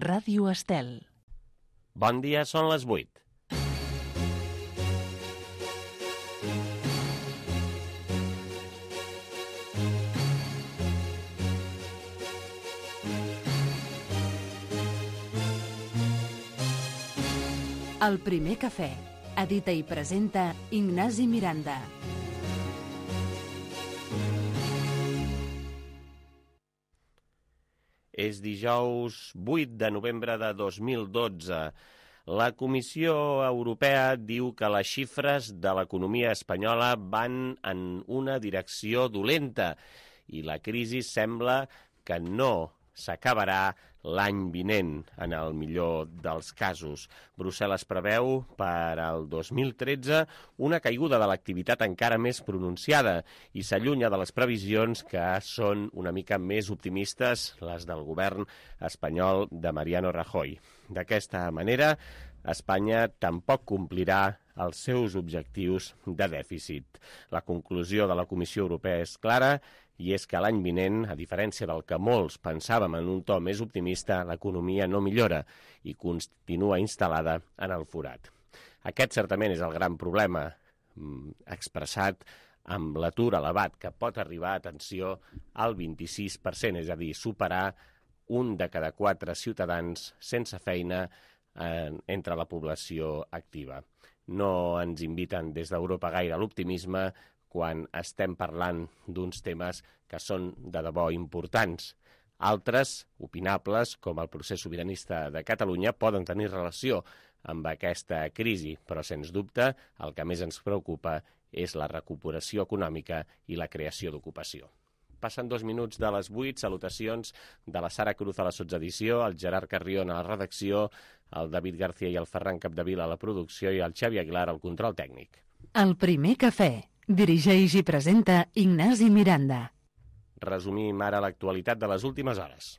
Ràdio Estel. Bon dia, són les 8. El primer cafè. Edita i presenta Ignasi Miranda. És dijous 8 de novembre de 2012. La Comissió Europea diu que les xifres de l'economia espanyola van en una direcció dolenta i la crisi sembla que no s'acabarà l'any vinent, en el millor dels casos. Brussel·les preveu per al 2013 una caiguda de l'activitat encara més pronunciada i s'allunya de les previsions que són una mica més optimistes, les del govern espanyol de Mariano Rajoy. D'aquesta manera, Espanya tampoc complirà els seus objectius de dèficit. La conclusió de la Comissió Europea és clara i és que l'any vinent, a diferència del que molts pensàvem en un to més optimista, l'economia no millora i continua instal·lada en el forat. Aquest certament és el gran problema expressat amb l'atur elevat, que pot arribar, atenció, al 26%, és a dir, superar un de cada 4 ciutadans sense feina entre la població activa. No ens inviten des d'Europa gaire a l'optimisme quan estem parlant d'uns temes que són de debò importants. Altres, opinables, com el procés sobiranista de Catalunya, poden tenir relació amb aquesta crisi, però, sens dubte, el que més ens preocupa és la recuperació econòmica i la creació d'ocupació. Passen 2 minuts de les 8, salutacions de la Sara Cruz a la sotsedició, el Gerard Carrion a la redacció, el David García i el Ferran Capdevila a la producció i el Xavi Aguilar al control tècnic. El primer cafè. Dirigeix i presenta Ignasi Miranda. Resumim ara l'actualitat de les últimes hores.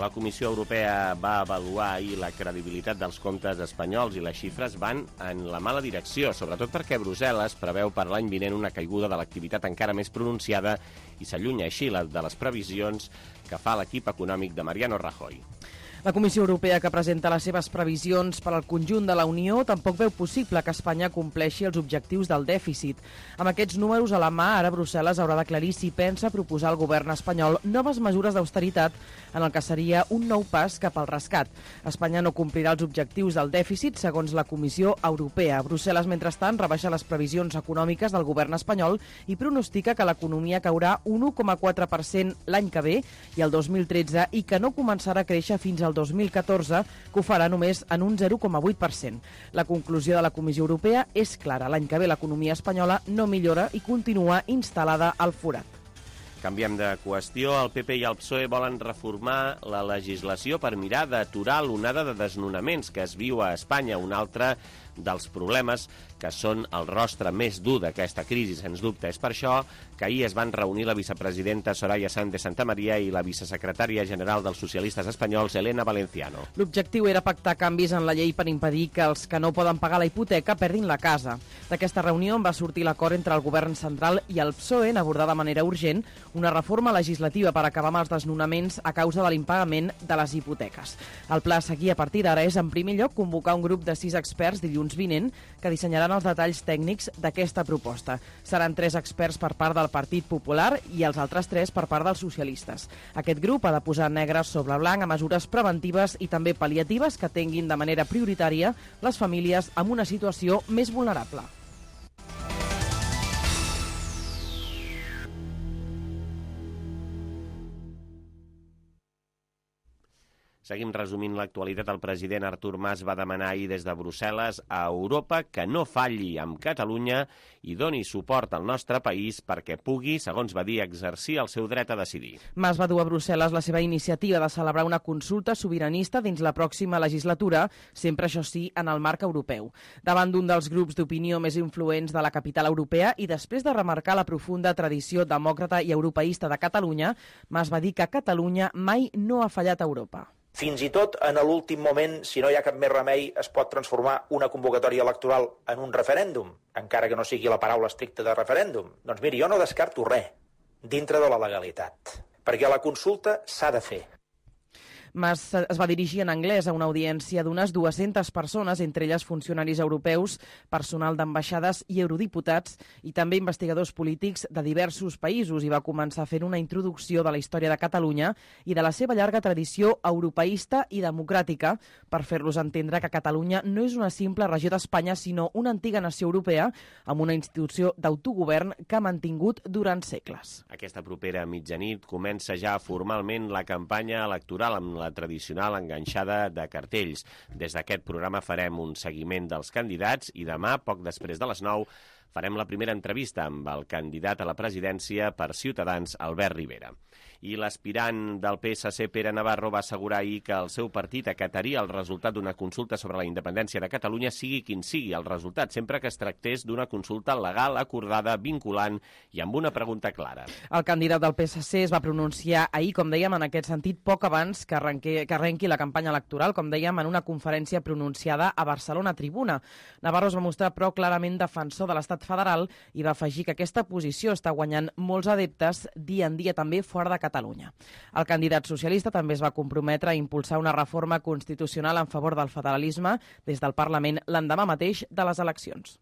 La Comissió Europea va avaluar ahir la credibilitat dels comptes espanyols i les xifres van en la mala direcció, sobretot perquè Brussel·les preveu per l'any vinent una caiguda de l'activitat encara més pronunciada i s'allunya així de les previsions que fa l'equip econòmic de Mariano Rajoy. La Comissió Europea, que presenta les seves previsions per al conjunt de la Unió, tampoc veu possible que Espanya compleixi els objectius del dèficit. Amb aquests números a la mà, ara Brussel·les haurà d'aclarir si pensa proposar al govern espanyol noves mesures d'austeritat en el que seria un nou pas cap al rescat. Espanya no complirà els objectius del dèficit, segons la Comissió Europea. Brussel·les, mentrestant, rebaixa les previsions econòmiques del govern espanyol i pronostica que l'economia caurà un 1,4% l'any que ve i el 2013 i que no començarà a créixer fins al 2014, que ho farà només en un 0,8%. La conclusió de la Comissió Europea és clara. L'any que ve l'economia espanyola no millora i continua instal·lada al forat. Canviem de qüestió. El PP i el PSOE volen reformar la legislació per mirar d'aturar l'onada de desnonaments que es viu a Espanya, un altre dels problemes que són el rostre més dur d'aquesta crisi, sens dubte. És per això que ahir es van reunir la vicepresidenta Soraya Sáenz de Santamaría i la vicesecretària general dels socialistes espanyols, Elena Valenciano. L'objectiu era pactar canvis en la llei per impedir que els que no poden pagar la hipoteca perdin la casa. D'aquesta reunió en va sortir l'acord entre el govern central i el PSOE en abordar de manera urgent una reforma legislativa per acabar amb els desnonaments a causa de l'impagament de les hipoteques. El pla a seguir a partir d'ara és, en primer lloc, convocar un grup de 6 experts dilluns vinent que dissenyaran els detalls tècnics d'aquesta proposta. Seran 3 experts per part del Partit Popular i els altres 3 per part dels socialistes. Aquest grup ha de posar negre sobre blanc a mesures preventives i també pal·liatives que atenguin de manera prioritària les famílies amb una situació més vulnerable. Seguim resumint l'actualitat. El president Artur Mas va demanar ahir des de Brussel·les a Europa que no falli amb Catalunya i doni suport al nostre país perquè pugui, segons va dir, exercir el seu dret a decidir. Mas va dur a Brussel·les la seva iniciativa de celebrar una consulta sobiranista dins la pròxima legislatura, sempre, això sí, en el marc europeu. Davant d'un dels grups d'opinió més influents de la capital europea i després de remarcar la profunda tradició demòcrata i europeista de Catalunya, Mas va dir que Catalunya mai no ha fallat a Europa. Fins i tot en l'últim moment, si no hi ha cap més remei, es pot transformar una convocatòria electoral en un referèndum, encara que no sigui la paraula estricta de referèndum. Doncs miri, jo no descarto res dintre de la legalitat, perquè la consulta s'ha de fer. Mas es va dirigir en anglès a una audiència d'unes 200 persones, entre elles funcionaris europeus, personal d'ambaixades i eurodiputats, i també investigadors polítics de diversos països, i va començar fent una introducció de la història de Catalunya i de la seva llarga tradició europeista i democràtica, per fer-los entendre que Catalunya no és una simple regió d'Espanya, sinó una antiga nació europea amb una institució d'autogovern que ha mantingut durant segles. Aquesta propera mitjanit comença ja formalment la campanya electoral amb la tradicional enganxada de cartells. Des d'aquest programa farem un seguiment dels candidats i demà, poc després de les 9, farem la primera entrevista amb el candidat a la presidència per Ciutadans, Albert Rivera. I l'aspirant del PSC, Pere Navarro, va assegurar ahir que el seu partit acataria el resultat d'una consulta sobre la independència de Catalunya, sigui quin sigui el resultat, sempre que es tractés d'una consulta legal, acordada, vinculant i amb una pregunta clara. El candidat del PSC es va pronunciar ahir, com dèiem, en aquest sentit, poc abans que arrenqui la campanya electoral, com dèiem, en una conferència pronunciada a Barcelona Tribuna. Navarro es va mostrar, però, clarament defensor de l'Estat federal i va afegir que aquesta posició està guanyant molts adeptes dia en dia també fora de Catalunya. El candidat socialista també es va comprometre a impulsar una reforma constitucional en favor del federalisme des del Parlament l'endemà mateix de les eleccions.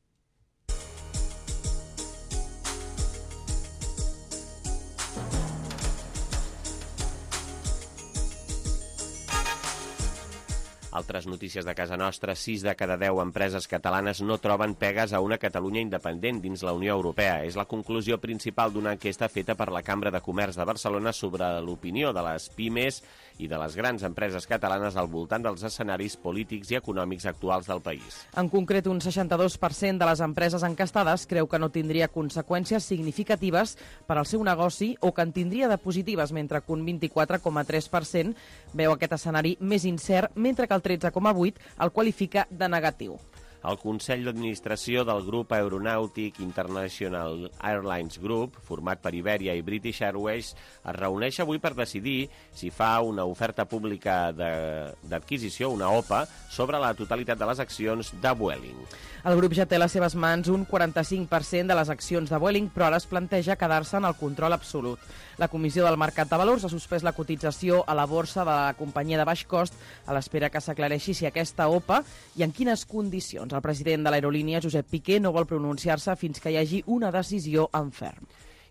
Altres notícies de casa nostra: 6 de cada 10 empreses catalanes no troben pegues a una Catalunya independent dins la Unió Europea. És la conclusió principal d'una enquesta feta per la Cambra de Comerç de Barcelona sobre l'opinió de les pimes i de les grans empreses catalanes al voltant dels escenaris polítics i econòmics actuals del país. En concret, un 62% de les empreses encastades creu que no tindria conseqüències significatives per al seu negoci o que en tindria de positives, mentre que un 24,3% veu aquest escenari més incert, mentre que el 13,8% el qualifica de negatiu. El Consell d'Administració del grup aeronàutic International Airlines Group, format per Iberia i British Airways, es reuneix avui per decidir si fa una oferta pública d'adquisició, una OPA, sobre la totalitat de les accions de Vueling. El grup ja té a les seves mans un 45% de les accions de Vueling, però ara es planteja quedar-se en el control absolut. La Comissió del Mercat de Valors ha suspès la cotització a la borsa de la companyia de baix cost a l'espera que s'aclareixi si aquesta OPA i en quines condicions. El president de l'aerolínia, Josep Piqué, no vol pronunciar-se fins que hi hagi una decisió en ferm.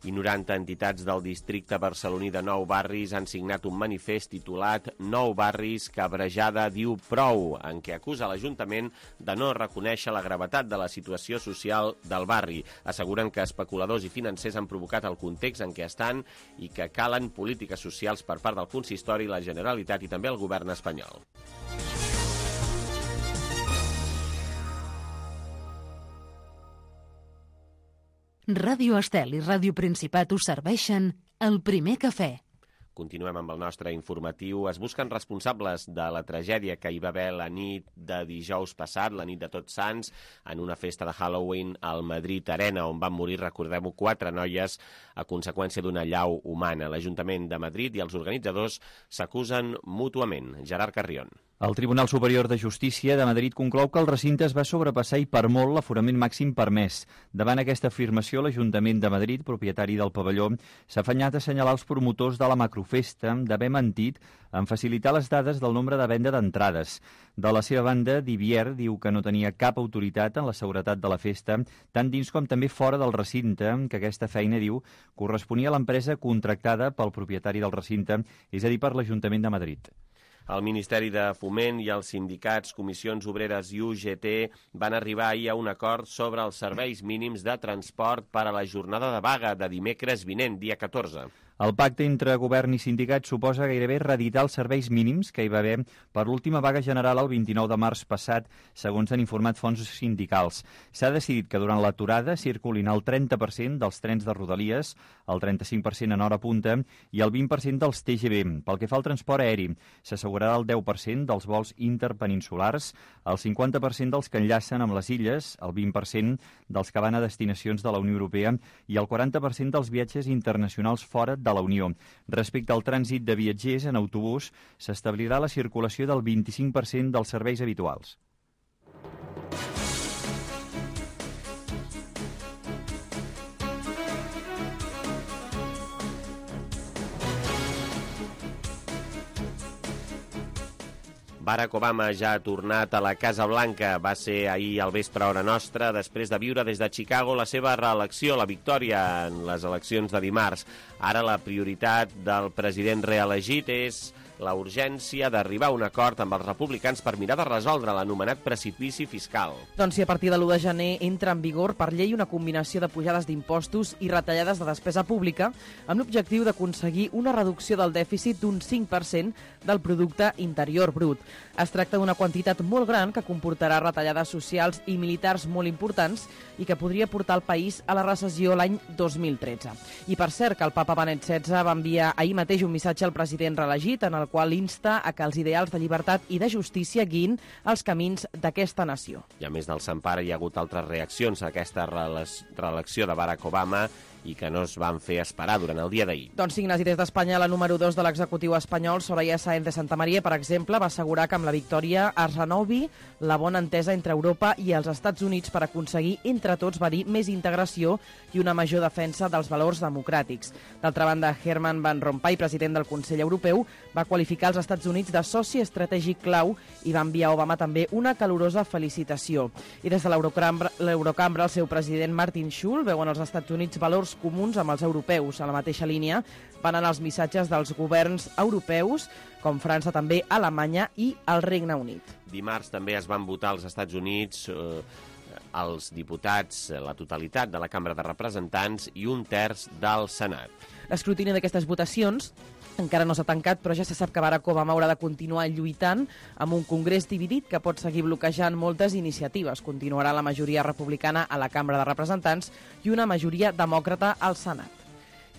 I 90 entitats del districte barceloní de Nou Barris han signat un manifest titulat Nou Barris, Cabrejada diu prou, en què acusa l'Ajuntament de no reconèixer la gravetat de la situació social del barri. Asseguren que especuladors i financers han provocat el context en què estan i que calen polítiques socials per part del Consistori, la Generalitat i també el govern espanyol. Ràdio Estel i Ràdio Principat us serveixen el primer cafè. Continuem amb el nostre informatiu. Es busquen responsables de la tragèdia que hi va haver la nit de dijous passat, la nit de Tots Sants, en una festa de Halloween al Madrid Arena, on van morir, recordem-ho, 4 noies a conseqüència d'una allau humana. L'Ajuntament de Madrid i els organitzadors s'acusen mútuament. Gerard Carrion. El Tribunal Superior de Justícia de Madrid conclou que el recinte es va sobrepassar i per molt l'aforament màxim permès. Davant aquesta afirmació, l'Ajuntament de Madrid, propietari del pavelló, s'ha afanyat a assenyalar els promotors de la macrofesta d'haver mentit en facilitar les dades del nombre de venda d'entrades. De la seva banda, Divier diu que no tenia cap autoritat en la seguretat de la festa, tant dins com també fora del recinte, que aquesta feina, diu, corresponia a l'empresa contractada pel propietari del recinte, és a dir, per l'Ajuntament de Madrid. El Ministeri de Foment i els sindicats, Comissions Obreres i UGT van arribar ahir a un acord sobre els serveis mínims de transport per a la jornada de vaga de dimecres vinent, dia 14. El pacte entre govern i sindicats suposa gairebé reeditar els serveis mínims que hi va haver per l'última vaga general el 29 de març passat, segons han informat fonts sindicals. S'ha decidit que durant l'aturada circulin el 30% dels trens de Rodalies, el 35% en hora punta i el 20% dels TGV. Pel que fa al transport aeri, s'assegurarà el 10% dels vols interpeninsulars, el 50% dels que enllacen amb les illes, el 20% dels que van a destinacions de la Unió Europea i el 40% dels viatges internacionals fora de la Unió. Respecte al trànsit de viatgers en autobús, s'establirà la circulació del 25% dels serveis habituals. Barack Obama ja ha tornat a la Casa Blanca. Va ser ahir al vespre hora nostra, després de viure des de Chicago la seva reelecció, la victòria en les eleccions de dimarts. Ara la prioritat del president reelegit és la urgència d'arribar a un acord amb els republicans per mirar de resoldre l'anomenat precipici fiscal. Doncs si a partir de l'1 de gener entra en vigor per llei una combinació de pujades d'impostos i retallades de despesa pública amb l'objectiu d'aconseguir una reducció del dèficit d'un 5% del producte interior brut. Es tracta d'una quantitat molt gran que comportarà retallades socials i militars molt importants i que podria portar el país a la recessió l'any 2013. I per cert que el papa Benet XVI va enviar ahir mateix un missatge al president reelegit en el qual insta a que els ideals de llibertat i de justícia guiïn els camins d'aquesta nació. I a més del Sant Pare hi ha hagut altres reaccions a aquesta reelecció de Barack Obama i que no es van fer esperar durant el dia d'ahir. Doncs Ignasi, des d'Espanya, la número 2 de l'executiu espanyol, Soraya Sáenz de Santamaría, per exemple, va assegurar que amb la victòria es renovi la bona entesa entre Europa i els Estats Units per aconseguir, entre tots, va dir, més integració i una major defensa dels valors democràtics. D'altra banda, Herman Van Rompuy, president del Consell Europeu, va qualificar els Estats Units de soci estratègic clau i va enviar a Obama també una calorosa felicitació. I des de l'Eurocambra, el seu president Martin Schulz veu en els Estats Units valors comuns amb els europeus. A la mateixa línia van anar els missatges dels governs europeus, com França, també Alemanya i el Regne Unit. Dimarts també es van votar als Estats Units els diputats, la totalitat de la Cambra de Representants i un terç del Senat. L'escrutini d'aquestes votacions encara no s'ha tancat, però ja se sap que Barack Obama haurà de continuar lluitant amb un congrés dividit que pot seguir bloquejant moltes iniciatives. Continuarà la majoria republicana a la Cambra de Representants i una majoria demòcrata al Senat.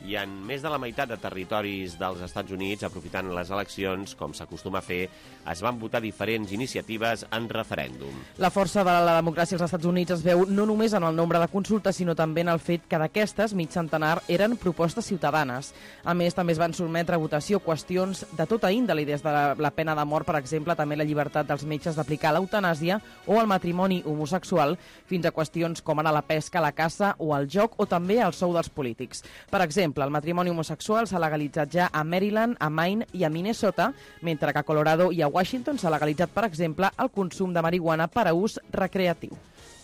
I en més de la meitat de territoris dels Estats Units, aprofitant les eleccions, com s'acostuma a fer, es van votar diferents iniciatives en referèndum. La força de la democràcia als Estats Units es veu no només en el nombre de consultes, sinó també en el fet que d'aquestes, mig centenar, eren propostes ciutadanes. A més, també es van sotmetre a votació qüestions de tota índole, des de la pena de mort, per exemple, també la llibertat dels metges d'aplicar l'eutanàsia o el matrimoni homosexual, fins a qüestions com ara la pesca, la caça o el joc, o també el sou dels polítics. Per exemple, el matrimoni homosexual s'ha legalitzat ja a Maryland, a Maine i a Minnesota, mentre que a Colorado i a Washington s'ha legalitzat, per exemple, el consum de marihuana per a ús recreatiu.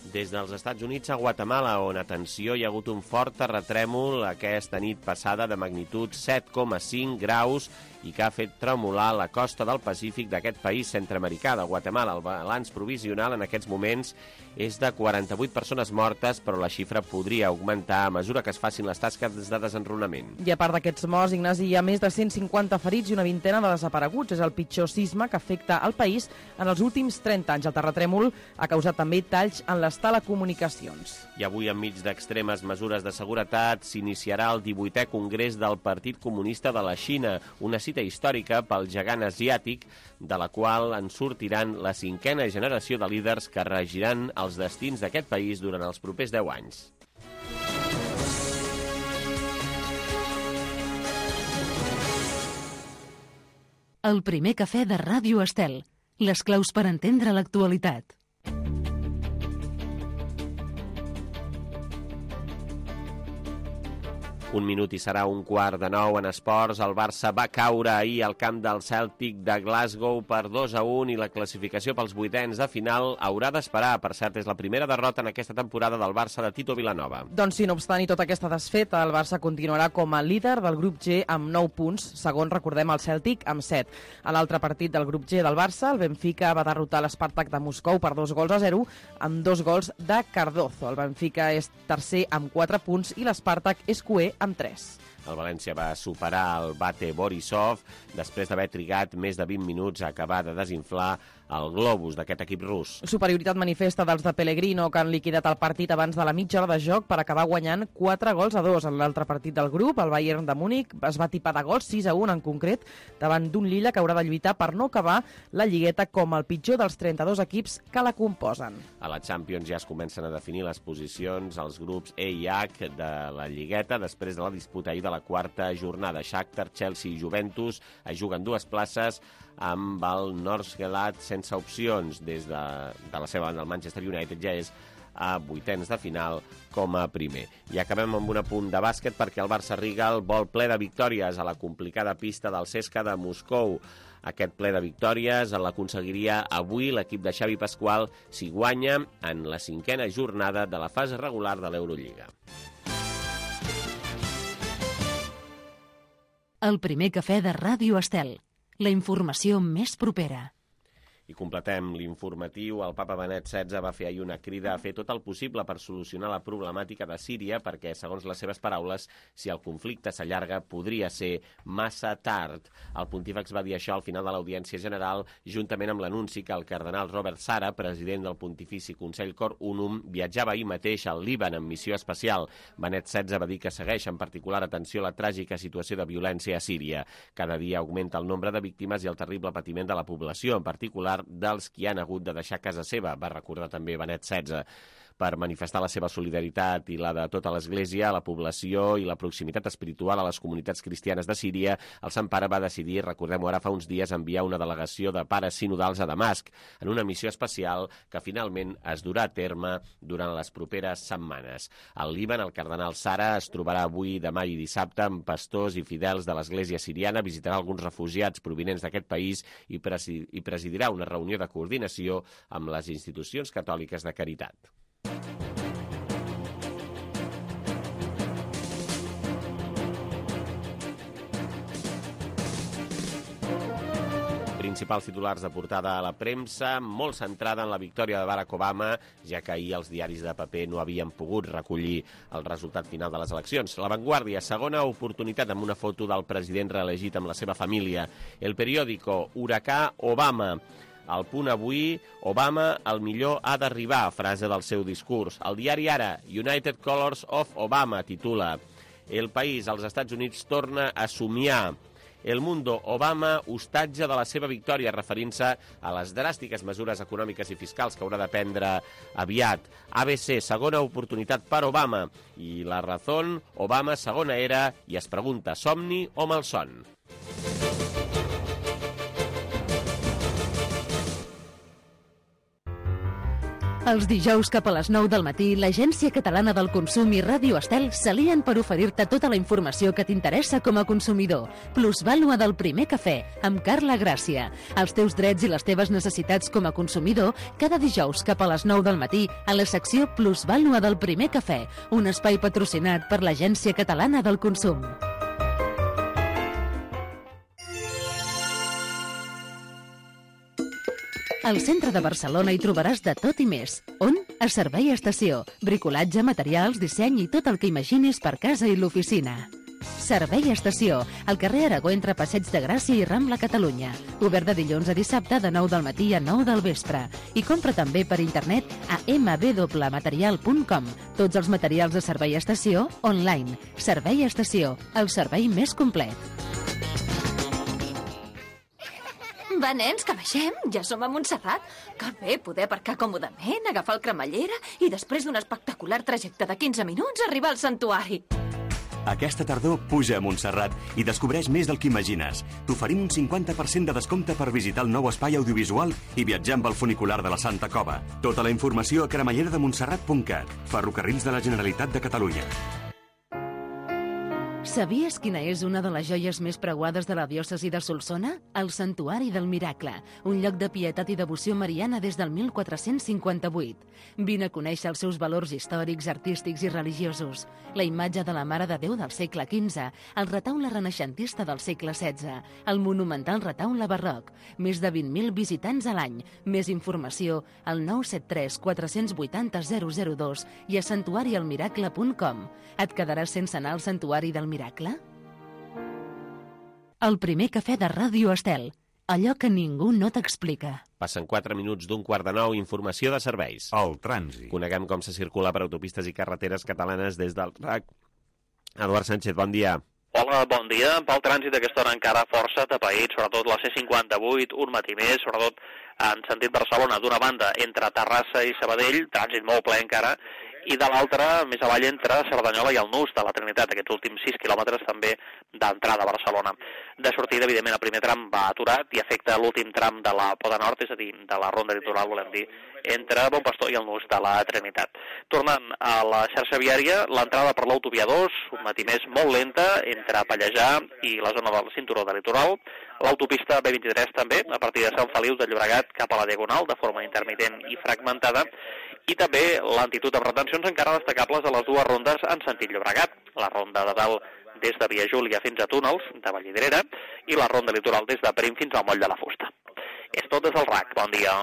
Des dels Estats Units a Guatemala, on, atenció, hi ha hagut un fort terratrèmol aquesta nit passada de magnitud 7,5 graus i que ha fet tremolar la costa del Pacífic d'aquest país centreamericà de Guatemala. El balanç provisional en aquests moments és de 48 persones mortes, però la xifra podria augmentar a mesura que es facin les tasques de desenrunament. I a part d'aquests morts, Ignasi, hi ha més de 150 ferits i una vintena de desapareguts. És el pitjor sisme que afecta el país en els últims 30 anys. El terratrèmol ha causat també talls en les telecomunicacions. I avui, enmig d'extremes mesures de seguretat, s'iniciarà el 18è Congrés del Partit Comunista de la Xina, una cita històrica pel gegant asiàtic, de la qual en sortiran la 5a generació de líders que regiran els destins d'aquest país durant els propers 10 anys. El primer cafè de Ràdio Estel. Les claus per entendre l'actualitat. Un minut i serà 8:15 en esports. El Barça va caure ahir al camp del Celtic de Glasgow per 2-1 i la classificació pels vuitens de final haurà d'esperar. Per cert, és la primera derrota en aquesta temporada del Barça de Tito Vilanova. Doncs sí, no obstant i tota aquesta desfeta, el Barça continuarà com a líder del grup G amb 9 punts, segon, recordem, el Celtic amb 7. A l'altre partit del grup G del Barça, el Benfica va derrotar l'Spartak de Moscou per 2-0 amb 2 gols de Cardozo. El Benfica és tercer amb 4 punts i l'Spartak és cuer amb 3. El València va superar el Bate Borisov després d'haver trigat més de 20 minuts a acabar de desinflar el globus d'aquest equip rus. Superioritat manifesta dels de Pellegrino, que han liquidat el partit abans de la mitja hora de joc per acabar guanyant 4-2. En l'altre partit del grup, el Bayern de Múnich es va tipar de gols, 6-1 en concret, davant d'un Lilla que haurà de lluitar per no acabar la lligueta com el pitjor dels 32 equips que la composen. A la Champions ja es comencen a definir les posicions als grups E i H de la lligueta després de la disputa ahir de la quarta jornada. Shakhtar, Chelsea i Juventus es juguen 2 places amb el Nordsjælland sense opcions. Des de la seva banda, el Manchester United ja és a vuitens de final com a primer. I acabem amb un apunt de bàsquet perquè el Barça Rigal vol ple de victòries a la complicada pista del CSKA de Moscou. Aquest ple de victòries l'aconseguiria avui l'equip de Xavi Pasqual si guanya en la 5a jornada de la fase regular de l'Eurolliga. El primer cafè de Ràdio Estel. La informació més propera. I completem l'informatiu. El papa Benet XVI va fer ahir una crida a fer tot el possible per solucionar la problemàtica de Síria perquè, segons les seves paraules, si el conflicte s'allarga, podria ser massa tard. El pontífex va dir això al final de l'Audiència General, juntament amb l'anunci que el cardenal Robert Sara, president del Pontifici Consell Cor Unum, viatjava ahir mateix al Líban en missió especial. Benet XVI va dir que segueix en particular atenció a la tràgica situació de violència a Síria. Cada dia augmenta el nombre de víctimes i el terrible patiment de la població, en particular dels qui han hagut de deixar casa seva, va recordar també Benet XVI. Per manifestar la seva solidaritat i la de tota l'Església, la població i la proximitat espiritual a les comunitats cristianes de Síria, el Sant Pare va decidir, recordem-ho ara fa uns dies, enviar una delegació de pares sinodals a Damasc, en una missió especial que finalment es durà a terme durant les properes setmanes. Al Líban, el cardenal Sara es trobarà avui, demà i dissabte amb pastors i fidels de l'Església siriana, visitarà alguns refugiats provinents d'aquest país i presidirà una reunió de coordinació amb les institucions catòliques de caritat. Principals titulars de portada a la premsa, molt centrada en la victòria de Barack Obama, ja que ahir els diaris de paper no havien pogut recollir el resultat final de les eleccions. La Vanguardia, segona oportunitat amb una foto del president reelegit amb la seva família. El periòdico, Huracà Obama. Al Punt avui, Obama el millor ha d'arribar, frase del seu discurs. El diari Ara, United Colors of Obama, titula. El País, als Estats Units, torna a somiar. El Mundo, Obama, hostatge de la seva victòria, referint-se a les dràstiques mesures econòmiques i fiscals que haurà de prendre aviat. ABC, segona oportunitat per Obama. I La Razón, Obama, segona era, i es pregunta, somni o malson? Els dijous cap a les 9 del matí, l'Agència Catalana del Consum i Ràdio Estel s'alien per oferir-te tota la informació que t'interessa com a consumidor. Plusvàlua del primer cafè, amb Carla Gràcia. Els teus drets i les teves necessitats com a consumidor, cada dijous cap a les 9 del matí, a la secció Plusvàlua del primer cafè, un espai patrocinat per l'Agència Catalana del Consum. Al centre de Barcelona hi trobaràs de tot i més. On? A Servei Estació. Bricolatge, materials, disseny i tot el que imaginis per casa i l'oficina. Servei Estació, al carrer Aragó entre Passeig de Gràcia i Rambla, Catalunya. Obert de dilluns a dissabte de 9 del matí a 9 del vespre. I compra també per internet a mbwmaterial.com. Tots els materials de Servei Estació online. Servei Estació, el servei més complet. Va, nens, que baixem. Ja som a Montserrat. Que bé poder aparcar còmodament, agafar el cremallera i després d'un espectacular trajecte de 15 minuts arribar al santuari. Aquesta tardor puja a Montserrat i descobreix més del que imagines. T'oferim un 50% de descompte per visitar el nou espai audiovisual i viatjar amb el funicular de la Santa Cova. Tota la informació a cremalleredemontserrat.cat. Ferrocarrils de la Generalitat de Catalunya. Sabies quina és una de les joies més preuades de la diòcesi de Solsona? El Santuari del Miracle, un lloc de pietat i devoció mariana des del 1458. Vine a conèixer els seus valors històrics, artístics i religiosos. La imatge de la Mare de Déu del segle XV, el retaule renaixentista del segle XVI, el monumental retaule barroc, més de 20.000 visitants a l'any. Més informació al 973 480 002 i a santuarialmiracle.com. Et quedaràs sense anar al Santuari del Miracle? El primer cafè de Ràdio Estel. Allò que ningú no t'explica. Passen 4 minuts d'un quart de 9, informació de serveis. El trànsit. Coneguem com se circula per autopistes i carreteres catalanes des del RAC. Eduard Sánchez, bon dia. Hola, bon dia. Pel trànsit aquesta hora encara força atapeït, sobretot la C58, un matí més, sobretot en sentit Barcelona, d'una banda entre Terrassa i Sabadell, trànsit molt ple encara, i de l'altra, més avall, entre Cerdanyola i el Nus de la Trinitat, aquests últims 6 quilòmetres també d'entrada a Barcelona. De sortida, evidentment, el primer tram va aturat i afecta l'últim tram de la Poda Nord, és a dir, de la ronda litoral, volem dir, entre Bon Pastor i el Nus de la Trinitat. Tornant a la xarxa viària, l'entrada per l'autovia 2, un matí més molt lenta, entre Pallejà i la zona del cinturó de litoral, l'autopista B23 també, a partir de Sant Feliu de Llobregat cap a la Diagonal, de forma intermitent i fragmentada, i també lentitud amb retencions encara destacables a les dues rondes en sentit Llobregat, la ronda de dalt des de Via Júlia fins a Túnels, de Vallvidrera, i la ronda litoral des de Prim fins al Moll de la Fusta. És tot des del RAC, bon dia.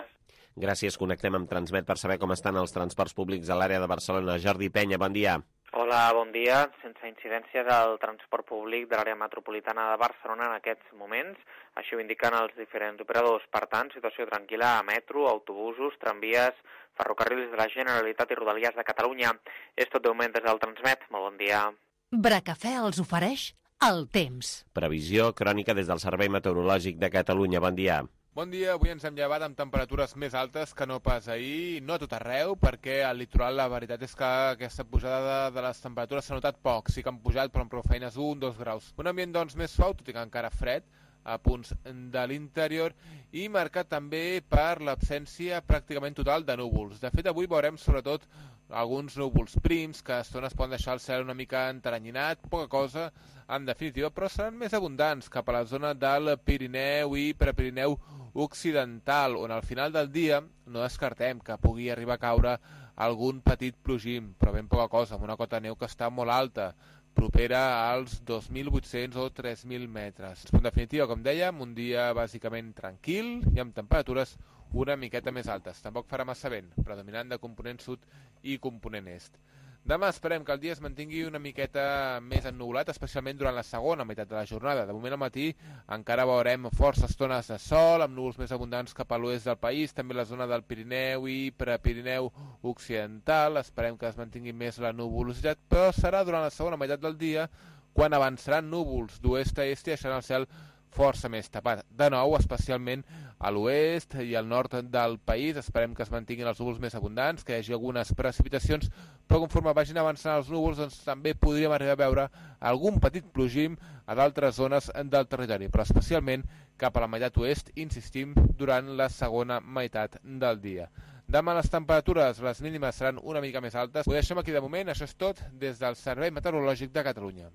Gràcies, connectem amb Transmet per saber com estan els transports públics a l'àrea de Barcelona. Jordi Penya, bon dia. Hola, bon dia. Sense incidències al transport públic de l'àrea metropolitana de Barcelona en aquests moments. Així ho indiquen els diferents operadors. Per tant, situació tranquil·la a metro, autobusos, tramvies, ferrocarrils de la Generalitat i Rodalies de Catalunya. És tot de moment des del Transmet. Molt bon dia. Bracafè els ofereix el temps. Previsió crònica des del Servei Meteorològic de Catalunya. Bon dia. Bon dia, avui ens hem llevat amb temperatures més altes que no pas ahir, no a tot arreu, perquè al litoral la veritat és que aquesta pujada de les temperatures s'ha notat poc, sí que han pujat però amb prou feines 1-2 graus. Un ambient doncs més suau, tot i que encara fred, a punts de l'interior, i marcat també per l'absència pràcticament total de núvols. De fet, avui veurem sobretot alguns núvols prims, que a estones poden deixar el cel una mica enteranyinat, poca cosa, en definitiva, però seran més abundants cap a la zona del Pirineu i Prepirineu Occidental, on al final del dia no descartem que pugui arribar a caure algun petit plogim, però ben poca cosa, amb una cota de neu que està molt alta, propera als 2.800 o 3.000 metres. En definitiva, com dèiem, un dia bàsicament tranquil i amb temperatures una miqueta més altes. Tampoc farà massa vent, predominant de component sud i component est. Demà esperem que el dia es mantingui una miqueta més ennuvolat, especialment durant la segona meitat de la jornada. De moment al matí encara veurem força estones de sol, amb núvols més abundants cap a l'oest del país, també la zona del Pirineu i Prepirineu Occidental. Esperem que es mantingui més la nuvolositat, però serà durant la segona meitat del dia quan avançaran núvols d'oest a est i deixaran el cel força més tapat. De nou, especialment a l'oest i al nord del país, esperem que es mantinguin els núvols més abundants, que hi hagi algunes precipitacions, però conforme vagin avançant els núvols, doncs també podríem arribar a veure algun petit plogim a d'altres zones del territori, però especialment cap a la meitat oest, insistim, durant la segona meitat del dia. Demà les temperatures, les mínimes seran una mica més altes. Ho deixem aquí de moment, això és tot des del Servei Meteorològic de Catalunya.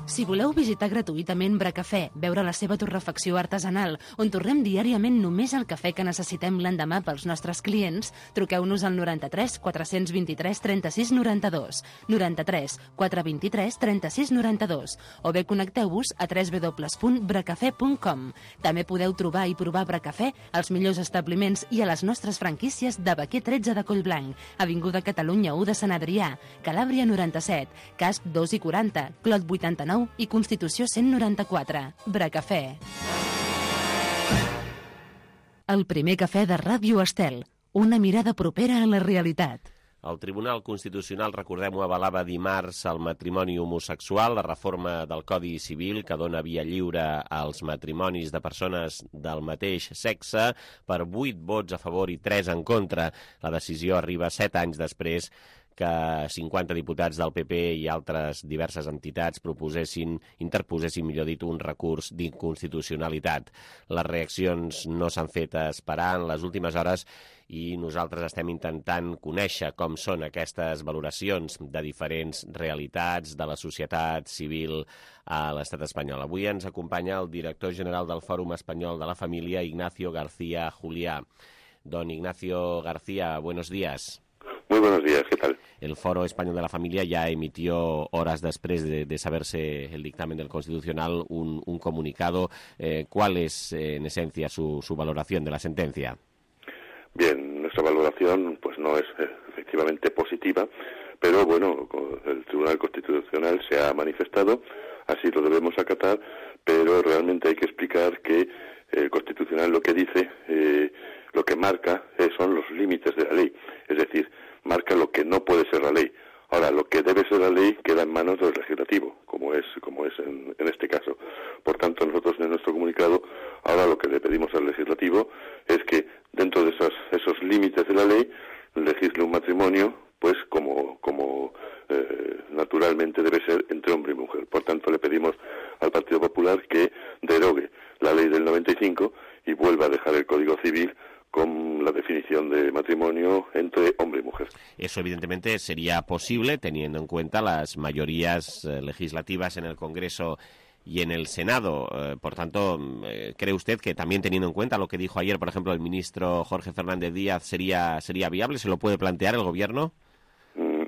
Si voleu visitar gratuïtament Bracafè, veure la seva torrefacció artesanal, on torrem diàriament només el cafè que necessitem l'endemà pels nostres clients, truqueu-nos al 93 423 36 92, 93 423 36 92, o bé connecteu-vos a www.bracafè.com. També podeu trobar i provar Bracafè als millors establiments i a les nostres franquícies de Baquer 13 de Collblanc, Avinguda Catalunya 1 de Sant Adrià, Calàbria 97, Casp 2 i 40, Clot 89 i Constitució 194. Bracafè. El primer cafè de Ràdio Estel. Una mirada propera a la realitat. El Tribunal Constitucional, recordem-ho, avalava dimarts el matrimoni homosexual, la reforma del Codi Civil que dona via lliure als matrimonis de persones del mateix sexe per 8 vots a favor i 3 en contra. La decisió arriba 7 anys després que 50 diputats del PP i altres diverses entitats interposessin, millor dit, un recurs d'inconstitucionalitat. Les reaccions no s'han fet esperar en les últimes hores i nosaltres estem intentant conèixer com són aquestes valoracions de diferents realitats de la societat civil a l'estat espanyol. Avui ens acompanya el director general del Fòrum Espanyol de la Família, Ignacio García Juliá. Don Ignacio García, buenos días. Muy buenos días, ¿qué tal? El Foro Español de la Familia ya emitió horas después de saberse el dictamen del Constitucional un comunicado. ¿Cuál es, en esencia, su valoración de la sentencia? Bien, nuestra valoración pues no es efectivamente positiva, pero bueno, el Tribunal Constitucional se ha manifestado, así lo debemos acatar, pero realmente hay que explicar que el Constitucional lo que dice, lo que marca son los límites de la ley, es decir, marca lo que no puede ser la ley. Ahora, lo que debe ser la ley queda en manos del legislativo, como es en este caso. Por tanto, nosotros en nuestro comunicado, ahora lo que le pedimos al legislativo es que dentro de esos límites de la ley legisle un matrimonio, pues como naturalmente debe ser entre hombre y mujer. Por tanto, le pedimos al Partido Popular que derogue la ley del 95 y vuelva a dejar el Código Civil con la definición de matrimonio entre hombre y mujer. Eso evidentemente sería posible teniendo en cuenta las mayorías legislativas en el Congreso y en el Senado. Por tanto, ¿cree usted que también teniendo en cuenta lo que dijo ayer, por ejemplo, el ministro Jorge Fernández Díaz, sería viable? ¿Se lo puede plantear el Gobierno?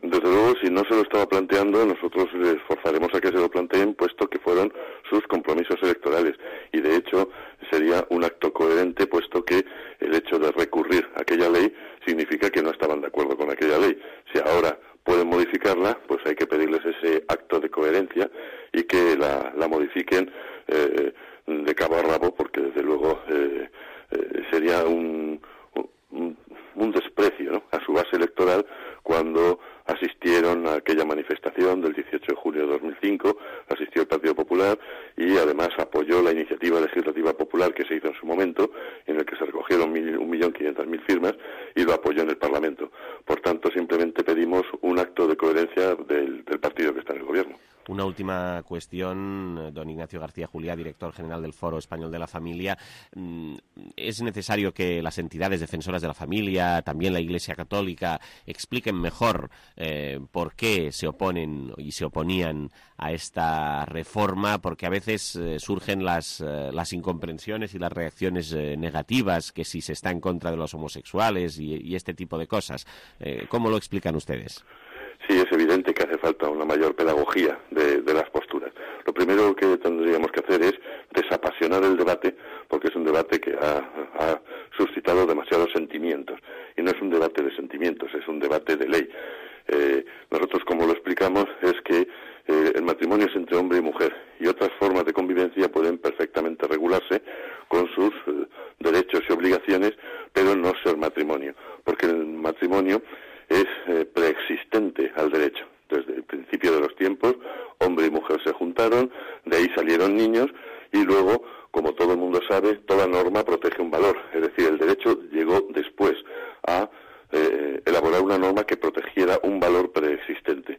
Desde luego, si no se lo estaba planteando, nosotros les esforzaremos a que se lo planteen, puesto que fueron sus compromisos electorales. Y, de hecho, sería un acto coherente, puesto que el hecho de recurrir a aquella ley significa que no estaban de acuerdo con aquella ley. Si ahora pueden modificarla, pues hay que pedirles ese acto de coherencia y que la modifiquen de cabo a rabo, porque, desde luego, sería un desprecio, ¿no?, a su base electoral cuando asistieron a aquella manifestación del 18 de julio de 2005, asistió el Partido Popular y además apoyó la iniciativa legislativa popular que se hizo en su momento, en el que se recogieron 1.500.000 firmas, y lo apoyó en el Parlamento. Por tanto, simplemente pedimos un acto de coherencia del partido que está en el Gobierno. Una última cuestión, don Ignacio García Juliá, director general del Foro Español de la Familia. ¿Es necesario que las entidades defensoras de la familia, también la Iglesia Católica, expliquen mejor por qué se oponen y se oponían a esta reforma? Porque a veces surgen las incomprensiones y las reacciones negativas, que si se está en contra de los homosexuales y este tipo de cosas. ¿Cómo lo explican ustedes? Sí, es evidente que hace falta una mayor pedagogía de las posturas. Lo primero que tendríamos que hacer es desapasionar el debate, porque es un debate que ha suscitado demasiados sentimientos. Y no es un debate de sentimientos, es un debate de ley. Nosotros, como lo explicamos, es que el matrimonio es entre hombre y mujer, y otras formas de convivencia pueden perfectamente regularse con sus derechos y obligaciones, pero no ser matrimonio, porque el matrimonio es preexistente al derecho. Desde el principio de los tiempos, hombre y mujer se juntaron, de ahí salieron niños, y luego, como todo el mundo sabe, toda norma protege un valor. Es decir, el derecho llegó después a elaborar una norma que protegiera un valor preexistente.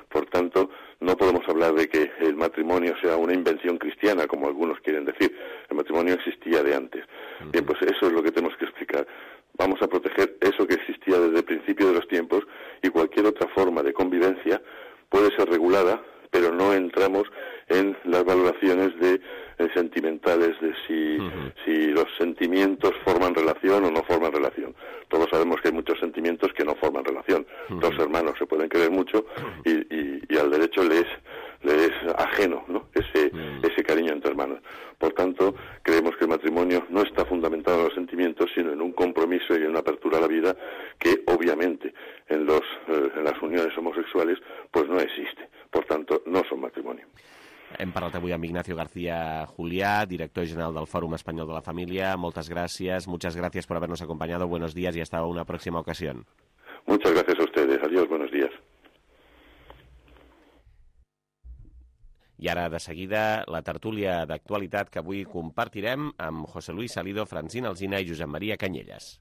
Por tanto, no podemos hablar de que el matrimonio sea una invención cristiana, como algunos quieren decir. El matrimonio existía de antes. Bien, pues eso es lo que tenemos que explicar. Vamos a proteger eso que existía desde el principio de los tiempos, y cualquier otra forma de convivencia puede ser regulada, pero no entramos en las valoraciones sentimentales de si los sentimientos forman relación o no forman relación. Todos sabemos que hay muchos sentimientos que no forman relación. Dos hermanos se pueden querer mucho y al derecho le es ajeno, ¿no?, ese cariño entre hermanos. Por tanto, creemos que el matrimonio no está fundamentado en los sentimientos, sino en un compromiso y en una apertura a la vida que, obviamente, en las uniones homosexuales, pues no existe. Por tanto, no son matrimonio. Hem parlat avui amb Ignacio García Juliá, director general del Fòrum Espanyol de la Familia. Muchas gracias por habernos acompañado. Buenos días y hasta una próxima ocasión. Muchas gracias a ustedes. Adiós, buenos días. I ara, de seguida, la tertúlia d'actualitat que avui compartirem amb José Luis Salido, Francina Alsina i Josep Maria Canyelles.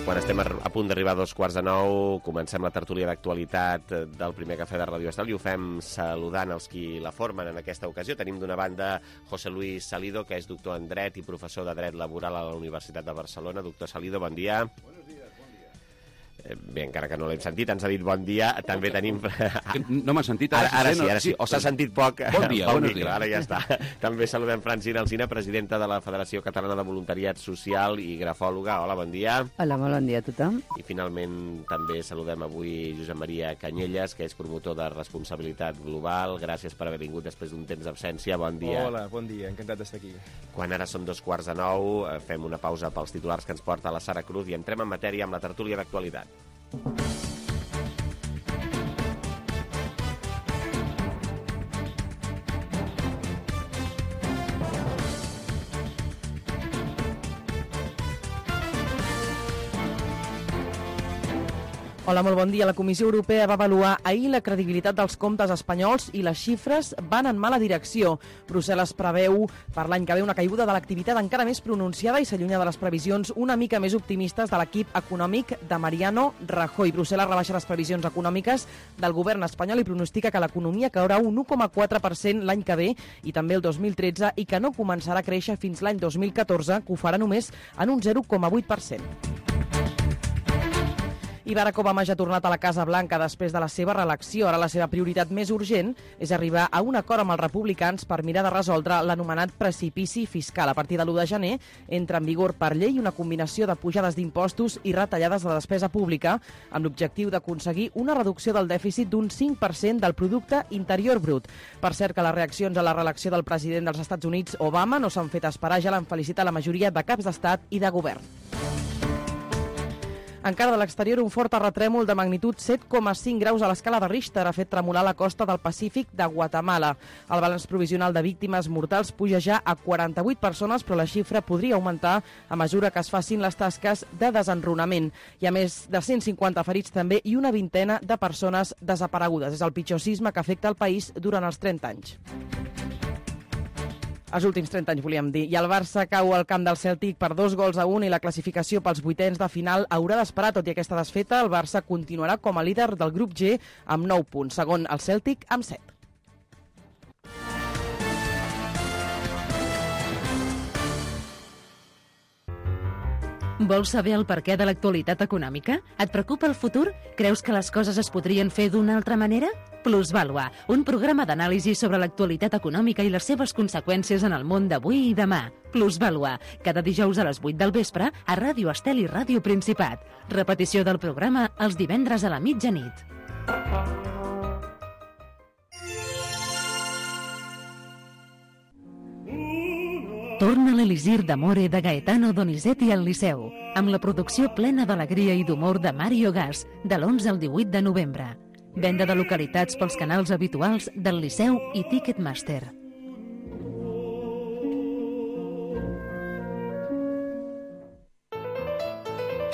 Quan estem a punt d'arribar a 8:45, comencem la tertúlia d'actualitat del primer cafè de Ràdio Estel i ho fem saludant els qui la formen en aquesta ocasió. Tenim d'una banda José Luis Salido, que és doctor en dret i professor de dret laboral a la Universitat de Barcelona. Doctor Salido, bon dia. Buenos días, bon dia. Bé, encara que no l'hem sentit, ens ha dit bon dia. També tenim... No m'ha sentit? Ara sí. O s'ha sentit poc. Bon dia, buenos días. Ara ja està. També saludem Francina Alsina, presidenta de la Federació Catalana de Voluntariat Social i grafòloga. Hola, bon dia. Hola, molt bon dia a tothom. I finalment també saludem avui Josep Maria Canyelles, que és promotor de responsabilitat global. Gràcies per haver vingut després d'un temps d'absència. Bon dia. Hola, bon dia, encantat d'estar aquí. Quan ara són 8:45, fem una pausa pels titulars que ens porta la Sara Cruz i entrem en matèria amb la tertúlia d'actualitat. Hola, molt bon dia. La Comissió Europea va avaluar ahir la credibilitat dels comptes espanyols i les xifres van en mala direcció. Brussel·les preveu per l'any que ve una caiguda de l'activitat encara més pronunciada i s'allunya de les previsions una mica més optimistes de l'equip econòmic de Mariano Rajoy. Brussel·les rebaixa les previsions econòmiques del govern espanyol i pronostica que l'economia caurà un 1,4% l'any que ve i també el 2013 i que no començarà a créixer fins l'any 2014, que ho farà només en un 0,8%. I Barack Obama ja ha tornat a la Casa Blanca després de la seva reelecció. Ara la seva prioritat més urgent és arribar a un acord amb els republicans per mirar de resoldre l'anomenat precipici fiscal. A partir de l'1 de gener entra en vigor per llei una combinació de pujades d'impostos i retallades de despesa pública amb l'objectiu d'aconseguir una reducció del dèficit d'un 5% del producte interior brut. Per cert que les reaccions a la reelecció del president dels Estats Units, Obama, no s'han fet esperar, ja l'han felicitat la majoria de caps d'estat i de govern. Encara de l'exterior, un fort terratrèmol de magnitud 7,5 graus a l'escala de Richter ha fet tremolar la costa del Pacífic de Guatemala. El balanç provisional de víctimes mortals puja ja a 48 persones, però la xifra podria augmentar a mesura que es facin les tasques de desenrunament. Hi ha més de 150 ferits també i una vintena de persones desaparegudes. És el pitjor sisme que afecta el país durant els 30 anys. Els últims 30 anys, volíem dir. I el Barça cau al camp del Celtic per 2-1 i la classificació pels vuitens de final haurà d'esperar. Tot i aquesta desfeta, el Barça continuarà com a líder del grup G amb 9 punts, segon el Celtic amb 7. Vols saber el perquè de l'actualitat econòmica? Et preocupa el futur? Creus que les coses es podrien fer d'una altra manera? Plusvàlua, un programa d'anàlisi sobre l'actualitat econòmica i les seves conseqüències en el món d'avui i demà. Plusvàlua, cada dijous a les 8 del vespre a Ràdio Estel i Ràdio Principat. Repetició del programa els divendres a la mitjanit. Torna l'Elisir d'Amore de Gaetano Donizetti al Liceu, amb la producció plena d'alegria i d'humor de Mario Gas, de l'11 al 18 de novembre. Venda de localitats pels canals habituals del Liceu i Ticketmaster.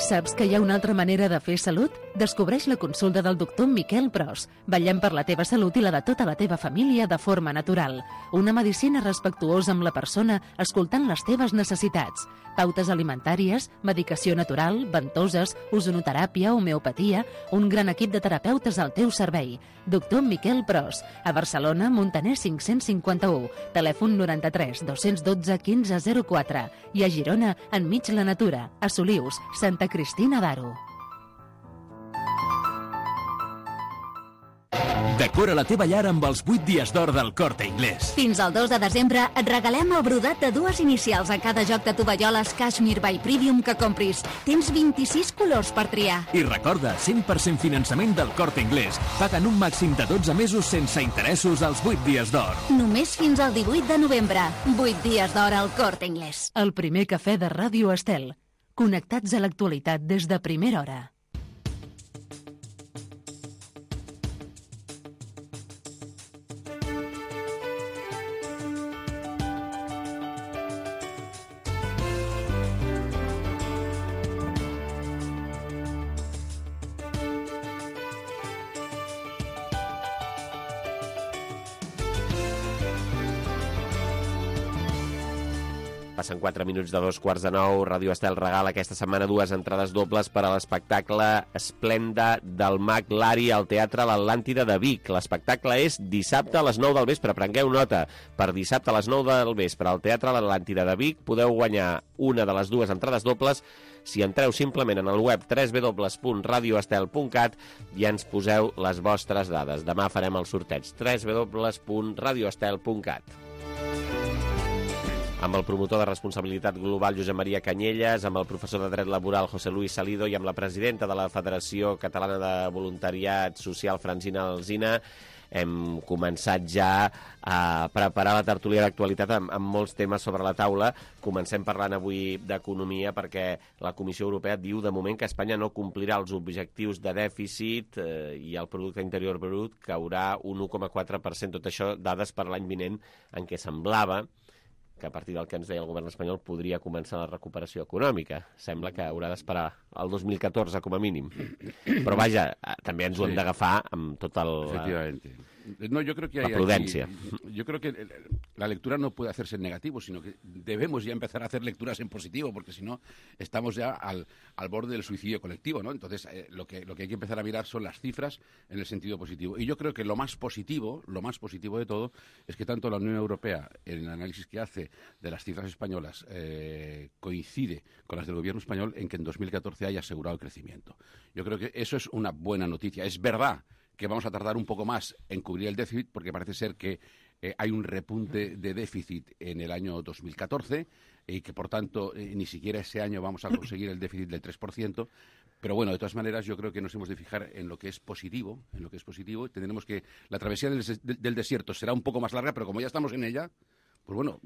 Saps que hi ha una altra manera de fer salut? Descobreix la consulta del doctor Miquel Pros. Vetllem per la teva salut i la de tota la teva família de forma natural. Una medicina respectuosa amb la persona, escoltant les teves necessitats. Pautes alimentàries, medicació natural, ventoses, ozonoteràpia, homeopatia, un gran equip de terapeutes al teu servei. Doctor Miquel Pros, a Barcelona, Montaner 551, telèfon 93 212 1504 i a Girona, enmig la natura, a Solius, Santa Cristina d'Aro. Decora la teva llar amb els 8 dies d'or del Corte Inglés. Fins al 2 de desembre et regalem el brodat de 2 inicials a cada joc de tovalloles Cashmere by Premium que compris. Tens 26 colors per triar. I recorda, 100% finançament del Corte Inglés. Paguen un màxim de 12 mesos sense interessos als 8 dies d'or. Només fins al 18 de novembre. 8 dies d'or al Corte Inglés. El primer cafè de Ràdio Estel. Connectats a l'actualitat des de primera hora. Passen 4 minuts de 2:15. Ràdio Estel regala aquesta setmana 2 entrades dobles per a l'espectacle Esplenda del Mag Lari al Teatre l'Atlàntida de Vic. L'espectacle és dissabte a les 9 del vespre. Prengueu nota. Per dissabte a les 9 del vespre al Teatre l'Atlàntida de Vic podeu guanyar una de les 2 entrades dobles si entreu simplement en el web www.radioestel.cat i ens poseu les vostres dades. Demà farem el sorteig www.radioestel.cat. Amb el promotor de responsabilitat global Josep Maria Canyelles, amb el professor de dret laboral José Luis Salido i amb la presidenta de la Federació Catalana de Voluntariat Social Francina Alsina, hem començat ja a preparar la tertúlia d'actualitat amb molts temes sobre la taula. Comencem parlant avui d'economia perquè la Comissió Europea diu de moment que Espanya no complirà els objectius de dèficit i el producte interior brut caurà un 1,4%. Tot això dades per l'any vinent en què semblava que a partir del que ens deia el govern espanyol podria començar la recuperació econòmica. Sembla que haurà d'esperar el 2014 com a mínim. Però vaja, també ens ho hem d'agafar amb tot el... Efectivamente. No, yo creo que la prudencia. Yo creo que la lectura no puede hacerse en negativo, sino que debemos ya empezar a hacer lecturas en positivo, porque si no estamos ya al borde del suicidio colectivo, ¿no? Entonces, lo que hay que empezar a mirar son las cifras en el sentido positivo. Y yo creo que lo más positivo de todo, es que tanto la Unión Europea, en el análisis que hace de las cifras españolas, coincide con las del gobierno español en que en 2014 haya asegurado el crecimiento. Yo creo que eso es una buena noticia. Es verdad que vamos a tardar un poco más en cubrir el déficit, porque parece ser que hay un repunte de déficit en el año 2014 y que, por tanto, ni siquiera ese año vamos a conseguir el déficit del 3%. Pero bueno, de todas maneras, yo creo que nos hemos de fijar en lo que es positivo, Tendremos que la travesía del desierto será un poco más larga, pero como ya estamos en ella, pues bueno,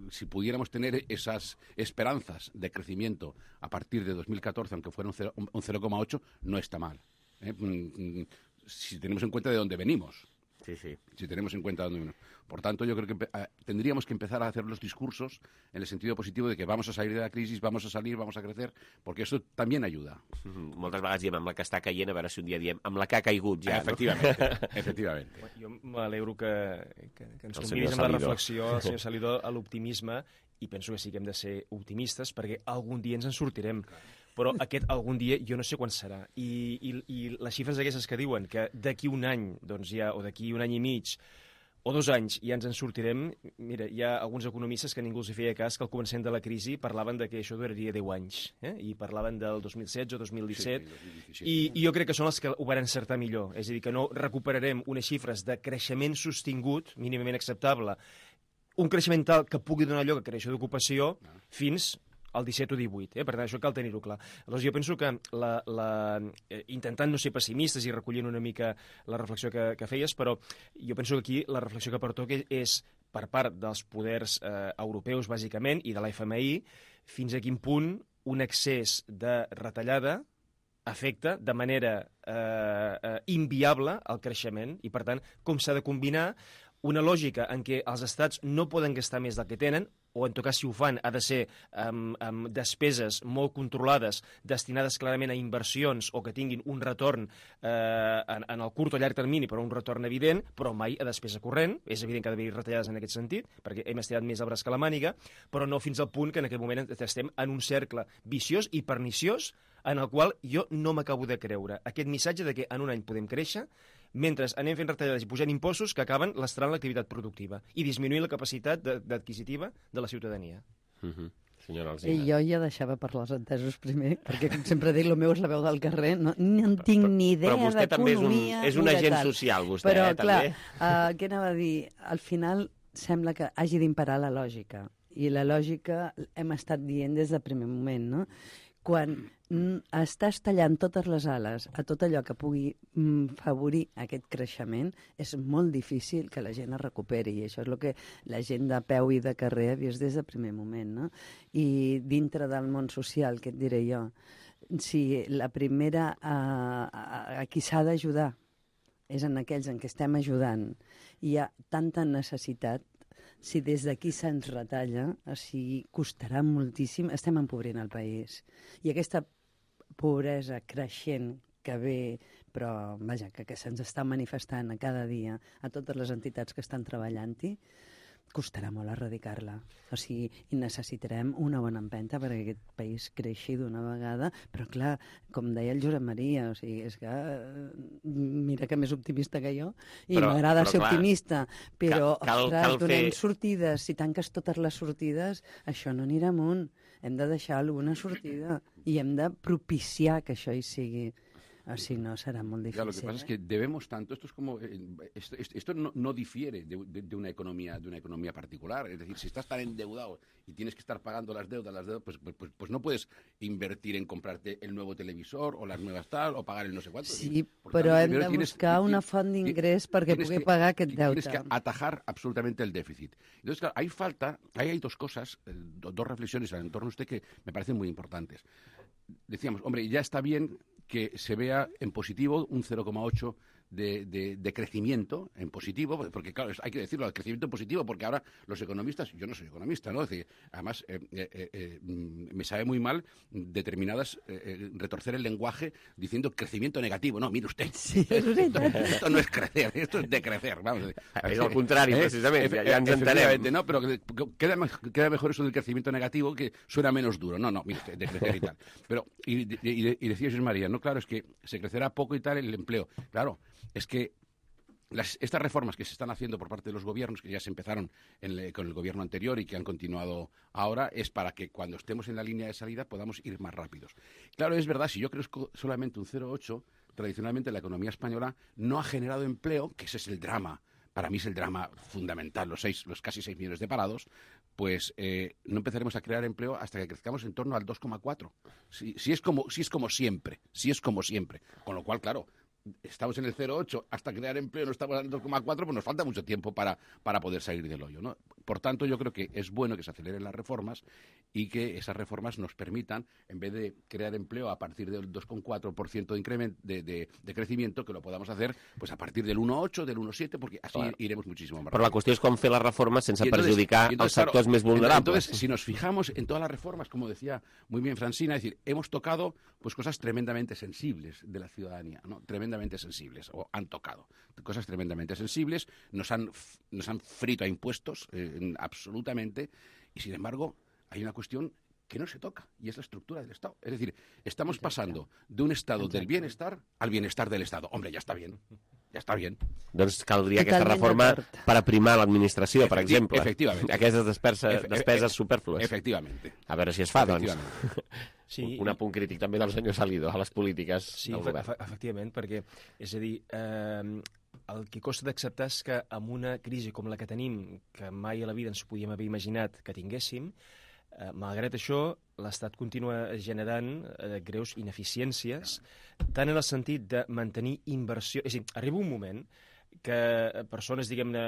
si pudiéramos tener esas esperanzas de crecimiento a partir de 2014, aunque fuera un 0,8, no está mal. Si tenemos en cuenta de dónde venimos. Sí, sí. Si tenemos en cuenta dónde venimos. Por tanto, yo creo que tendríamos que empezar a hacer los discursos en el sentido positivo de que vamos a salir de la crisis, vamos a salir, vamos a crecer, porque eso también ayuda. Moltes vegades diem amb la que està caient, a veure si un dia diem amb la que ha caigut ja, efectivament, no? Efectivament. Jo m'alegro que ens convidis amb la reflexió, el senyor Salido, a l'optimisme, i penso que sí que hem de ser optimistes perquè algun dia ens en sortirem. Però aquest algun dia jo no sé quan serà. I les xifres aquestes que diuen que d'aquí un any, doncs ja, o d'aquí un any i mig, o 2 anys ja ens en sortirem. Mira, hi ha alguns economistes que ningú els feia cas que al començament de la crisi parlaven de que això duraria 10 anys, i parlaven del 2016 o 2017, i jo crec que són els que ho van encertar millor. És a dir, que no recuperarem unes xifres de creixement sostingut, mínimament acceptable, un creixement tal que pugui donar lloc a creació d'ocupació fins el 17 o 18, per tant, això cal tenir-ho clar. Aleshores, jo penso que intentant no ser pessimistes i recollint una mica la reflexió que feies, però jo penso que aquí la reflexió que pertoca és per part dels poders europeus, bàsicament, i de la FMI, fins a quin punt un excés de retallada afecta de manera inviable el creixement i, per tant, com s'ha de combinar una lògica en què els estats no poden gastar més del que tenen, o en tot cas si ho fan ha de ser amb despeses molt controlades, destinades clarament a inversions o que tinguin un retorn en el curt o llarg termini, però un retorn evident, però mai a despesa corrent. És evident que ha d'haver-hi retallades en aquest sentit, perquè hem estirat més el braç que la màniga, però no fins al punt que en aquest moment estem en un cercle viciós i perniciós en el qual jo no m'acabo de creure aquest missatge de que en un any podem créixer mentre anem fent retallades i pujant impostos que acaben lastrant l'activitat productiva i disminuint la capacitat adquisitiva de la ciutadania. Senyora Alsina. Jo ja deixava parlar els entesos primer, perquè, com sempre dic, el meu és la veu del carrer, no en tinc ni idea d'economia. Però vostè també és un agent social, vostè, però, clar, també. què anava a dir? Al final sembla que hagi d'imperar la lògica, i la lògica hem estat dient des del primer moment, no? Quan estàs tallant totes les ales a tot allò que pugui favorir aquest creixement, és molt difícil que la gent es recuperi, i això és el que la gent de peu i de carrer ha vist des del primer moment, no? I dintre del món social, què et diré jo? Si la primera a qui s'ha d'ajudar és en aquells en què estem ajudant, hi ha tanta necessitat. Si des d'aquí se'ns retalla, així costarà moltíssim, estem empobrint el país. I aquesta pobresa creixent que ve, però vaja, que se'ns està manifestant a cada dia a totes les entitats que estan treballant-hi, costarà molt erradicar-la. O sigui, i necessitarem una bona empenta perquè aquest país creixi d'una vegada, però clar, com deia el Josep Maria, o sigui, és que mira que més optimista que jo, i m'agrada ser optimista, però, ostres, donem sortides, si tanques totes les sortides, això no anirà amunt. Hem de deixar alguna sortida i hem de propiciar que això hi sigui. Así no será muy difícil. Ya, lo que pasa es que debemos tanto, esto es como esto no difiere de una economía particular, es decir, si estás tan endeudado y tienes que estar pagando las deudas, pues no puedes invertir en comprarte el nuevo televisor o las nuevas tal o pagar el no sé cuánto. Sí, però hem de buscar una font d'ingrés perquè pugui pagar aquest deute. Tienes que atajar absolutamente el déficit. Entonces, claro, hay dos cosas, dos reflexiones en torno a usted que me parecen muy importantes. Decíamos, hombre, ya está bien que se vea en positivo un 0,8 de crecimiento en positivo, porque claro, hay que decirlo, el crecimiento positivo, porque ahora los economistas, yo no soy economista, ¿no? Es decir, además me sabe muy mal determinadas retorcer el lenguaje diciendo crecimiento negativo. No, mire usted, sí, esto no es crecer, esto es decrecer, vamos. Es al contrario, precisamente, ya ens entenem. No, pero queda mejor eso del crecimiento negativo, que suena menos duro. No, mire usted, de crecer y tal. Pero, y decía Jesús María, no, claro, es que se crecerá poco y tal el empleo. Claro, es que estas reformas que se están haciendo por parte de los gobiernos, que ya se empezaron con el gobierno anterior y que han continuado ahora, es para que cuando estemos en la línea de salida podamos ir más rápidos. Claro, es verdad, si yo crezco solamente un 0,8, tradicionalmente la economía española no ha generado empleo, que ese es el drama. Para mí es el drama fundamental, los casi 6 millones de parados, pues no empezaremos a crear empleo hasta que crezcamos en torno al 2,4. Si es como siempre. Con lo cual, claro, estamos en el 0,8, hasta crear empleo no estamos en el 2,4, pues nos falta mucho tiempo para poder salir del hoyo, ¿no? Por tanto, yo creo que es bueno que se aceleren las reformas y que esas reformas nos permitan, en vez de crear empleo a partir del 2,4% de incremento de crecimiento, que lo podamos hacer pues a partir del 1,8, del 1,7, porque así iremos muchísimo más rápido. Però la qüestió és com fer les reformes sense perjudicar els sectors més vulnerables. Entonces, si nos fijamos en todas las reformas, como decía muy bien Francina, es decir, hemos tocado pues cosas tremendamente sensibles de la ciudadanía, ¿no? Tremendamente sensibles, o han tocado cosas tremendamente sensibles, nos han frito a impuestos absolutamente, y sin embargo hay una cuestión que no se toca, y es la estructura del Estado. Es decir, estamos pasando de un estado del bienestar al bienestar del Estado. Hombre, ja està bien. Doncs caldria aquesta reforma per aprimar l'administració, per exemple. Efectivament. Aquestes despeses superflues. Efectivament. A veure si es fa, doncs. Sí. Un apunt crític també del senyor Salido a les polítiques del govern. Efectivament, perquè, és a dir, el que costa d'acceptar és que amb una crisi com la que tenim, que mai a la vida ens podíem haver imaginat que tinguéssim, malgrat això, l'Estat continua generant greus ineficiències, tant en el sentit de mantenir inversió... És a dir, arriba un moment que persones, diguem-ne,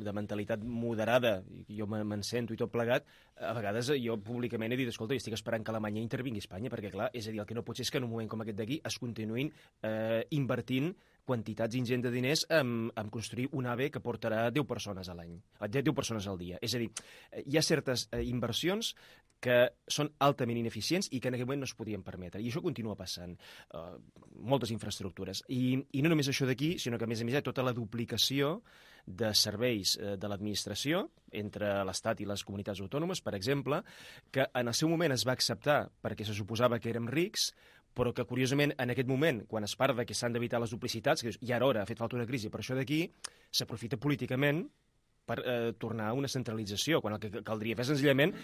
de mentalitat moderada, jo me'n sento i tot plegat, a vegades jo públicament he dit, escolta, estic esperant que Alemanya intervingui a Espanya, perquè, clar, és a dir, el que no pot ser és que en un moment com aquest d'aquí es continuïn invertint quantitats ingents de diners en construir un AVE que portarà 10 persones a l'any, 10 persones al dia. És a dir, hi ha certes inversions que són altament ineficients i que en aquest moment no es podien permetre. I això continua passant. Moltes infraestructures. I no només això d'aquí, sinó que a més hi ha tota la duplicació de serveis de l'administració entre l'Estat i les comunitats autònomes, per exemple, que en el seu moment es va acceptar perquè se suposava que érem rics, però que, curiosament, en aquest moment, quan es parla que s'han d'evitar les duplicitats, que ja era hora, ha fet falta una crisi, per això d'aquí s'aprofita políticament per tornar a una centralització, quan el que caldria fer senzillament...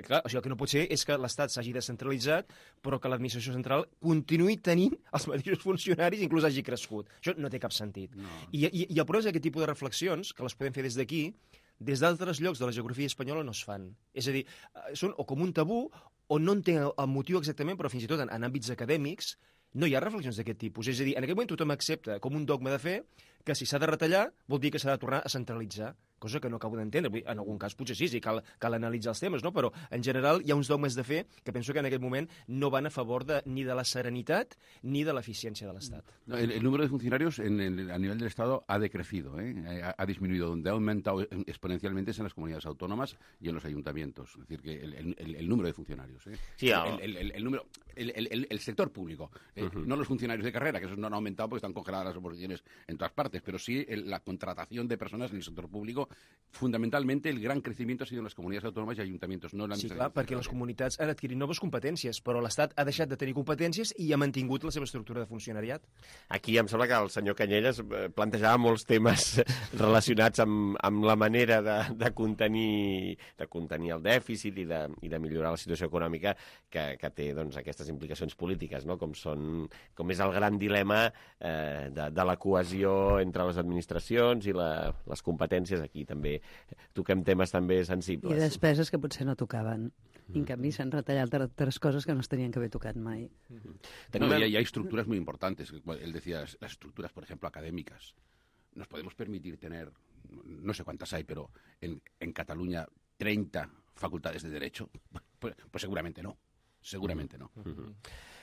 clar, o sigui, el que no pot ser és que l'Estat s'hagi descentralitzat, però que l'administració central continuï tenint els mateixos funcionaris, inclús hagi crescut. Això no té cap sentit. No. I el problema és aquest tipus de reflexions, que les podem fer des d'aquí, des d'altres llocs de la geografia espanyola no es fan. És a dir, són o com un tabú o no entenc el motiu exactament, però fins i tot en àmbits acadèmics no hi ha reflexions d'aquest tipus. És a dir, en aquest moment tothom accepta com un dogma de fe que si s'ha de retallar vol dir que s'ha de tornar a centralitzar, cosa que no acabo d'entendre. En algun cas potser sí, cal analitzar els temes, no? Però en general hi ha uns dogmes de fe que penso que en aquest moment no van a favor ni de la serenitat ni de l'eficiència de l'Estat. No, el número de funcionarios a nivel del Estado ha decrecido, ha disminuido. Donde ha aumentado exponencialmente es en las comunidades autónomas y en los ayuntamientos. Es decir, que el número de funcionarios. Sí, el sector público. No los funcionarios de carrera, que esos no han aumentado porque están congeladas las oposiciones en todas partes, pero sí la contratación de personas en el sector público fundamentalmente el gran crecimiento ha sido en las comunidades autónomas y ayuntamientos, no en la Sí, administración. clar, perquè les comunitats han adquirit noves competències, però l'Estat ha deixat de tenir competències i ha mantingut la seva estructura de funcionariat. Aquí em sembla que el senyor Canyelles plantejava molts temes relacionats amb la manera de contenir el dèficit i de millorar la situació econòmica que té doncs, aquestes implicacions polítiques, no? Com és el gran dilema de la cohesió entre les administracions i les competències. Aquí també toquem temes també sensibles. I despeses que potser no tocaven. I en canvi s'han retallat altres cosas que no es tenien que haver tocat mai. No, y hay estructuras muy importantes. Él decía, las estructuras, por ejemplo, académicas. Nos podemos permitir tener, no sé cuántas hay, pero en Cataluña 30 facultades de Derecho. Pues seguramente no. Seguramente no.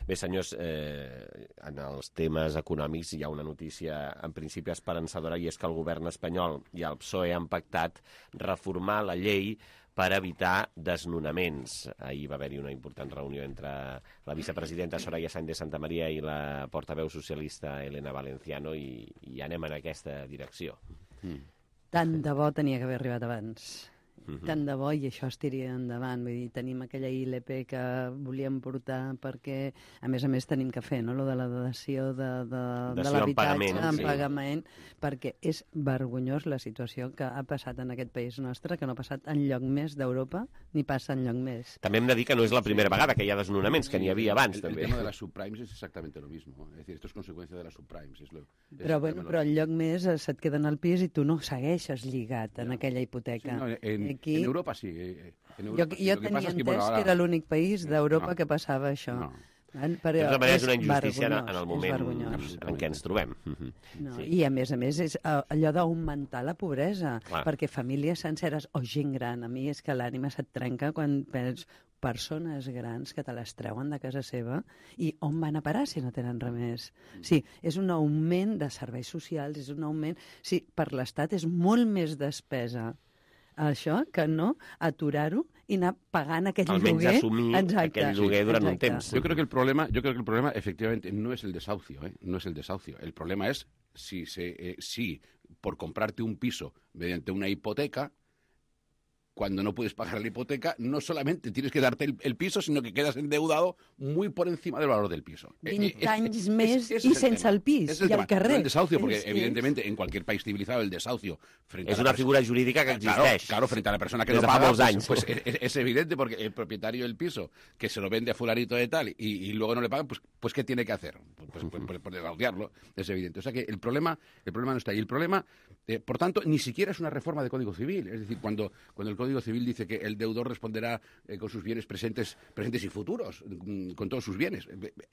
Bé, senyors, en els temes econòmics hi ha una notícia en principi esperançadora, i és que el govern espanyol i el PSOE han pactat reformar la llei per evitar desnonaments. Ahir va haver-hi una important reunió entre la vicepresidenta Soraya Sáenz de Santamaría i la portaveu socialista Elena Valenciano i anem en aquesta direcció. Tant de bo tenia que haver arribat abans. Tant de bo i això es tiria endavant. Vull dir, tenim aquella ILP que volíem portar perquè, a més tenim que fer, no?, lo de la dació de l'habitatge en pagament, perquè és vergonyós la situació que ha passat en aquest país nostre, que no ha passat enlloc més d'Europa, ni passa enlloc més. També hem de dir que no és la primera vegada que hi ha desnonaments, que n'hi havia abans, també. El tema de las subprimes es exactamente lo mismo. Es decir, esto es consecuencia de las subprimes. Però enlloc més se't queden al pis i tu no segueixes lligat en aquella hipoteca. Aquí... En Europa sí. Jo tenia entès que era l'únic país d'Europa que passava això. Però és una injustícia en el moment en què ens trobem. I a més és allò d'augmentar la pobresa, perquè famílies senceres o gent gran, a mi és que l'ànima se't trenca quan penses persones grans que te les treuen de casa seva i on van a parar si no tenen res més? Sí, és un augment de serveis socials, és un augment... Sí, per l'Estat és molt més despesa això que no aturar-ho i anar pagant aquell lloguer. Almenys assumir aquell lloguer durant un temps. Yo creo que el problema efectivamente no es el desahucio, no es el desahucio. El problema es si por comprarte un piso mediante una hipoteca, cuando no puedes pagar la hipoteca, no solamente tienes que darte el piso, sino que quedas endeudado muy por encima del valor del piso. 20 anys més i sense el pis i al carrer. No el desahucio, porque evidentemente en cualquier país civilizado el desahucio... Es una figura jurídica que existeix. Claro, frente a la persona que no paga, pues es evidente, porque el propietario del piso, que se lo vende a fulanito de tal y luego no le pagan, pues ¿qué tiene que hacer? Pues desahuciarlo, es evidente. O sea que el problema no está ahí. El problema, por tanto, ni siquiera es una reforma de Código Civil. Es decir, cuando el Código Civil dice que el deudor responderá con sus bienes presentes y futuros, con todos sus bienes.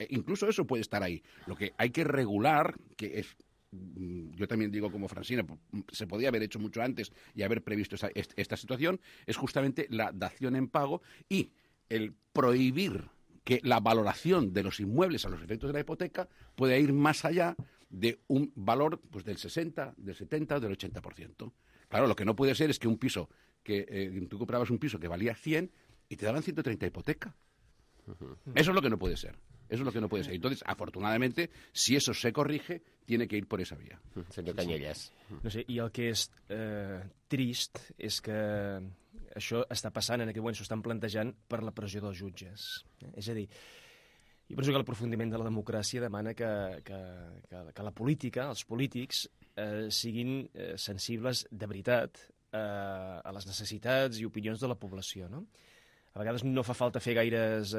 Incluso eso puede estar ahí. Lo que hay que regular, que es, yo también digo como Francina, se podía haber hecho mucho antes y haber previsto esta situación, es justamente la dación en pago y el prohibir que la valoración de los inmuebles a los efectos de la hipoteca pueda ir más allá de un valor pues del 60, del 70 o del 80%. Claro, lo que no puede ser es que un piso que tú comprabas un piso que valía 100 y te daban 130 hipoteca. Eso es lo que no puede ser. Eso es lo que no puede ser. Entonces, afortunadamente, si eso se corrige, tiene que ir por esa vía. Senyor Canyelles. No sé, i el que és trist és que això està passant en aquest moment, s'ho estan plantejant per la pressió dels jutges. És a dir, jo penso que l'aprofundiment de la democràcia demana que la política, els polítics, siguin sensibles de veritat a les necessitats i opinions de la població, no? A vegades no fa falta fer gaires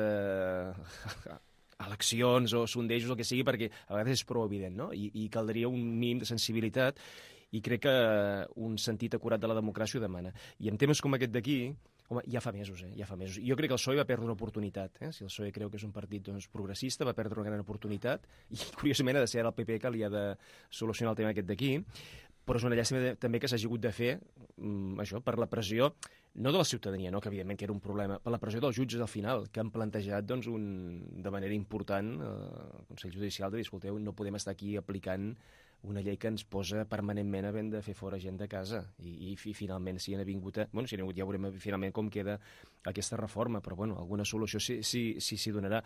eleccions o sondejos, el que sigui, perquè a vegades és prou evident, no? I caldria un mínim de sensibilitat i crec que un sentit acurat de la democràcia ho demana. I en temes com aquest d'aquí, home, ja fa mesos, ja fa mesos. Jo crec que el PSOE va perdre una oportunitat. Si el PSOE creu que és un partit progressista, va perdre una gran oportunitat i, curiosament, ha de ser ara el PP que li ha de solucionar el tema aquest d'aquí. Però és una llàstima també que s'hagi hagut de fer això per la pressió, no de la ciutadania, no, que evidentment que era un problema, per la pressió dels jutges al final, que han plantejat de manera important el Consell Judicial de dir, escolteu, no podem estar aquí aplicant una llei que ens posa permanentment havent de fer fora gent de casa. I finalment si han vingut ja veurem finalment com queda aquesta reforma, però bueno, alguna solució s'hi donarà.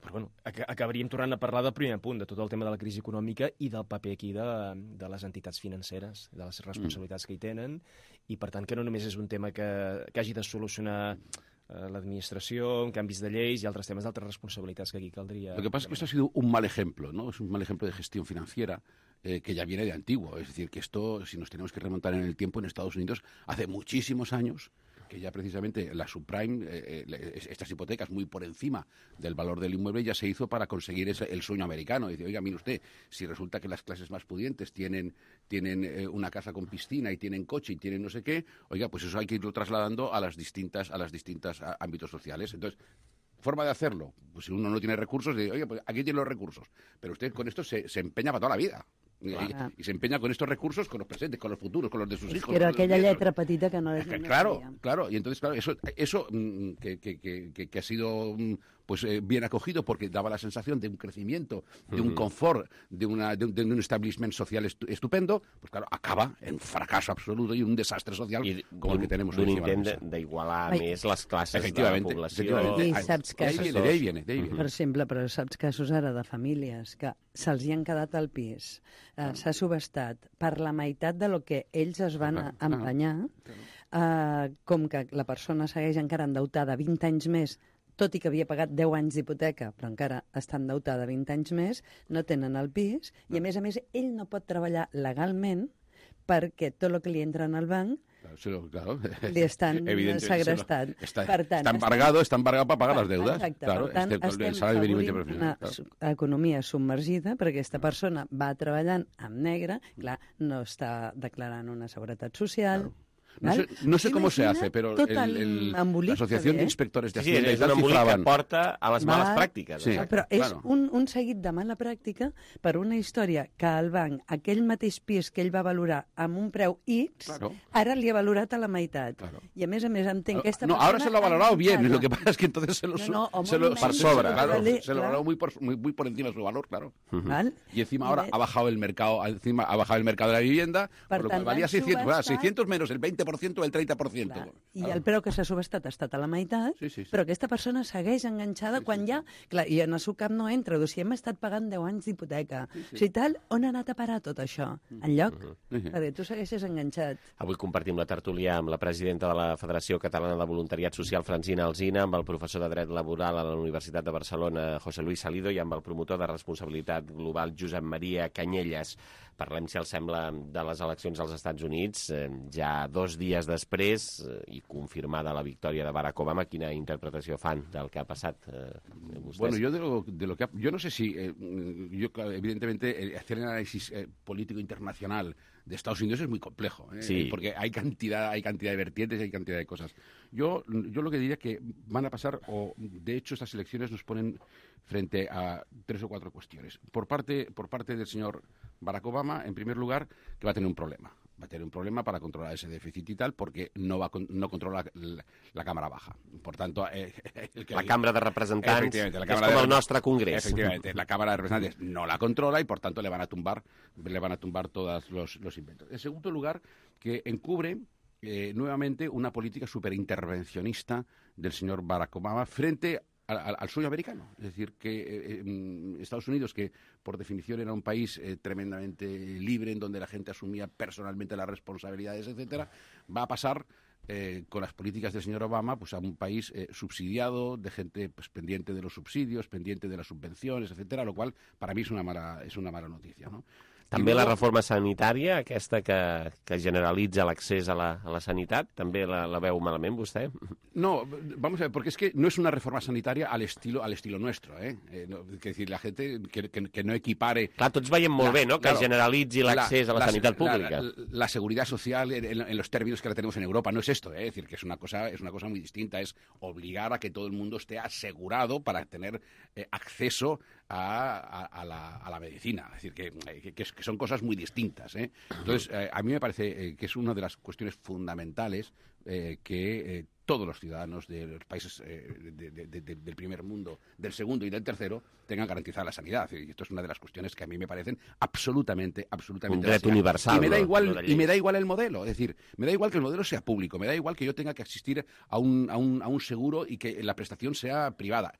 Però bueno, acabaríem tornant a parlar del primer punt, de tot el tema de la crisi econòmica i del paper aquí de les entitats financeres, de les responsabilitats que hi tenen, i per tant que no només és un tema que hagi de solucionar l'administració, en canvis de lleis y altres temas de altres responsabilitats que aquí caldría. Lo que pasa es que esto ha sido un mal ejemplo, ¿no? Es un mal ejemplo de gestión financiera que ya viene de antiguo. Es decir, que esto, si nos tenemos que remontar en el tiempo, en Estados Unidos, hace muchísimos años, que ya precisamente la subprime, estas hipotecas muy por encima del valor del inmueble, ya se hizo para conseguir el sueño americano. Dice, oiga, mire usted, si resulta que las clases más pudientes tienen una casa con piscina y tienen coche y tienen no sé qué, oiga, pues eso hay que irlo trasladando a las distintas ámbitos sociales. Entonces, forma de hacerlo, pues si uno no tiene recursos, dice, oye, pues aquí tiene los recursos, pero usted con esto se empeña para toda la vida. Y se empeña con estos recursos, con los presentes, con los futuros, con los de sus hijos. Pero aquella letra petita que no... Claro. Y entonces, claro, eso que ha sido pues bien acogido porque daba la sensación de un crecimiento, de un confort, de un establishment social estupendo, pues claro, acaba en fracaso absoluto y un desastre social como el que tenemos hoy. Un intent d'igualar més les classes de la població. I saps casos... D'ahí viene. Per exemple, però saps casos ara de famílies que se'ls hi han quedat al pis, s'ha subestat per la meitat de lo que ells es van empenyar, com que la persona segueix encara endeutada 20 anys més, tot i que havia pagat 10 anys d'hipoteca, però encara està endeutada 20 anys més, no tenen el pis, i a més, ell no pot treballar legalment perquè tot el que li entra en el banc claro. li estan segrestant. Está embargado para pagar las deudas. Exacte, claro, per tant, estem afavorint una economia submergida perquè aquesta persona va treballant amb negre, clar, no està declarant una seguretat social... No sé cómo se hace, pero la Asociación de Inspectores de Hacienda és un embolic que porta a les males pràctiques. Sí, però és un seguit de mala pràctica per una història que el banc, aquell mateix pis que ell va valorar amb un preu X, ara li ha valorat a la meitat. I a més entenc que aquesta persona... No, ahora se lo ha valorado bien, lo que pasa es que entonces se lo por sobre, se lo valoró muy por encima de su valor, claro. Y encima ahora ha bajado el mercado, de la vivienda, por lo que valía 600 menos el 20% o el 30%. I el preu que s'ha subestat ha estat a la meitat, però aquesta persona segueix enganxada quan ja... Clar, i en el seu cap no entra. Si hem estat pagant 10 anys d'hipoteca, si tal, on ha anat a parar tot això? Enlloc? Perquè tu segueixes enganxat. Avui compartim la tertúlia amb la presidenta de la Federació Catalana de Voluntariat Social, Francina Alsina, amb el professor de Dret Laboral a la Universitat de Barcelona, José Luis Salido, i amb el promotor de Responsabilitat Global, Josep Maria Canyelles. Parlem, si els sembla, de les eleccions als Estats Units. Ja 2 dies després i confirmada la victòria de Barack Obama, quina interpretació fan del que ha passat vostès? Bueno, yo no sé si, evidentemente, hacer el análisis político internacional de Estados Unidos es muy complejo, porque hay cantidad de vertientes y hay cantidad de cosas. Yo lo que diría que van a pasar, o de hecho estas elecciones nos ponen frente a 3 o 4 cuestiones. Por parte del señor Barack Obama, en primer lugar, que va a tener un problema. Va a tener un problema para controlar ese déficit y tal, porque no controla la Cámara Baja. Por tanto... la Cámara de Representants es como el nostre Congrés. Efectivamente, la Cámara de Representantes no la controla y, por tanto, le van a tumbar todos los inventos. En segundo lugar, que encubre nuevamente una política superintervencionista del señor Barack Obama frente al sueño americano. Es decir, que Estados Unidos, que por definición era un país tremendamente libre, en donde la gente asumía personalmente las responsabilidades, etcétera, va a pasar con las políticas del señor Obama pues a un país subsidiado, de gente pues pendiente de los subsidios, pendiente de las subvenciones, etcétera, lo cual para mí es una mala noticia, ¿no? També la reforma sanitària, aquesta que generalitza l'accés a la sanitat, també la veu malament, vostè? No, vamos a ver, porque es que no es una reforma sanitaria al estilo nuestro, es decir, la gente que no equipare... Clar, tots veiem molt bé, no?, que generalitzi l'accés a la sanitat pública. La seguridad social en los términos que la tenemos en Europa no es esto, es decir, que es una cosa muy distinta, es obligar a que todo el mundo esté asegurado para tener acceso a la medicina, es decir, que son cosas muy distintas, Entonces, a mí me parece que es una de las cuestiones fundamentales que todos los ciudadanos de los países del primer mundo, del segundo y del tercero tengan garantizada la sanidad. Y esto es una de las cuestiones que a mí me parecen absolutamente un derecho universal. Y me da igual el modelo, es decir, me da igual que el modelo sea público, me da igual que yo tenga que asistir a un seguro y que la prestación sea privada.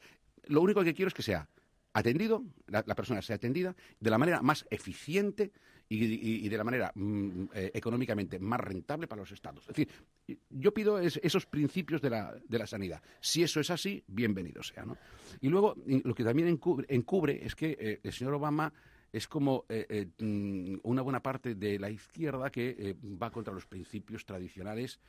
lo único que quiero es que sea atendido, la persona sea atendida de la manera más eficiente y de la manera económicamente más rentable para los estados. Es decir, yo pido esos principios de la sanidad. Si eso es así, bienvenido sea, ¿no? Y luego, lo que también encubre es que el señor Obama es como una buena parte de la izquierda que va contra los principios tradicionales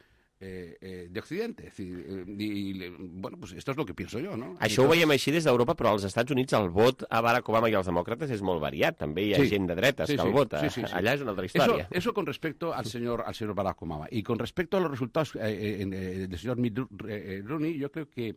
de Occidente. És dir, bueno, pues esto és el que pienso jo, no? Això ho veiem així des d'Europa, però als Estats Units el vot a Barack Obama i als demòcrates és molt variat. També hi ha gent de dretes que el vota. Allà és una altra història. Eso con respecto al señor Barack Obama. Y con respecto a los resultados del señor Mitt Romney, yo creo que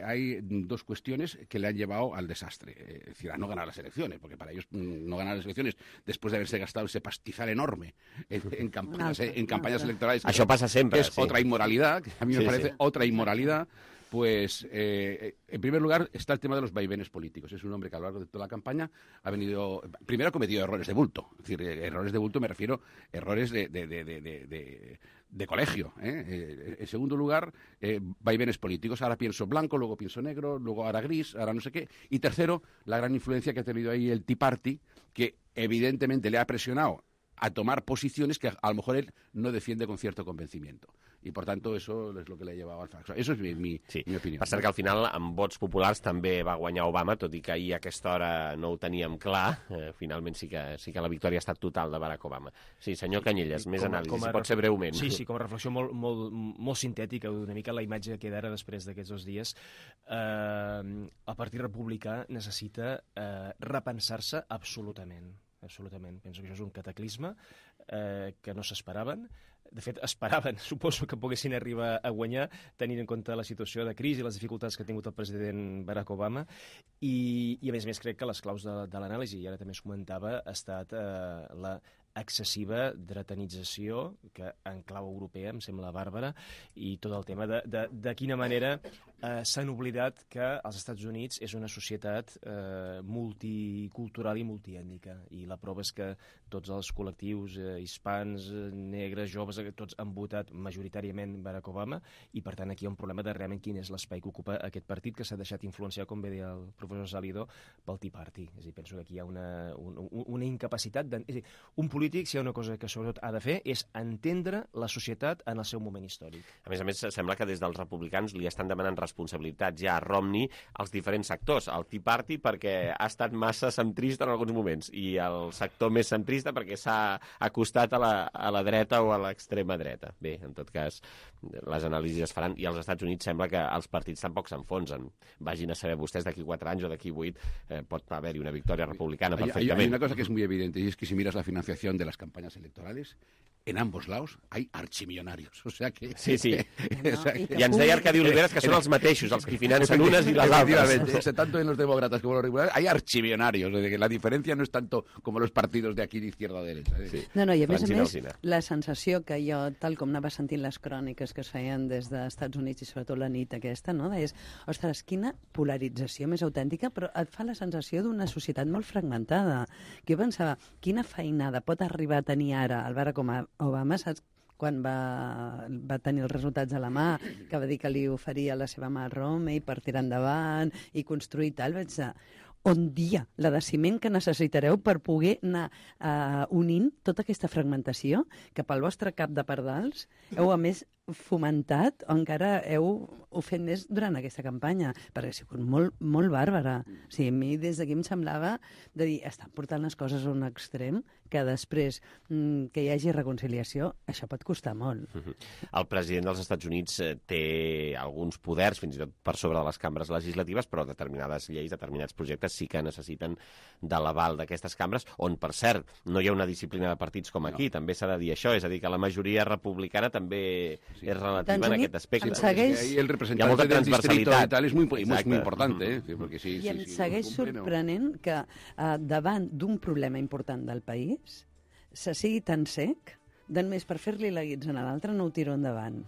hay dos cuestiones que le han llevado al desastre. Es decir, a no ganar las elecciones, porque para ellos no ganar las elecciones, después de haberse gastado ese pastizal enorme en campañas electorales, això passa sempre, es otra inmoralidad, que a mí me parece otra inmoralidad. Pues, en primer lugar, está el tema de los vaivenes políticos. Es un hombre que a lo largo de toda la campaña ha venido... Primero ha cometido errores de bulto. Es decir, errores de bulto me refiero a errores de colegio. En segundo lugar, vaivenes políticos. Ahora pienso blanco, luego pienso negro, luego ahora gris, ahora no sé qué. Y tercero, la gran influencia que ha tenido ahí el Tea Party, que evidentemente le ha presionado a tomar posiciones que a lo mejor él no defiende con cierto convencimiento. I, per tant, això és el que l'ha llevat al fracaso. Això és mi opinió. Per cert que al final, amb vots populars, també va guanyar Obama, tot i que ahir a aquesta hora no ho teníem clar. Finalment sí que la victòria ha estat total de Barack Obama. Sí, senyor Canyelles, més anàlisi, si pot ser breument. Sí, com a reflexió molt sintètica, una mica la imatge que queda ara després d'aquests 2 dies. El Partit Republicà necessita repensar-se absolutament. Penso que això és un cataclisme que no s'esperaven. De fet, esperaven, suposo que poguessin arribar a guanyar, tenint en compte la situació de crisi i les dificultats que ha tingut el president Barack Obama. I a més crec que les claus de l'anàlisi, i ara també es comentava, ha estat la excessiva dretanització, que en clau europea em sembla bàrbara, i tot el tema de quina manera s'han oblidat que els Estats Units és una societat multicultural i multiètnica, i la prova és que tots els col·lectius hispans, negres, joves, tots han votat majoritàriament Barack Obama, i per tant aquí hi ha un problema de realment quin és l'espai que ocupa aquest partit, que s'ha deixat influenciar, com bé deia el professor Salido, pel Tea Party. És a dir, penso que aquí hi ha una incapacitat és a dir, un polític, si hi ha una cosa que sobretot ha de fer, és entendre la societat en el seu moment històric. A més, sembla que des dels republicans li estan demanant responsabilitats ja a Romney als diferents sectors. El Tea Party perquè ha estat massa centrista en alguns moments, i el sector més centrista perquè s'ha acostat a la dreta o a l'extrema dreta. Bé, en tot cas, les anàlisis es faran, i als Estats Units sembla que els partits tampoc s'enfonsen. Vagin a saber vostès d'aquí 4 anys o d'aquí 8 pot haver-hi una victòria republicana perfectament. Hay una cosa que es muy evidente, y es que si miras la financiación de las campañas electorales, en ambos lados hay archimillonarios. O sea que... Sí. I ens deia Arcadi Oliveras que són els mateixos, els que financen unes i les altres. Tanto en los demócratas como en los republicanos hay archimillonarios. O sea que la diferencia no es tanto como los partidos de aquí de izquierda o de derecha. Sí. No, i a més, la sensació que jo, tal com anava sentint les cròniques que es feien des dels Estats Units i sobretot la nit aquesta, no? És, ostres, quina polarització més autèntica, però et fa la sensació d'una societat molt fragmentada. Que jo pensava, quina feinada pot arribar a tenir ara el Barack Obama, saps? Quan va tenir els resultats a la mà, que va dir que li oferia la seva mà a Romney per tirar endavant i construir tal, vaig dir, on dia la de ciment que necessitareu per poder anar unint tota aquesta fragmentació que pel vostre cap de pardals heu, a més, fomentat o encara heu fet més durant aquesta campanya, perquè ha sigut molt bàrbara. O sigui, a mi des d'aquí em semblava de dir, estan portant les coses a un extrem que després que hi hagi reconciliació, això pot costar molt. El president dels Estats Units té alguns poders, fins i tot per sobre de les cambres legislatives, però determinades lleis, determinats projectes sí que necessiten de l'aval d'aquestes cambres, on, per cert, no hi ha una disciplina de partits com aquí, també s'ha de dir això, és a dir, que la majoria republicana també és relativa en aquest aspecte. El representante del distrito y tal es muy importante. Porque sí, I em segueix sorprenent que davant d'un problema important del país se sigui tan sec, només per fer-li la guitza a l'altre no ho tiro endavant.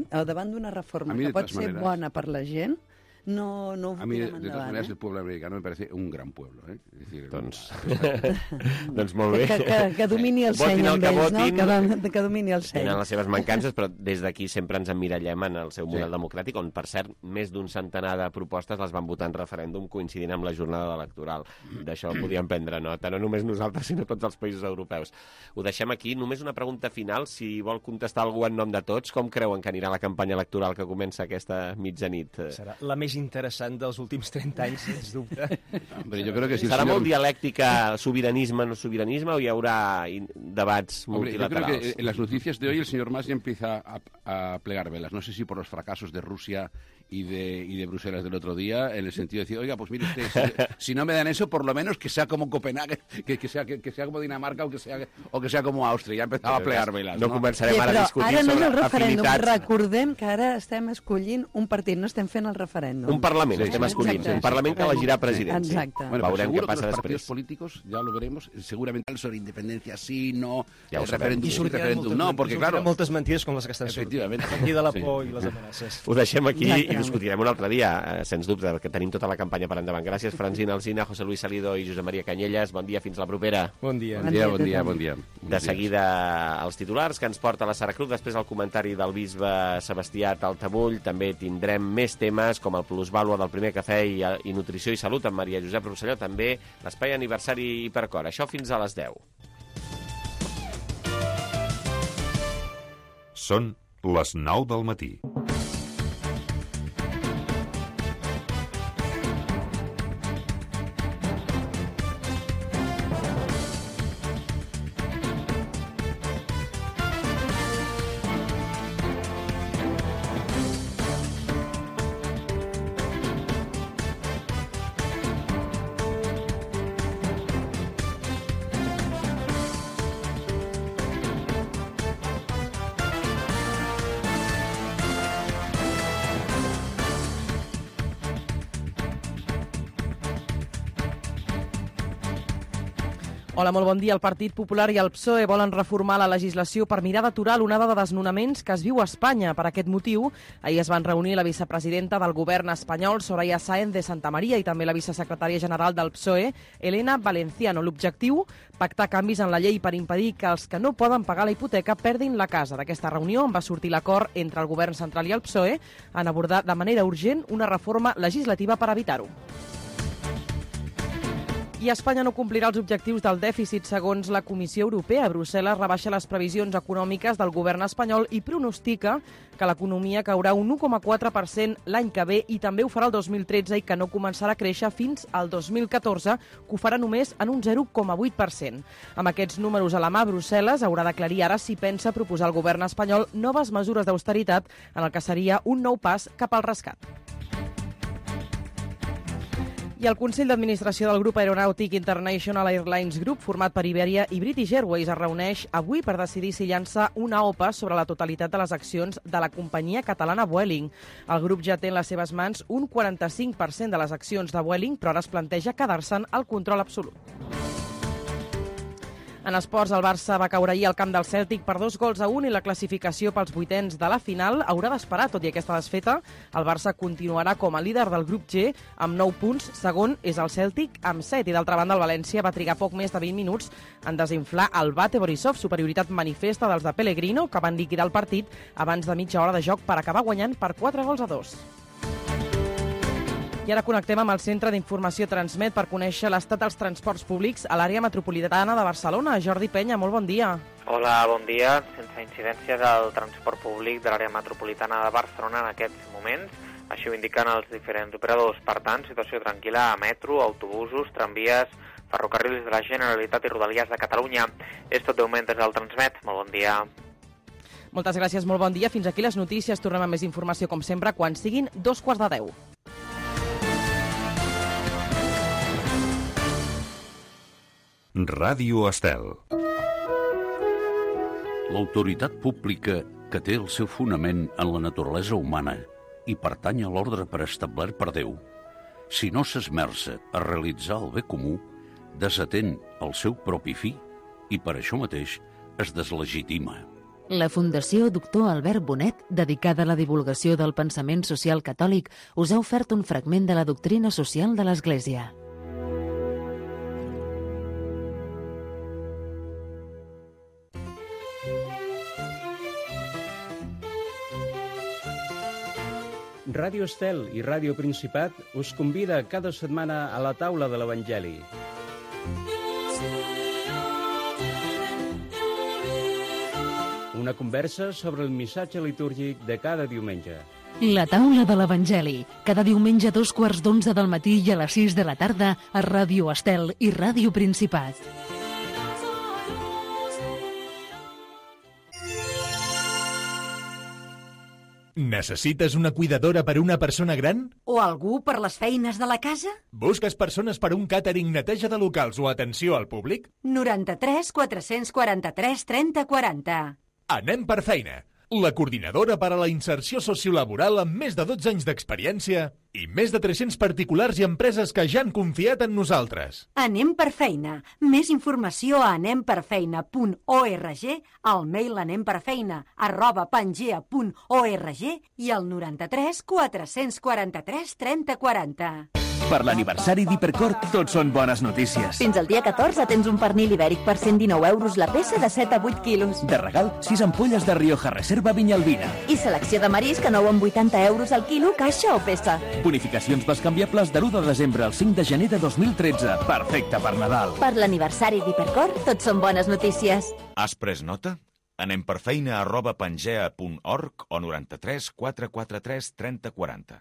O davant d'una reforma que pot ser bona per la gent, no ho A mí, tirem de todas endavant. maneras, el pueblo americano me parece un gran pueblo. Es decir, doncs molt bé. Que domini el seny amb ells, no? Que domini el seny. Tenen les seves mancances, però des d'aquí sempre ens emmirallem en el seu model democràtic, on, per cert, més d'un centenar de propostes les van votar en referèndum coincidint amb la jornada electoral. D'això podíem prendre nota, no només nosaltres, sinó tots els països europeus. Ho deixem aquí. Només una pregunta final, si vol contestar algú en nom de tots, com creuen que anirà la campanya electoral que comença aquesta mitjanit? Serà la més interessant dels últims 30 anys, sens dubte. Hombre, yo creo que si ¿Serà molt dialèctica, sobiranisme, no sobiranisme, o hi haurà debats multilaterals? Yo creo que en las noticias de hoy el señor Mas ya empieza a plegar velas. No sé si por los fracasos de Rusia y de Bruselas del otro día, en el sentido de decir, oiga, pues mire usted, si no me dan eso, por lo menos que sea como Copenhague, que sea como Dinamarca o que sea como Àustria. Ja empezava a plegar veles. No començarem ara a discutir ara no és sobre el referèndum. afinitats. Recordem que ara estem escollint un partit, no estem fent el referèndum. Un Parlament, estem escollint. Un Parlament que elegirà president. Exacte. Bueno, veurem què passa los després. partidos políticos, ya lo veremos, seguramente sobre independencia sí, no, Ja ho el sabem. referéndum, sí, referéndum no, porque claro... moltes mentides com les que estan sortint. Efectivament. A partir de la por i les amenaces. Ho deixem aquí i discutirem un altre dia, sens dubte, perquè tenim tota la campanya per endavant. Gràcies, Francina Alsina, José Luis Salido i Josep Maria Canyelles. Bon dia, fins la propera. Bon dia. Bon dia. De seguida, els titulars que ens porta la Sara Cruz, després el comentari del bisbe Sebastià Taltabull. També tindrem més temes com el plusvàlua del primer cafè i nutrició i salut amb Maria Josep Rosselló, també l'espai aniversari Hipercor. Això fins a les 10. Són les 9 del matí. Hola, molt bon dia. El Partit Popular i el PSOE volen reformar la legislació per mirar d'aturar l'onada de desnonaments que es viu a Espanya. Per aquest motiu, ahir es van reunir la vicepresidenta del govern espanyol, Soraya Sáenz de Santamaría, i també la vicesecretària general del PSOE, Elena Valenciano. L'objectiu, pactar canvis en la llei per impedir que els que no poden pagar la hipoteca perdin la casa. D'aquesta reunió en va sortir l'acord entre el govern central i el PSOE en abordar de manera urgent una reforma legislativa per evitar-ho. I Espanya no complirà els objectius del dèficit segons la Comissió Europea. Brussel·les rebaixa les previsions econòmiques del govern espanyol i pronostica que l'economia caurà un 1,4% l'any que ve i també ho farà el 2013 i que no començarà a créixer fins al 2014, que ho farà només en un 0,8%. Amb aquests números a la mà, Brussel·les haurà d'aclarir ara si pensa proposar al govern espanyol noves mesures d'austeritat en el que seria un nou pas cap al rescat. I el Consell d'Administració del grup aeronàutic International Airlines Group, format per Iberia i British Airways, es reuneix avui per decidir si llança una OPA sobre la totalitat de les accions de la companyia catalana Vueling. El grup ja té en les seves mans un 45% de les accions de Vueling, però ara es planteja quedar-se'n el control absolut. En esports, el Barça va caure ahir al camp del Cèltic per 2-1 i la classificació pels vuitens de la final haurà d'esperar. Tot i aquesta desfeta, el Barça continuarà com a líder del grup G amb 9 punts. Segon és el Cèltic amb 7. I d'altra banda, el València va trigar poc més de 20 minuts en desinflar el Bate Borisov, superioritat manifesta dels de Pellegrino, que van liquidar el partit abans de mitja hora de joc per acabar guanyant per 4-2. I ara connectem amb el Centre d'Informació Transmet per conèixer l'estat dels transports públics a l'àrea metropolitana de Barcelona. Jordi Penya, molt bon dia. Hola, bon dia. Sense incidències al transport públic de l'àrea metropolitana de Barcelona en aquests moments. Així ho indiquen els diferents operadors. Per tant, situació tranquil·la a metro, autobusos, tramvies, ferrocarrils de la Generalitat i Rodalies de Catalunya. És tot de moment des del Transmet. Molt bon dia. Moltes gràcies, molt bon dia. Fins aquí les notícies. Tornem amb més informació, com sempre, quan siguin 9:15. Ràdio Estel. L'autoritat pública, que té el seu fonament en la naturalesa humana i pertany a l'ordre preestablert per Déu, si no s'esmerça a realitzar el bé comú, desatén el seu propi fi i per això mateix es deslegitima. La Fundació Doctor Albert Bonet, dedicada a la divulgació del pensament social catòlic, us ha ofert un fragment de la doctrina social de l'Església. Ràdio Estel i Ràdio Principat us convida cada setmana a la taula de l'Evangeli. Una conversa sobre el missatge litúrgic de cada diumenge. La taula de l'Evangeli, cada diumenge a 11:15 del matí i a les 6 de la tarda a Ràdio Estel i Ràdio Principat. Necessites una cuidadora per una persona gran? O algú per les feines de la casa? Busques persones per un càtering, neteja de locals o atenció al públic? 93 443 30 40. Anem per feina. La coordinadora per a la inserció sociolaboral amb més de 12 anys d'experiència i més de 300 particulars i empreses que ja han confiat en nosaltres. Anem per feina. Més informació a anemperfeina.org, al mail anemperfeina@pangea.org i al 93 443 30 40. Per l'aniversari d'Hipercor, tot són bones notícies. Fins al dia 14 tens un pernil ibèric per 119 euros la peça de 7 a 8 quilos. De regal, 6 ampolles de Rioja Reserva Vinyalbina. I selecció de marisc a 9 amb 80 euros al quilo, caixa o peça. Bonificacions bescanviables de l'1 de desembre al 5 de gener de 2013. Perfecte per Nadal. Per l'aniversari d'Hipercor, tot són bones notícies. Has pres nota? Anem per feina@pangea.org o 93 443 30 40.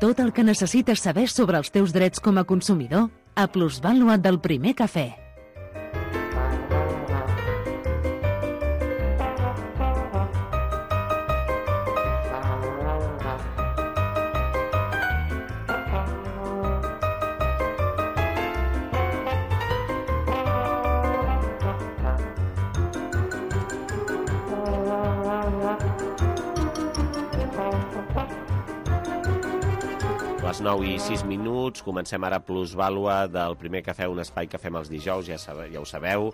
Tot el que necessites saber sobre els teus drets com a consumidor a Plusvàlua del Primer Cafè. Les 9:06, comencem ara Plusvàlua del Primer Cafè, un espai que fem els dijous, ja ho sabeu,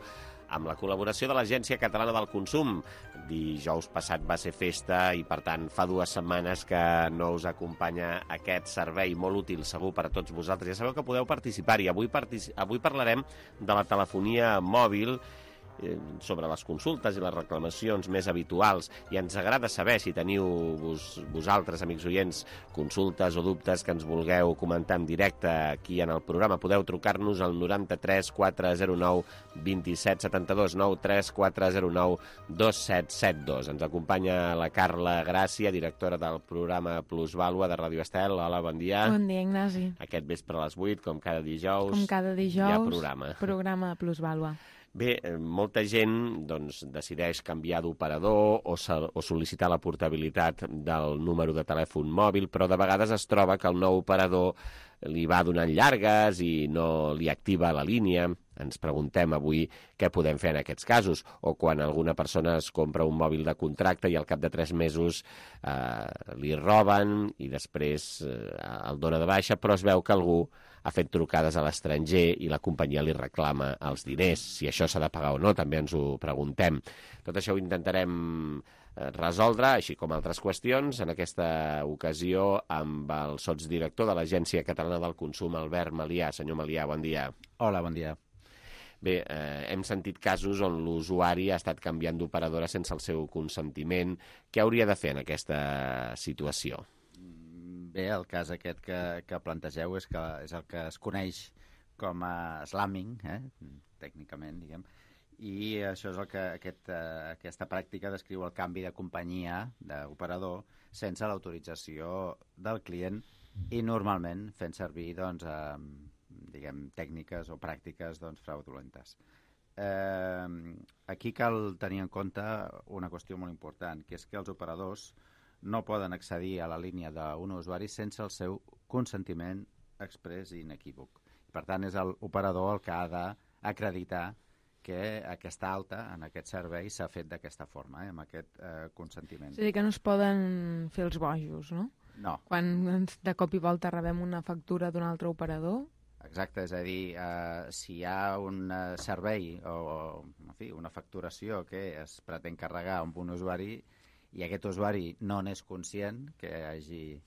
amb la col·laboració de l'Agència Catalana del Consum. Dijous passat va ser festa i, per tant, fa 2 setmanes que no us acompanya aquest servei molt útil, segur, per a tots vosaltres. Ja sabeu que podeu participar-hi. Avui parlarem de la telefonia mòbil, sobre les consultes i les reclamacions més habituals, i ens agrada saber si teniu vosaltres, amics oients, consultes o dubtes que ens vulgueu comentar en directe aquí en el programa. Podeu trucar-nos al 93 409 27 72, 93 409 2772. Ens acompanya la Carla Gràcia, directora del programa Plusvàlua de Ràdio Estel. Hola, bon dia. Bon dia, Ignasi. Aquest vespre a les 8, com cada dijous, hi ha programa. Programa Plusvàlua. Bé, molta gent decideix canviar d'operador o sol·licitar la portabilitat del número de telèfon mòbil, però de vegades es troba que el nou operador li va donant llargues i no li activa la línia. Ens preguntem avui què podem fer en aquests casos, o quan alguna persona es compra un mòbil de contracte i al cap de 3 mesos li roben i després el dona de baixa, però es veu que algú ha fet trucades a l'estranger i la companyia li reclama els diners. Si això s'ha de pagar o no, també ens ho preguntem. Tot això ho intentarem resoldre, així com altres qüestions, en aquesta ocasió amb el sotsdirector de l'Agència Catalana del Consum, Albert Malià. Senyor Malià, bon dia. Hola, bon dia. Bé, hem sentit casos on l'usuari ha estat canviant d'operadora sense el seu consentiment. Què hauria de fer en aquesta situació? Bé, el cas aquest que plantegeu és el que es coneix com a slamming, tècnicament, diguem, i això és el que aquesta pràctica descriu el canvi de companyia, d'operador, sense l'autorització del client i normalment fent servir tècniques o pràctiques fraudulentes. Aquí cal tenir en compte una qüestió molt important, que és que els operadors no poden accedir a la línia d'un usuari sense el seu consentiment exprés i inequívoc. Per tant, és l'operador el que ha d'acreditar que aquesta alta en aquest servei s'ha fet d'aquesta forma, amb aquest consentiment. És a dir, que no es poden fer els bojos, no? No. Quan de cop i volta rebem una factura d'un altre operador, Exacte, és a dir, si hi ha un servei o en fi, una facturació que es pretén carregar amb un usuari i aquest usuari no n'és conscient que hagi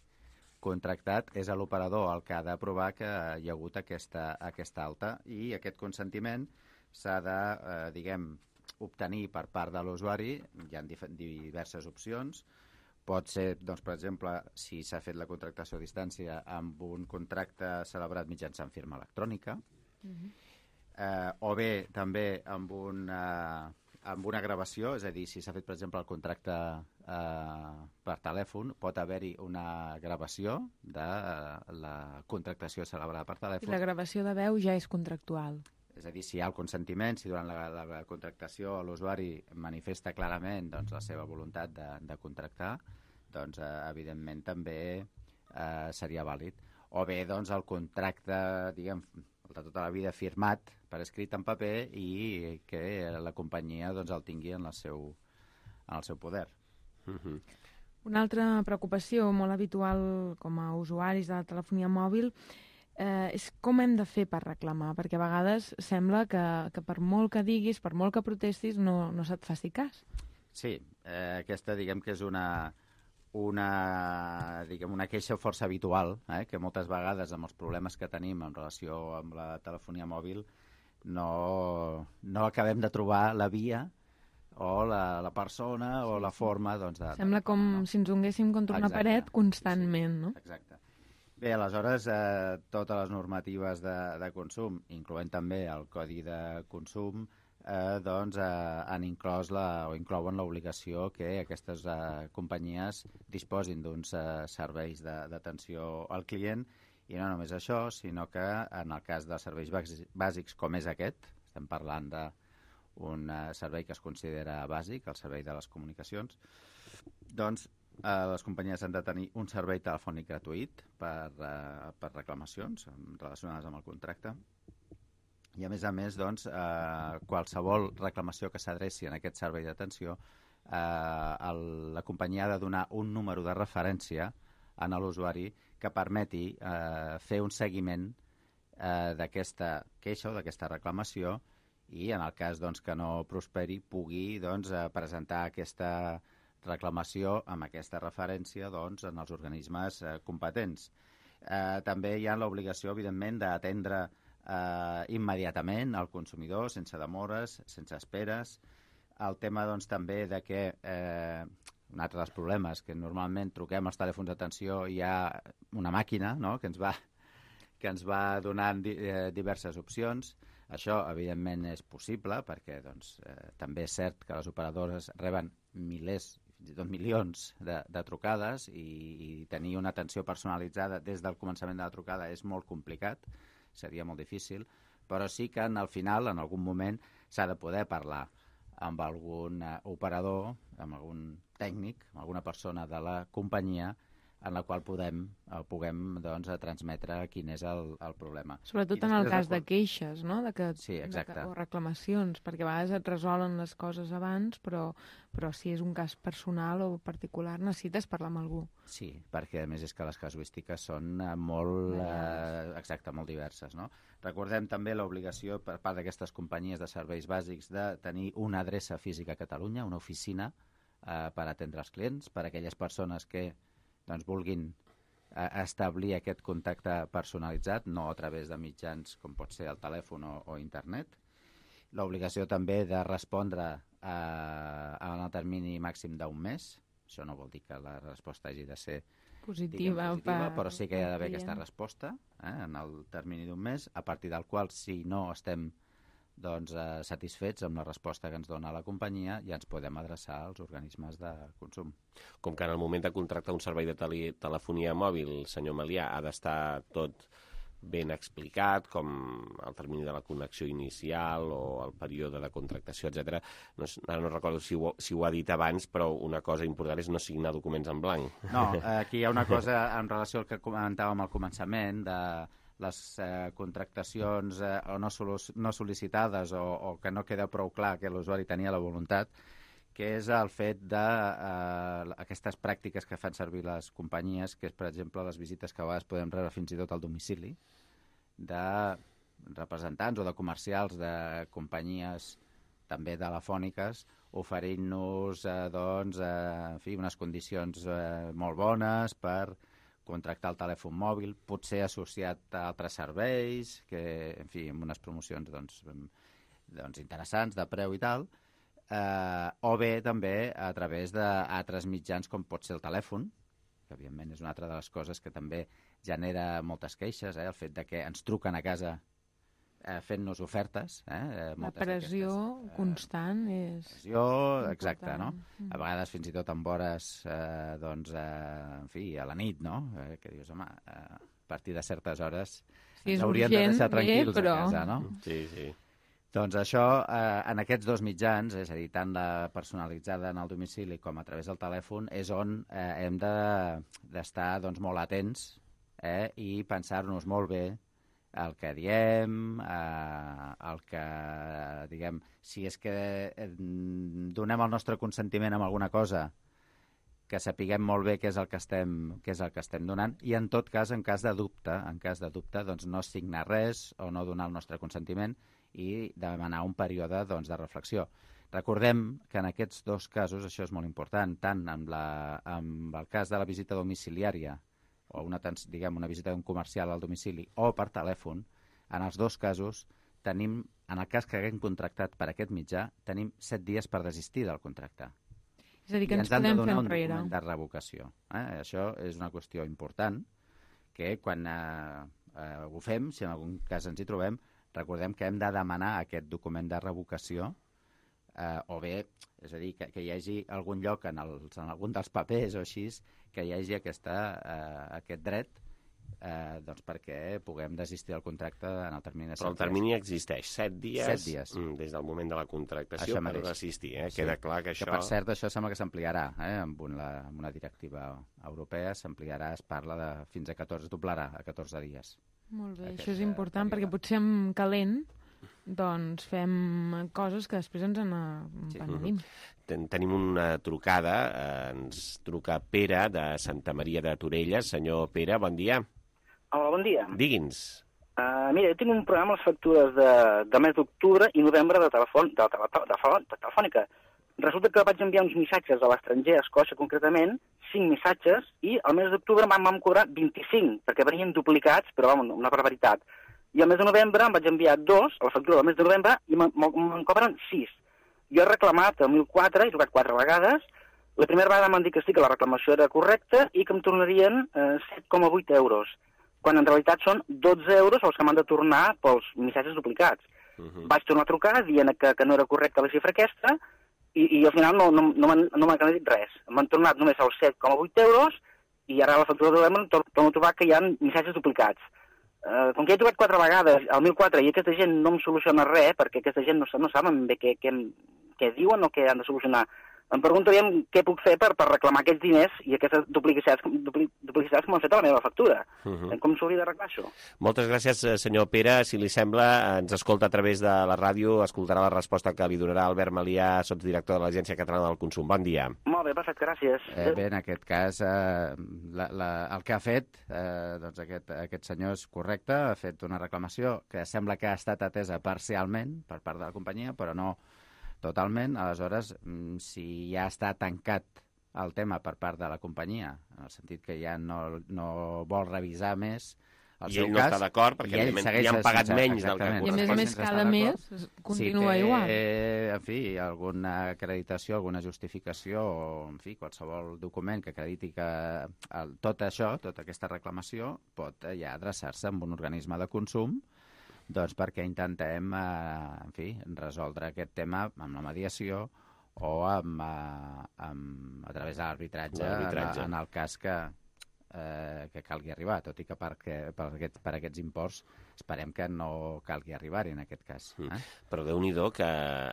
contractat, és l'operador el que ha de provar que hi ha hagut aquesta alta i aquest consentiment s'ha de, obtenir per part de l'usuari. Hi ha diverses opcions. Pot ser, doncs, per exemple, si s'ha fet la contractació a distància amb un contracte celebrat mitjançant firma electrònica, o bé també amb una gravació, és a dir, si s'ha fet, per exemple, el contracte per telèfon, pot haver-hi una gravació de la contractació celebrada per telèfon. I la gravació de veu ja és contractual. És a dir, si hi ha el consentiment, si durant la contractació l'usuari manifesta clarament doncs, la seva voluntat de contractar, doncs evidentment també seria vàlid. O bé doncs, el contracte, diguem, de tota la vida firmat per escrit en paper i que la companyia doncs, el tingui en el seu poder. Una altra preocupació molt habitual com a usuaris de la telefonia mòbil és com hem de fer per reclamar, perquè a vegades sembla que per molt que diguis, per molt que protestis, no se't faci cas. Sí, aquesta diguem que és una queixa força habitual, que moltes vegades amb els problemes que tenim en relació amb la telefonia mòbil no acabem de trobar la via o la persona o la forma doncs, sembla com si ens donguéssim contra una paret constantment, no? Exacte. Bé, aleshores, totes les normatives de consum, incloent també el Codi de Consum, doncs han inclòs o inclouen l'obligació que aquestes companyies disposin d'uns serveis d'atenció al client, i no només això, sinó que en el cas dels serveis bàsics com és aquest, estem parlant d'un servei que es considera bàsic, el servei de les comunicacions, doncs les companyies han de tenir un servei telefònic gratuït per reclamacions relacionades amb el contracte. I a més, doncs, qualsevol reclamació que s'adreci en aquest servei d'atenció, la companyia ha de donar un número de referència a l'usuari que permeti fer un seguiment d'aquesta queixa o d'aquesta reclamació i, en el cas doncs, que no prosperi, pugui doncs, presentar aquesta reclamació amb aquesta referència doncs, en els organismes competents. També hi ha l'obligació, evidentment, d'atendre immediatament al consumidor, sense demores, sense esperes. El tema doncs, també de que un altre dels problemes, que normalment truquem als telèfons d'atenció i hi ha una màquina, no?, que ens va donant diverses opcions. Això, evidentment, és possible perquè doncs, també és cert que les operadores reben milers, fins i tot milions de trucades i tenir una atenció personalitzada des del començament de la trucada és molt complicat, seria molt difícil, però sí que al final, en algun moment, s'ha de poder parlar amb algun operador, amb algun tècnic, amb alguna persona de la companyia en la qual puguem doncs, transmetre quin és el problema. Sobretot en el cas de queixes, no? Sí, exacte. O reclamacions, perquè a vegades et resolen les coses abans, però si és un cas personal o particular necessites parlar amb algú. Sí, perquè a més és que les casuístiques són molt diverses, no? Recordem també l'obligació per part d'aquestes companyies de serveis bàsics de tenir una adreça física a Catalunya, una oficina per atendre els clients, per a aquelles persones que doncs, vulguin establir aquest contacte personalitzat, no a través de mitjans com pot ser el telèfon o internet. L'obligació també de respondre en el termini màxim d'un mes. Això no vol dir que la resposta hagi de ser positiva, però sí que hi ha d'haver aquesta resposta en el termini d'un mes, a partir del qual, si no estem doncs, satisfets amb la resposta que ens dona la companyia, ja ens podem adreçar als organismes de consum. Com que en el moment de contractar un servei de telefonia mòbil, senyor Melià, ha d'estar tot ben explicat, com el termini de la connexió inicial o el període de contractació, etc. Ara no recordo si ho ha dit abans, però una cosa important és no signar documents en blanc. No, aquí hi ha una cosa en relació al que comentàvem al començament, de les contractacions no sol·licitades o que no queda prou clar que l'usuari tenia la voluntat, que és el fet d'aquestes pràctiques que fan servir les companyies, que és, per exemple, les visites que a vegades podem rebre fins i tot al domicili de representants o de comercials de companyies també telefòniques oferint-nos unes condicions molt bones per contractar el telèfon mòbil, potser associat a altres serveis, amb unes promocions interessants de preu i tal, o bé també a través d'altres mitjans com pot ser el telèfon, que evidentment és una altra de les coses que també genera moltes queixes, el fet de que ens truquen a casa fent-nos ofertes. La pressió constant és... Pressió, exacte, no? A vegades fins i tot amb hores, a la nit, no? Que dius, home, a partir de certes hores ens haurien de deixar tranquils a casa, no? Sí, sí. Doncs això, en aquests dos mitjans, és a dir, tant la personalitzada en el domicili com a través del telèfon, és on hem d'estar molt atents i pensar-nos molt bé el que diem, el que, diguem, si és que donem el nostre consentiment amb alguna cosa, que sapiguem molt bé què és el que estem donant, i en tot cas, en cas de dubte, doncs no signar res o no donar el nostre consentiment i demanar un període de reflexió. Recordem que en aquests dos casos, això és molt important, tant amb el cas de la visita domiciliària o una visita d'un comercial al domicili o per telèfon, en els dos casos tenim, en el cas que haguem contractat per aquest mitjà, tenim 7 dies per desistir del contracte. És a dir, que ens podem fer enrere. I ens han de donar un document de revocació. Això és una qüestió important, que quan ho fem, si en algun cas ens hi trobem, recordem que hem de demanar aquest document de revocació, o bé, és a dir, que hi hagi algun lloc en algun dels papers o així, que hi hagi aquest dret perquè puguem desistir del contracte en el termini de 7 dies. Però el termini existeix, 7 dies, 7 dies. Des del moment de la contractació per desistir. Sí. Queda clar que això... Que, per cert, això sembla que s'ampliarà. Amb una directiva europea s'ampliarà, es parla fins a 14, doblarà a 14 dies. Molt bé, això és important perquè potser en calent doncs fem coses que després ens en penedim. Tenim una trucada, ens truca Pere de Santa Maria de Torelles. Senyor Pere, bon dia. Hola, bon dia. Digui'ns. Mira, jo tinc un programa amb les factures de mes d'octubre i novembre de telefònica. Resulta que vaig enviar uns missatges a l'estranger, a Escòcia concretament, 5 missatges, i al mes d'octubre em vam cobrar 25, perquè venien duplicats, però una barbaritat. I al mes de novembre em vaig enviar 2, a la factura del mes de novembre, i me'n cobren 6. Jo he reclamat el 1004, he trucat 4 vegades. La primera vegada m'han dit que sí, que la reclamació era correcta i que em tornarien 7,8 euros, quan en realitat són 12 euros els que m'han de tornar pels missatges duplicats. Vaig tornar a trucar dient que no era correcta la xifra aquesta i al final no m'han dit res. M'han tornat només els 7,8 euros i ara a la factura de novembre torno a trobar que hi ha missatges duplicats. Com que he trucat 4 vegades al 1004 i aquesta gent no em soluciona res, perquè aquesta gent no saben bé què diuen o què han de solucionar, em preguntaríem què puc fer per reclamar aquests diners i aquestes duplicitats que m'han fet a la meva factura. Com s'hauria d'arreglar això? Moltes gràcies, senyor Pere. Si li sembla, ens escolta a través de la ràdio, escoltarà la resposta que li donarà Albert Malià, sotsdirector de l'Agència Catalana del Consum. Bon dia. Molt bé, perfecte, gràcies. Bé, en aquest cas, el que ha fet aquest senyor és correcte, ha fet una reclamació que sembla que ha estat atesa parcialment per part de la companyia, però no totalment. Aleshores, si ja està tancat el tema per part de la companyia, en el sentit que ja no vol revisar més el seu cas... I ell no està d'acord, perquè li han pagat menys del que correspon. I a més cada mes continua igual. Si té, en fi, alguna acreditació, alguna justificació, o, en fi, qualsevol document que acrediti que tot això, tota aquesta reclamació, pot ja adreçar-se a un organisme de consum, doncs perquè intentem, en fi, resoldre aquest tema amb la mediació o a través de l'arbitratge en el cas que calgui arribar, tot i que per aquests imports esperem que no calgui arribar-hi en aquest cas. Però Déu-n'hi-do que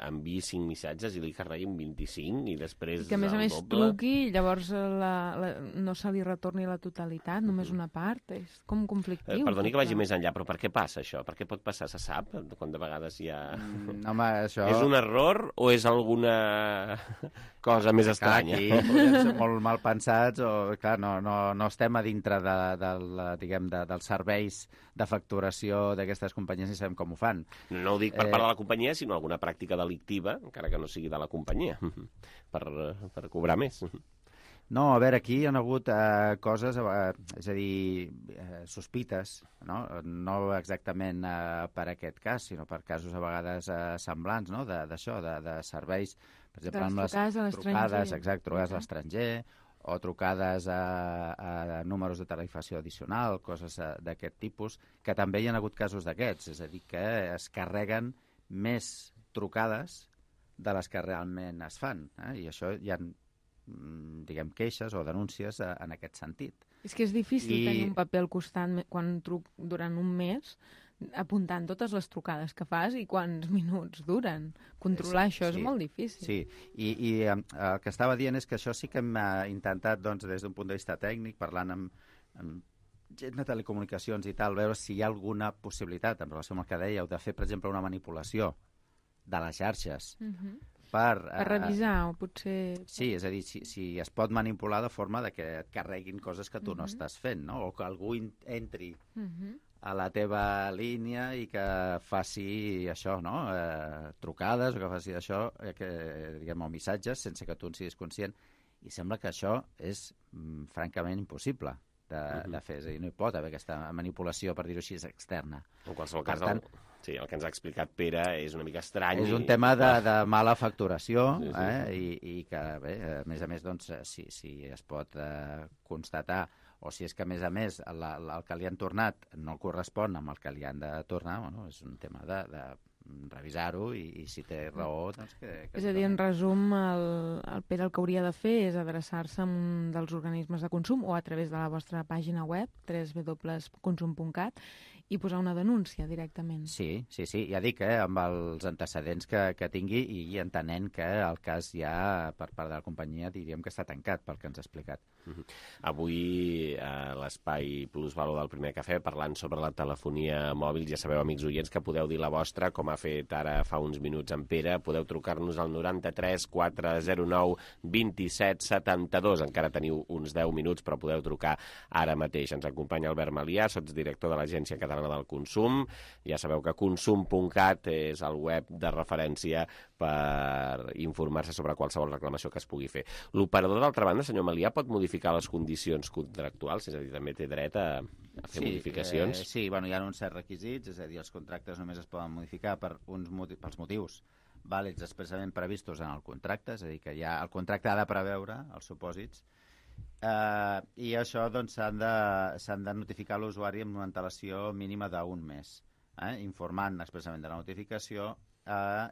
enviï 5 missatges i li carreguin 25 i després que a més truqui i llavors no se li retorni la totalitat, només una part. És com conflictiu. Perdoni que vagi més enllà, però per què passa això? Per què pot passar? Se sap? Quan de vegades hi ha... Home, això... És un error o és alguna cosa més estranya? Aquí podem ser molt mal pensats o, clar, no estem a dintre dels serveis de facturació informació d'aquestes companyies ni sabem com ho fan. No ho dic per part de la companyia, sinó alguna pràctica delictiva, encara que no sigui de la companyia, per cobrar més. No, a veure, aquí hi ha hagut coses, és a dir, sospites, no exactament per aquest cas, sinó per casos a vegades semblants, no?, d'això, de serveis, per exemple, amb les trucades, exacte, trucades a l'estranger, o trucades a números de tarifació addicional, coses d'aquest tipus, que també hi ha hagut casos d'aquests, és a dir, que es carreguen més trucades de les que realment es fan, i això hi ha, diguem, queixes o denúncies en aquest sentit. És que és difícil tenir un paper al costat quan truc durant un mes, apuntant totes les trucades que fas i quants minuts duren. Controlar això és molt difícil. Sí, i el que estava dient és que això sí que hem intentat, doncs, des d'un punt de vista tècnic, parlant amb gent de telecomunicacions i tal, veure si hi ha alguna possibilitat, en relació amb el que dèieu, de fer, per exemple, una manipulació de les xarxes per revisar, o potser... Sí, és a dir, si es pot manipular de forma de que et carreguin coses que tu no estàs fent, no? O que algú entri a la teva línia i que faci això, no? Trucades, o que faci això, diguem, o missatges, sense que tu en siguis conscient. I sembla que això és francament impossible de fer. És a dir, no hi pot haver aquesta manipulació, per dir-ho així, externa. En qualsevol cas, el que ens ha explicat Pere és una mica estrany. És un tema de mala facturació, i que, bé, a més, doncs, si es pot constatar, o si és que, a més, el que li han tornat no correspon amb el que li han de tornar, bueno, és un tema de revisar-ho i si té raó, doncs que és a dir, en resum, el Pere el que hauria de fer és adreçar-se a un dels organismes de consum o a través de la vostra pàgina web, www.consum.cat, i posar una denúncia directament. Sí, ja dic, amb els antecedents que tingui i entenent que el cas ja, per part de la companyia, diríem que està tancat pel que ens ha explicat. Avui, a l'Espai Plusvalor del Primer Cafè, parlant sobre la telefonia mòbil, ja sabeu, amics oients, que podeu dir la vostra, com ha fet ara fa uns minuts en Pere. Podeu trucar-nos al 93 409 27 72. Encara teniu uns 10 minuts, però podeu trucar ara mateix. Ens acompanya Albert Malià, sotsdirector de l'Agència Catalana del Consum. Ja sabeu que consum.cat és el web de referència per informar-se sobre qualsevol reclamació que es pugui fer. L'operador, d'altra banda, senyor Malià, pot modificar les condicions contractuals? És a dir, també té dret a fer modificacions? Sí, hi ha uns certs requisits, és a dir, els contractes només es poden modificar pels motius vàlids expressament previstos en el contracte, és a dir, que el contracte ha de preveure els supòsits, i això doncs s'han de notificar a l'usuari amb una antelació mínima d'un mes, informant expressament de la notificació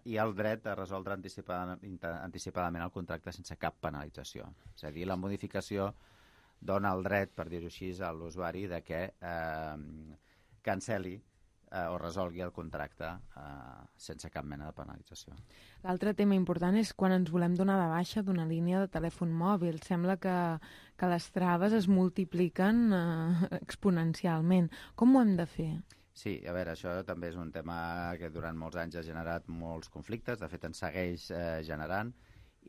i el dret a resoldre anticipadament el contracte sense cap penalització. És a dir, la modificació dona el dret, per dir-ho així, a l'usuari de que cancel·li o resolgui el contracte sense cap mena de penalització. L'altre tema important és quan ens volem donar de baixa d'una línia de telèfon mòbil. Sembla que les traves es multipliquen exponencialment. Com ho hem de fer? Sí, a veure, això també és un tema que durant molts anys ha generat molts conflictes, de fet en segueix generant,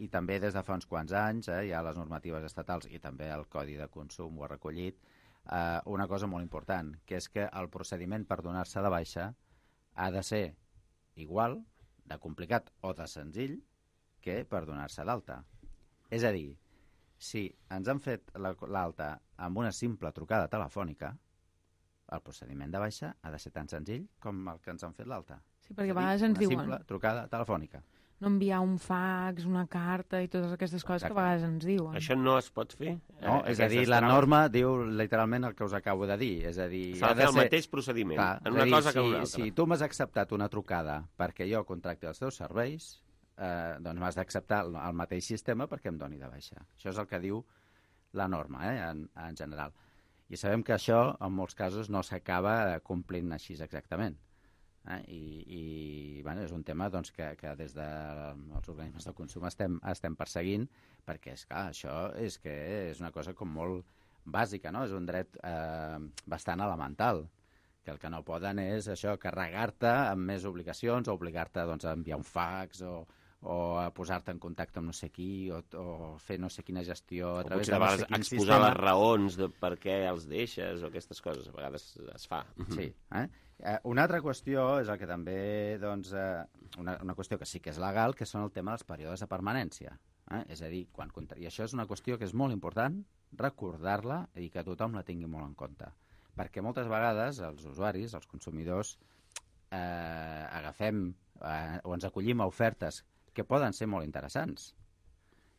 i també des de fa uns quants anys hi ha les normatives estatals i també el Codi de Consum ho ha recollit, una cosa molt important, que és que el procediment per donar-se de baixa ha de ser igual, de complicat o de senzill, que per donar-se d'alta. És a dir, si ens han fet l'alta amb una simple trucada telefònica, el procediment de baixa ha de ser tan senzill com el que ens han fet l'alta. Sí, perquè a vegades ens diuen... Una simple trucada telefònica. No enviar un fax, una carta i totes aquestes coses que a vegades ens diuen. Això no es pot fer? No, és a dir, la norma diu literalment el que us acabo de dir. És a dir, s'ha de fer el mateix procediment, en una cosa que en una altra. Si tu m'has acceptat una trucada perquè jo contracti els teus serveis, doncs m'has d'acceptar el mateix sistema perquè em doni de baixa. Això és el que diu la norma, en general. I sabem que això, en molts casos, no s'acaba complint així exactament. I és un tema doncs, que des dels organismes de consum estem perseguint, perquè, esclar, això és una cosa com molt bàsica, no? És un dret bastant elemental, que el que no poden és això, carregar-te amb més obligacions o obligar-te doncs, a enviar un fax o o a posar-te en contacte amb no sé qui, o fer no sé quina gestió a través de no sé quin exposar sistema. les raons de per què els deixes o aquestes coses, a vegades es fa. Sí. Una altra qüestió és el que també, doncs, una qüestió que sí que és legal, que són el tema dels períodes de permanència. És a dir, i això és una qüestió que és molt important recordar-la i que tothom la tingui molt en compte. Perquè moltes vegades els usuaris, els consumidors, agafem o ens acollim a ofertes que poden ser molt interessants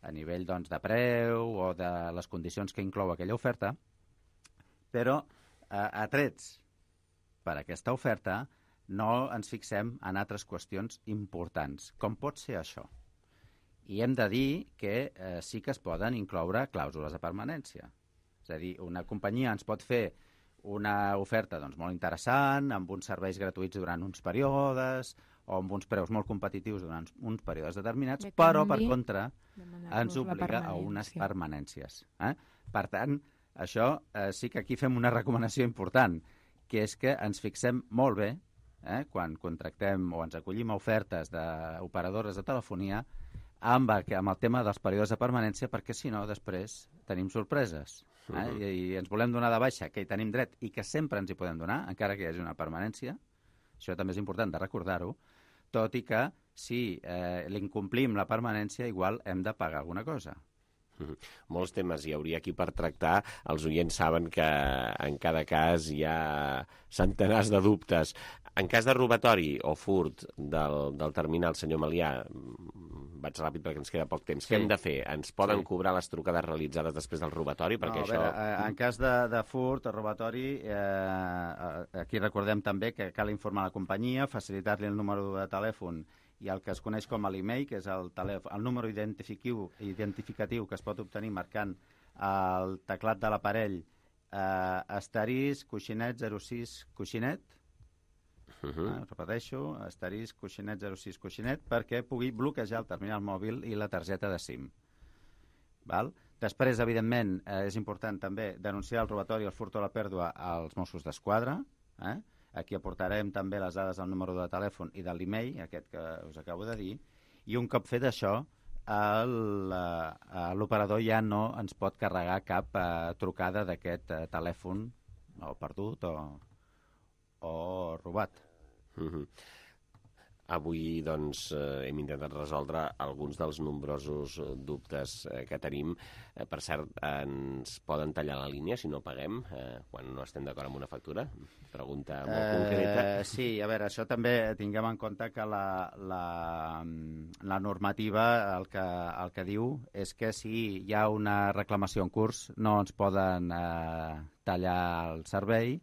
a nivell doncs, de preu o de les condicions que inclou aquella oferta, però atrets per aquesta oferta no ens fixem en altres qüestions importants. Com pot ser això? I hem de dir que sí que es poden incloure clàusules de permanència. És a dir, una companyia ens pot fer una oferta doncs, molt interessant, amb uns serveis gratuïts durant uns períodes, o amb uns preus molt competitius durant uns períodes determinats, però, per contra, ens obliga a unes permanències. Per tant, això sí que aquí fem una recomanació important, que és que ens fixem molt bé, quan contractem o ens acollim a ofertes d'operadores de telefonia, amb el tema dels períodes de permanència, perquè si no, després tenim sorpreses. I ens volem donar de baixa, que hi tenim dret i que sempre ens hi podem donar, encara que hi hagi una permanència. Això també és important de recordar-ho, tot i que si l'incomplim la permanència, igual hem de pagar alguna cosa. Molts temes hi hauria aquí per tractar. Els oients saben que en cada cas hi ha centenars de dubtes. En cas de robatori o furt del terminal, senyor Melià, vaig ràpid perquè ens queda poc temps. Què hem de fer? Ens poden cobrar les trucades realitzades després del robatori? Perquè en cas de furt o robatori, aquí recordem també que cal informar la companyia, facilitar-li el número de telèfon i el que es coneix com a l'email, que és el número identificatiu que es pot obtenir marcant el teclat de l'aparell asterisc, coixinet, 06, coixinet, repeteixo, asterisc, coixinet, 06, coixinet, perquè pugui bloquejar el terminal mòbil i la targeta de SIM. Després, evidentment, és important també denunciar el robatori, el furt o la pèrdua als Mossos d'Esquadra. Aquí aportarem també les dades del número de telèfon i de l'email, aquest que us acabo de dir, i un cop fet això, l'operador ja no ens pot carregar cap trucada d'aquest telèfon o perdut o robat. Avui doncs, hem intentat resoldre alguns dels nombrosos dubtes que tenim. Per cert, ens poden tallar la línia si no paguem quan no estem d'acord amb una factura? Pregunta molt concreta. Sí, a veure, això també tinguem en compte que la normativa el que diu és que si hi ha una reclamació en curs no ens poden tallar el servei,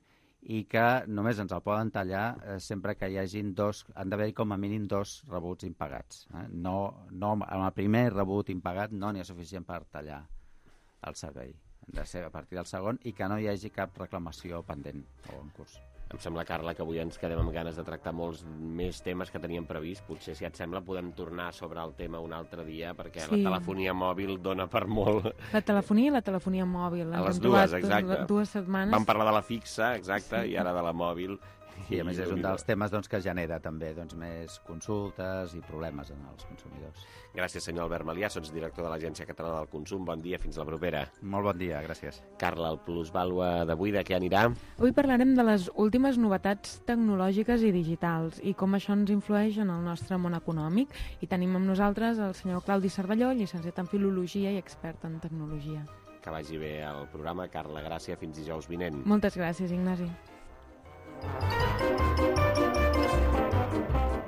i que només ens el poden tallar sempre que hi hagin han d'haver com a mínim 2 rebuts impagats. No, amb el primer rebut impagat no n'hi ha suficient per tallar el servei. Han de ser a partir del segon i que no hi hagi cap reclamació pendent o en curs. Em sembla, Carla, que avui ens quedem amb ganes de tractar molts més temes que teníem previst. Potser, si et sembla, podem tornar sobre el tema un altre dia, perquè la telefonia mòbil dona per molt. La telefonia i la telefonia mòbil. A les dues, exacte. 2 setmanes. Vam parlar de la fixa, exacte, i ara de la mòbil. I a més és un dels temes que genera també més consultes i problemes en els consumidors. Gràcies, senyor Albert Melià, sots director de l'Agència Catalana del Consum. Bon dia, fins la propera. Molt bon dia, gràcies. Carla, el plusvàlua d'avui de què anirà? Avui parlarem de les últimes novetats tecnològiques i digitals i com això ens influeix en el nostre món econòmic. I tenim amb nosaltres el senyor Claudi Cervelló, llicenciat en Filologia i expert en tecnologia. Que vagi bé el programa. Carla, gràcies. Fins dijous vinent. Moltes gràcies, Ignasi.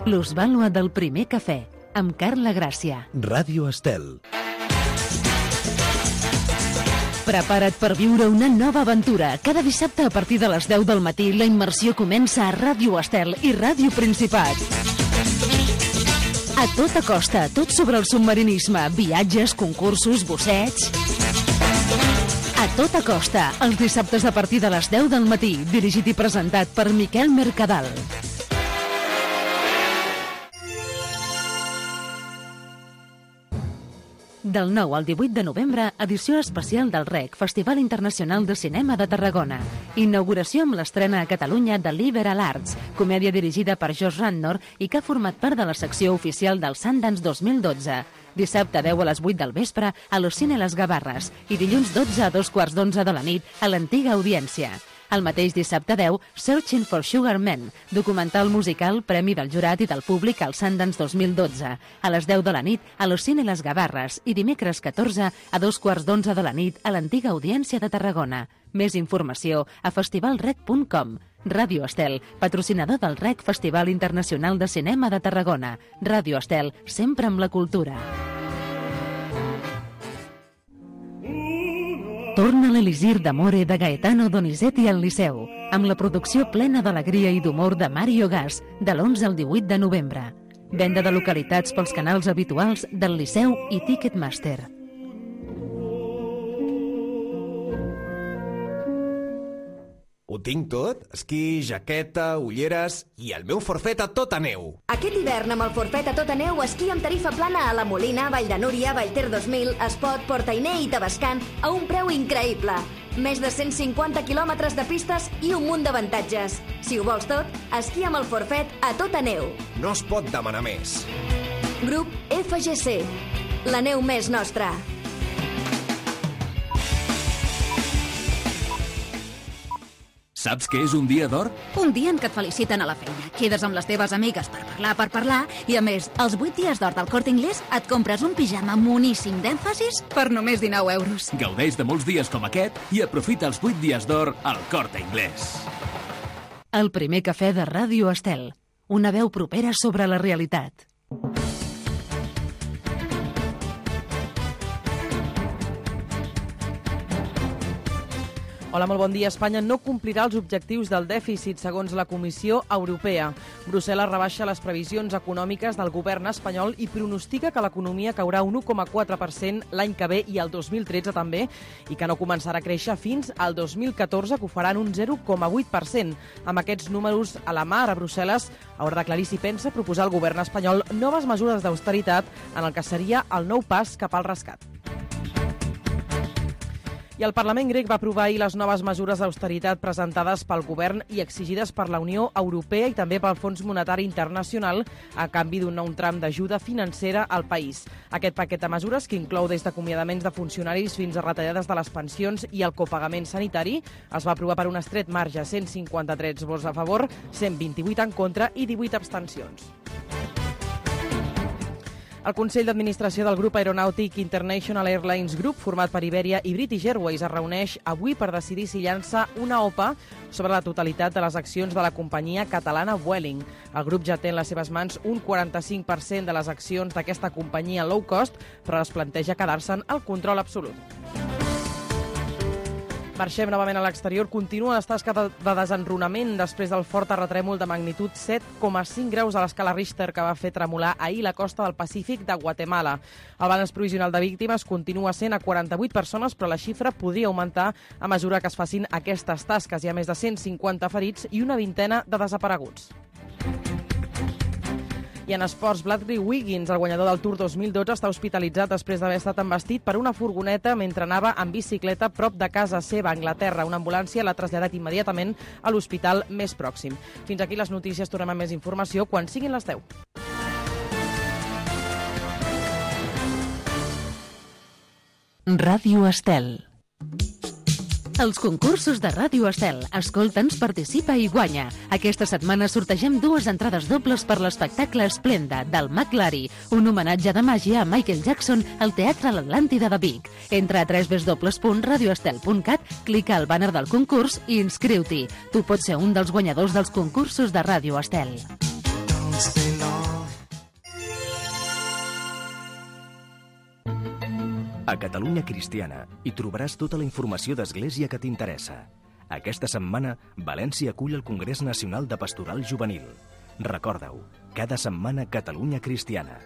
Plusvàlua del primer cafè, amb Carla Gràcia. Ràdio Estel. Prepara't per viure una nova aventura. Cada dissabte a partir de les 10 del matí la immersió comença a Ràdio Estel i Ràdio Principat. A tota costa, tot sobre el submarinisme, viatges, concursos, bussets... A tota costa, els dissabtes a partir de les 10 del matí, dirigit i presentat per Miquel Mercadal. Del 9 al 18 de novembre, edició especial del REC, Festival Internacional de Cinema de Tarragona. Inauguració amb l'estrena a Catalunya de Liberal Arts, comèdia dirigida per Josh Radnor i que ha format part de la secció oficial del Sundance 2012. Dissabte 10 a les 8 del vespre a l'Ocine Les Gavarres i dilluns 12 a 2:15 de la nit a l'Antiga Audiència. El mateix dissabte 10, Searching for Sugar Man, documental musical, premi del jurat i del públic al Sundance 2012, a les 10 de la nit a l'Ocine Les Gavarres i dimecres 14 a 2:15 de la nit a l'Antiga Audiència de Tarragona. Més informació a festivalrec.com. Ràdio Estel, patrocinador del REC Festival Internacional de Cinema de Tarragona. Ràdio Estel, sempre amb la cultura. Torna l'Elisir d'Amore de Gaetano Donizetti al Liceu, amb la producció plena d'alegria i d'humor de Mario Gas, de l'11 al 18 de novembre. Venda de localitats pels canals habituals del Liceu i Ticketmaster. Ho tinc tot? Esquí, jaqueta, ulleres i el meu forfet a tota neu. Aquest hivern amb el forfet a tota neu esquí amb tarifa plana a La Molina, Vall de Núria, Vallter 2000, Espot, Portainer i Tavascan a un preu increïble. Més de 150 quilòmetres de pistes i un munt d'avantatges. Si ho vols tot, esquí amb el forfet a tota neu. No es pot demanar més. Grup FGC. La neu més nostra. Saps què és un dia d'or? Un dia en què et feliciten a la feina. Quedes amb les teves amigues per parlar, i a més, els 8 dies d'or del Corte Inglés et compres un pijama moníssim d'èmfasis per només 19 euros. Gaudeix de molts dies com aquest i aprofita els 8 dies d'or al Corte Inglés. El primer cafè de Ràdio Estel. Una veu propera sobre la realitat. Hola, molt bon dia. Espanya no complirà els objectius del dèficit, segons la Comissió Europea. Brussel·les rebaixa les previsions econòmiques del govern espanyol i pronostica que l'economia caurà un 1,4% l'any que ve i el 2013 també, i que no començarà a créixer fins al 2014, que ho faran un 0,8%. Amb aquests números a la mà, ara Brussel·les haurà d'aclarir si pensa proposar al govern espanyol noves mesures d'austeritat en el que seria el nou pas cap al rescat. I el Parlament grec va aprovar ahir les noves mesures d'austeritat presentades pel govern i exigides per la Unió Europea i també pel Fons Monetari Internacional a canvi d'un nou tram d'ajuda financera al país. Aquest paquet de mesures, que inclou des d'acomiadaments de funcionaris fins a retallades de les pensions i el copagament sanitari, es va aprovar per un estret marge, 153 vots a favor, 128 en contra i 18 abstencions. El Consell d'Administració del grup aeronàutic International Airlines Group, format per Iberia i British Airways, es reuneix avui per decidir si llança una OPA sobre la totalitat de les accions de la companyia catalana Vueling. El grup ja té en les seves mans un 45% de les accions d'aquesta companyia low cost, però es planteja quedar-se'n el control absolut. Marxem novament a l'exterior. Continua les tasques de desenrunament després del fort terratrèmol de magnitud 7,5 graus a l'escala Richter que va fer tremolar ahir la costa del Pacífic de Guatemala. El balanç provisional de víctimes continua sent a 48 persones, però la xifra podria augmentar a mesura que es facin aquestes tasques. Hi ha més de 150 ferits i una vintena de desapareguts. I en esports, Bradley Wiggins, el guanyador del Tour 2012, està hospitalitzat després d'haver estat embestit per una furgoneta mentre anava en bicicleta prop de casa seva, a Anglaterra. Una ambulància l'ha traslladat immediatament a l'hospital més pròxim. Fins aquí les notícies. Tornem amb més informació quan siguin les 10. Ràdio Estel. Els concursos de Ràdio Estel. Escolta'ns, participa i guanya. Aquesta setmana sortegem 2 entrades dobles per l'espectacle Esplenda, del McLary, un homenatge de màgia a Michael Jackson al Teatre L'Atlàntida de Vic. Entra a www.radioestel.cat, clica al banner del concurs i inscriu-t'hi. Tu pots ser un dels guanyadors dels concursos de Ràdio Estel. A Catalunya Cristiana hi trobaràs tota la informació d'Església que t'interessa. Aquesta setmana, València acull el Congrés Nacional de Pastoral Juvenil. Recorda-ho, cada setmana Catalunya Cristiana.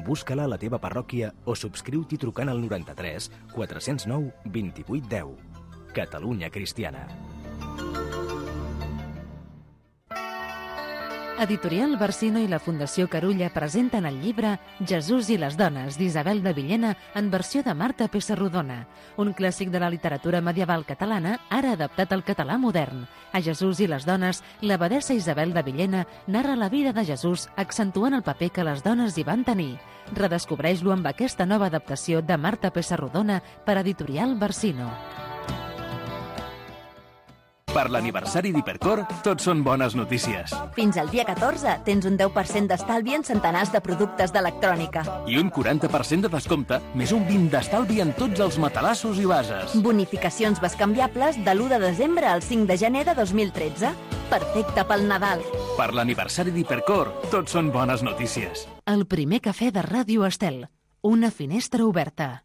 Busca-la a la teva parròquia o subscriu-t'hi trucant al 93 409 2810. Catalunya Cristiana. Editorial Barsino i la Fundació Carulla presenten el llibre Jesús i les dones, d'Isabel de Villena, en versió de Marta Pessarrodona, un clàssic de la literatura medieval catalana, ara adaptat al català modern. A Jesús i les dones, l'abadessa Isabel de Villena narra la vida de Jesús, accentuant el paper que les dones hi van tenir. Redescobreix-lo amb aquesta nova adaptació de Marta Pessarrodona per Editorial Barsino. Per l'aniversari d'Hipercor, tot són bones notícies. Fins al dia 14 tens un 10% d'estalvi en centenars de productes d'electrònica. I un 40% de descompte, més un 20% d'estalvi en tots els matalassos i bases. Bonificacions bescanviables de l'1 de desembre al 5 de gener de 2013. Perfecte pel Nadal. Per l'aniversari d'Hipercor, tot són bones notícies. El primer cafè de Ràdio Estel. Una finestra oberta.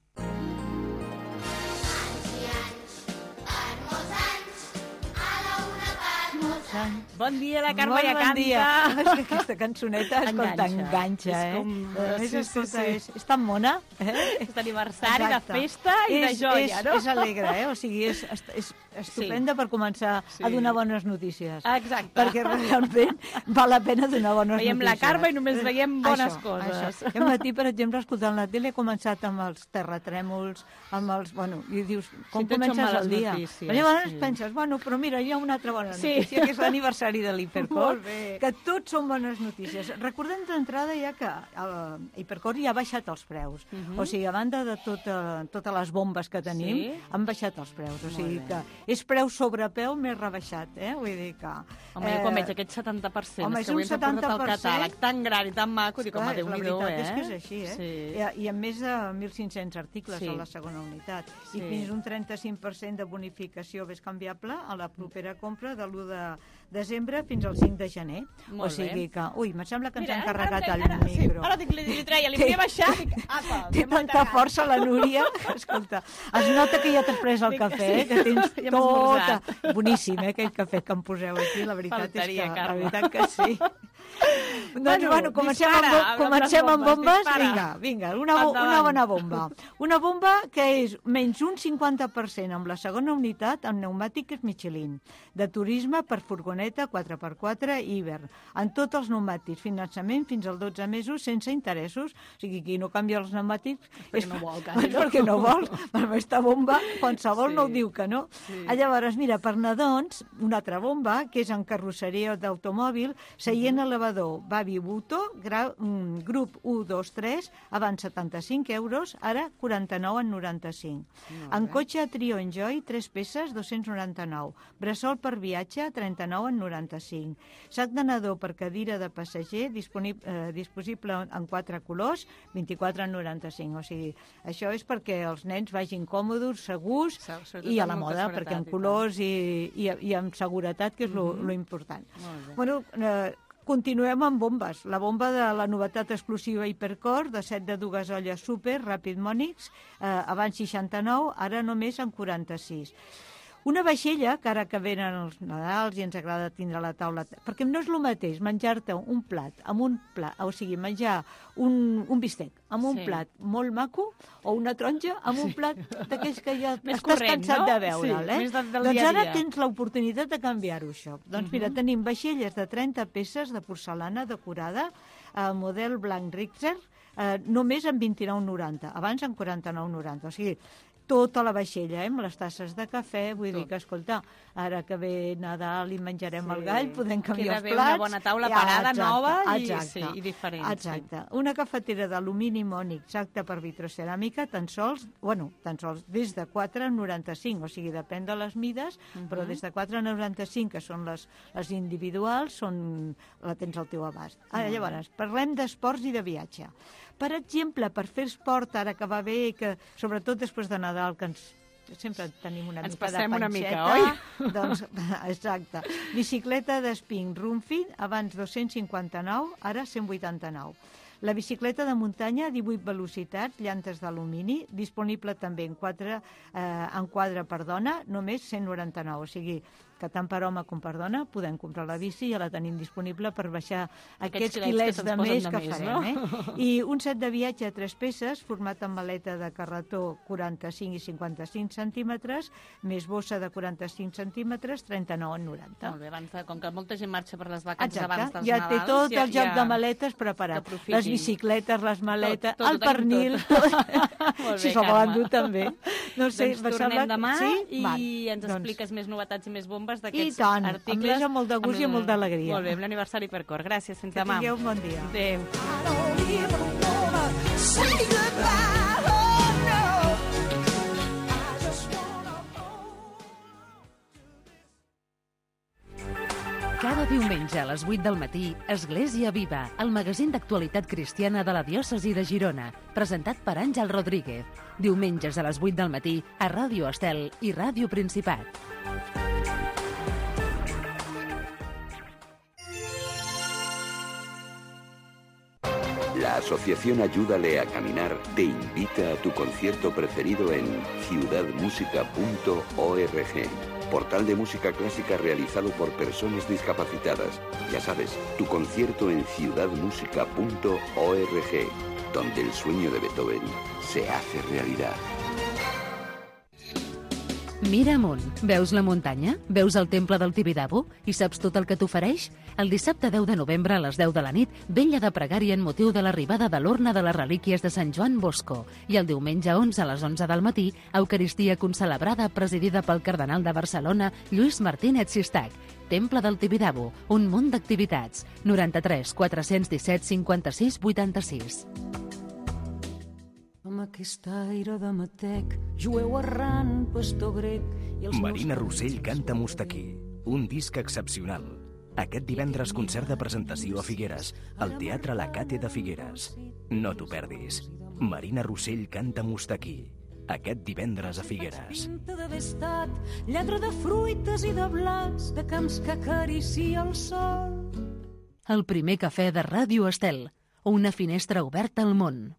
Bon dia, la Carme ja canta. És que aquesta cançoneta, escolta, enganxa, És tan mona. És d'aniversari, de festa i de joia, no? És alegre, o sigui, és estupenda per començar a donar bones notícies. Exacte. Perquè realment val la pena donar bones notícies. Veiem la Carme i només veiem bones coses. Aquest matí, per exemple, escoltant la tele, he començat amb els terratrèmols, amb els... Bueno, i dius, com comences el dia? Llavors penses, bueno, però mira, hi ha una altra bona notícia, que és l'aniversari de l'Hipercor, que tots són bones notícies. Recordem d'entrada ja que l'Hipercor ja ha baixat els preus. O sigui, a banda de totes les bombes que tenim, han baixat els preus. O sigui que és preu sobre peu més rebaixat, Vull dir que... Home, jo quan veig aquest 70%, home, és que avui ens ha portat el catàleg tan gran i tan maco, dic, home, Déu-n'hi-do, La veritat és que és així, I amb més de 1.500 articles a la segona unitat. I fins un 35% de bonificació bescanviable a la propera compra de l'1 de desembre fins al 5 de gener. O sigui que... Ui, em sembla que ens han carregat el micro. Ara li treia, li volia baixar. Té tanta força la Núria. Escolta, es nota que ja t'has pres el cafè, que tens tot... Boníssim, aquell cafè que em poseu aquí, la veritat és que... La veritat que sí. Doncs, bueno, comencem amb bombes. Vinga, una bona bomba. Una bomba que és menys un 50% amb la segona unitat amb pneumàtics Michelin, de turisme per furgoneta 4x4 i hivern, en tots els pneumàtics, finançament fins als 12 mesos sense interessos. O sigui, qui no canvia els pneumàtics és perquè no vol. Per aquesta bomba, qualsevol no ho diu que no. Llavors, mira, per nadons, una altra bomba, que és en carrosseria d'automòbil, seient elevador Babi Buto, grup 1, 2, 3, abans 75 euros, ara 49,95. En cotxe Trio Enjoy, 3 peces, 299. Bressol per viatge, 39,95. Sac de nadó per cadira de passager, disponible en 4 colors, 24,95. O sigui, això és perquè els nens vagin còmodes, segurs i a la moda, perquè en colors i amb seguretat, que és lo important. Bueno, continuem amb bombes. La bomba de la novetat exclusiva Hipercor, de 7 de 2 olles super, Rapid Monix, abans 69, ara només en 46. Una vaixella, que ara que venen els Nadals i ens agrada tindre la taula... Perquè no és el mateix menjar-te un plat, o sigui, menjar un bistec amb un plat molt maco o una taronja amb un plat d'aquells que ja estàs cansat de veure'l, Doncs ara tens l'oportunitat de canviar-ho, això. Doncs mira, tenim vaixelles de 30 peces de porcelana decorada, model blanc Richter, només en 29,90, abans en 49,90. O sigui, tota la vaixella, amb les tasses de cafè, vull dir que, escolta, ara que ve Nadal i menjarem el gall, podem canviar els plats. Queda bé una bona taula parada, nova i diferent. Exacte. Una cafetera d'alumini mònic, exacte, per vitroceràmica, tan sols des de 4,95, o sigui, depèn de les mides, però des de 4,95, que són les individuals, la tens al teu abast. Llavors, parlem d'esports i de viatge. Per exemple, per fer esport, ara que va bé, que sobretot després de Nadal, que sempre tenim una mica de panxeta. Una mica, oi? Doncs, exacte. Bicicleta d'Spin Rumfit, abans 259, ara 189. La bicicleta de muntanya, 18 velocitats, llantes d'alumini, disponible també en quadre per dona, només 199. O sigui, que tant per home com per dona podem comprar la bici, ja la tenim disponible per baixar aquests quilets de més que farem. I un set de viatge a 3 peces, format amb maleta de carretó 45 i 55 centímetres, més bossa de 45 centímetres, 39,90. Molt bé, com que molta gent marxa per les vacances abans dels ja Nadals. Té tot el joc de maletes preparat. Les bicicletes, les maletes, el pernil, si se'l volen dur també. No sé, doncs tornem demà i ens expliques més novetats i més bombes d'aquests articles. I tant, amb molt de gust i amb molt d'alegria. Molt bé, amb l'aniversari per cor. Gràcies, fins demà. Que tingueu un bon dia. Adéu. Cada diumenge a les 8 del matí, Església Viva, el magazín d'actualitat cristiana de la diòcesi de Girona, presentat per Àngel Rodríguez. Diumenges a les 8 del matí a Ràdio Estel i Ràdio Principat. La Asociación Ayúdale a Caminar te invita a tu concierto preferido en ciudadmusica.org. Portal de música clásica realizado por personas discapacitadas. Ya sabes, tu concierto en ciudadmusica.org, donde el sueño de Beethoven se hace realidad. Mira amunt. Veus la muntanya? Veus el temple del Tibidabo? I saps tot el que t'ofereix? El dissabte 10 de novembre a les 10 de la nit, vetlla de pregària en motiu de l'arribada de l'Urna de les Relíquies de Sant Joan Bosco. I el diumenge 11 a les 11 del matí, Eucaristia concelebrada presidida pel cardenal de Barcelona, Lluís Martínez Sistac. Temple del Tibidabo, un munt d'activitats. 93 417 56 86. Amb aquest aire de matec, jueu errant, pastor grec... Marina Rossell canta Mustaquí, un disc excepcional. Aquest divendres concert de presentació a Figueres, al Teatre La Cate de Figueres. No t'ho perdis. Marina Rossell canta Mustaquí, aquest divendres a Figueres. Pinta d'haver estat lladre de fruites i de blas, de camps que acaricia el sol. El primer cafè de Ràdio Estel, una finestra oberta al món.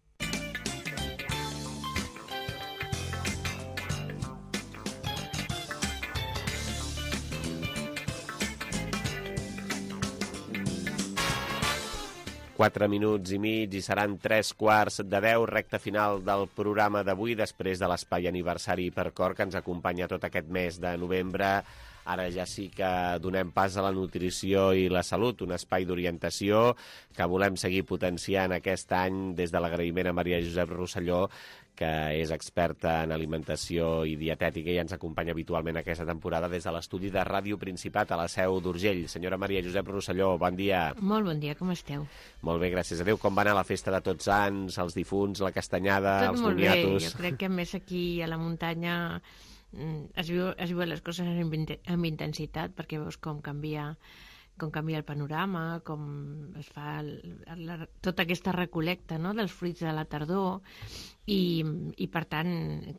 Quatre minuts i mig i seran 3:15, recta final del programa d'avui, després de l'espai aniversari per cor que ens acompanya tot aquest mes de novembre. Ara ja sí que donem pas a la nutrició i la salut, un espai d'orientació que volem seguir potenciant aquest any des de l'agraïment a Maria Josep Rosselló, que és experta en alimentació i dietètica i ens acompanya habitualment aquesta temporada des de l'estudi de Ràdio Principat a la Seu d'Urgell. Senyora Maria Josep Rosselló, bon dia. Molt bon dia, com esteu? Molt bé, gràcies a Déu. Com va anar la festa de Tots Sants, els difunts, la castanyada, els moniatos? Tot molt bé, jo crec que més aquí a la muntanya es viuen les coses amb intensitat, perquè veus com canvia el panorama, com es fa tota aquesta recol·lecta, no?, dels fruits de la tardor, i per tant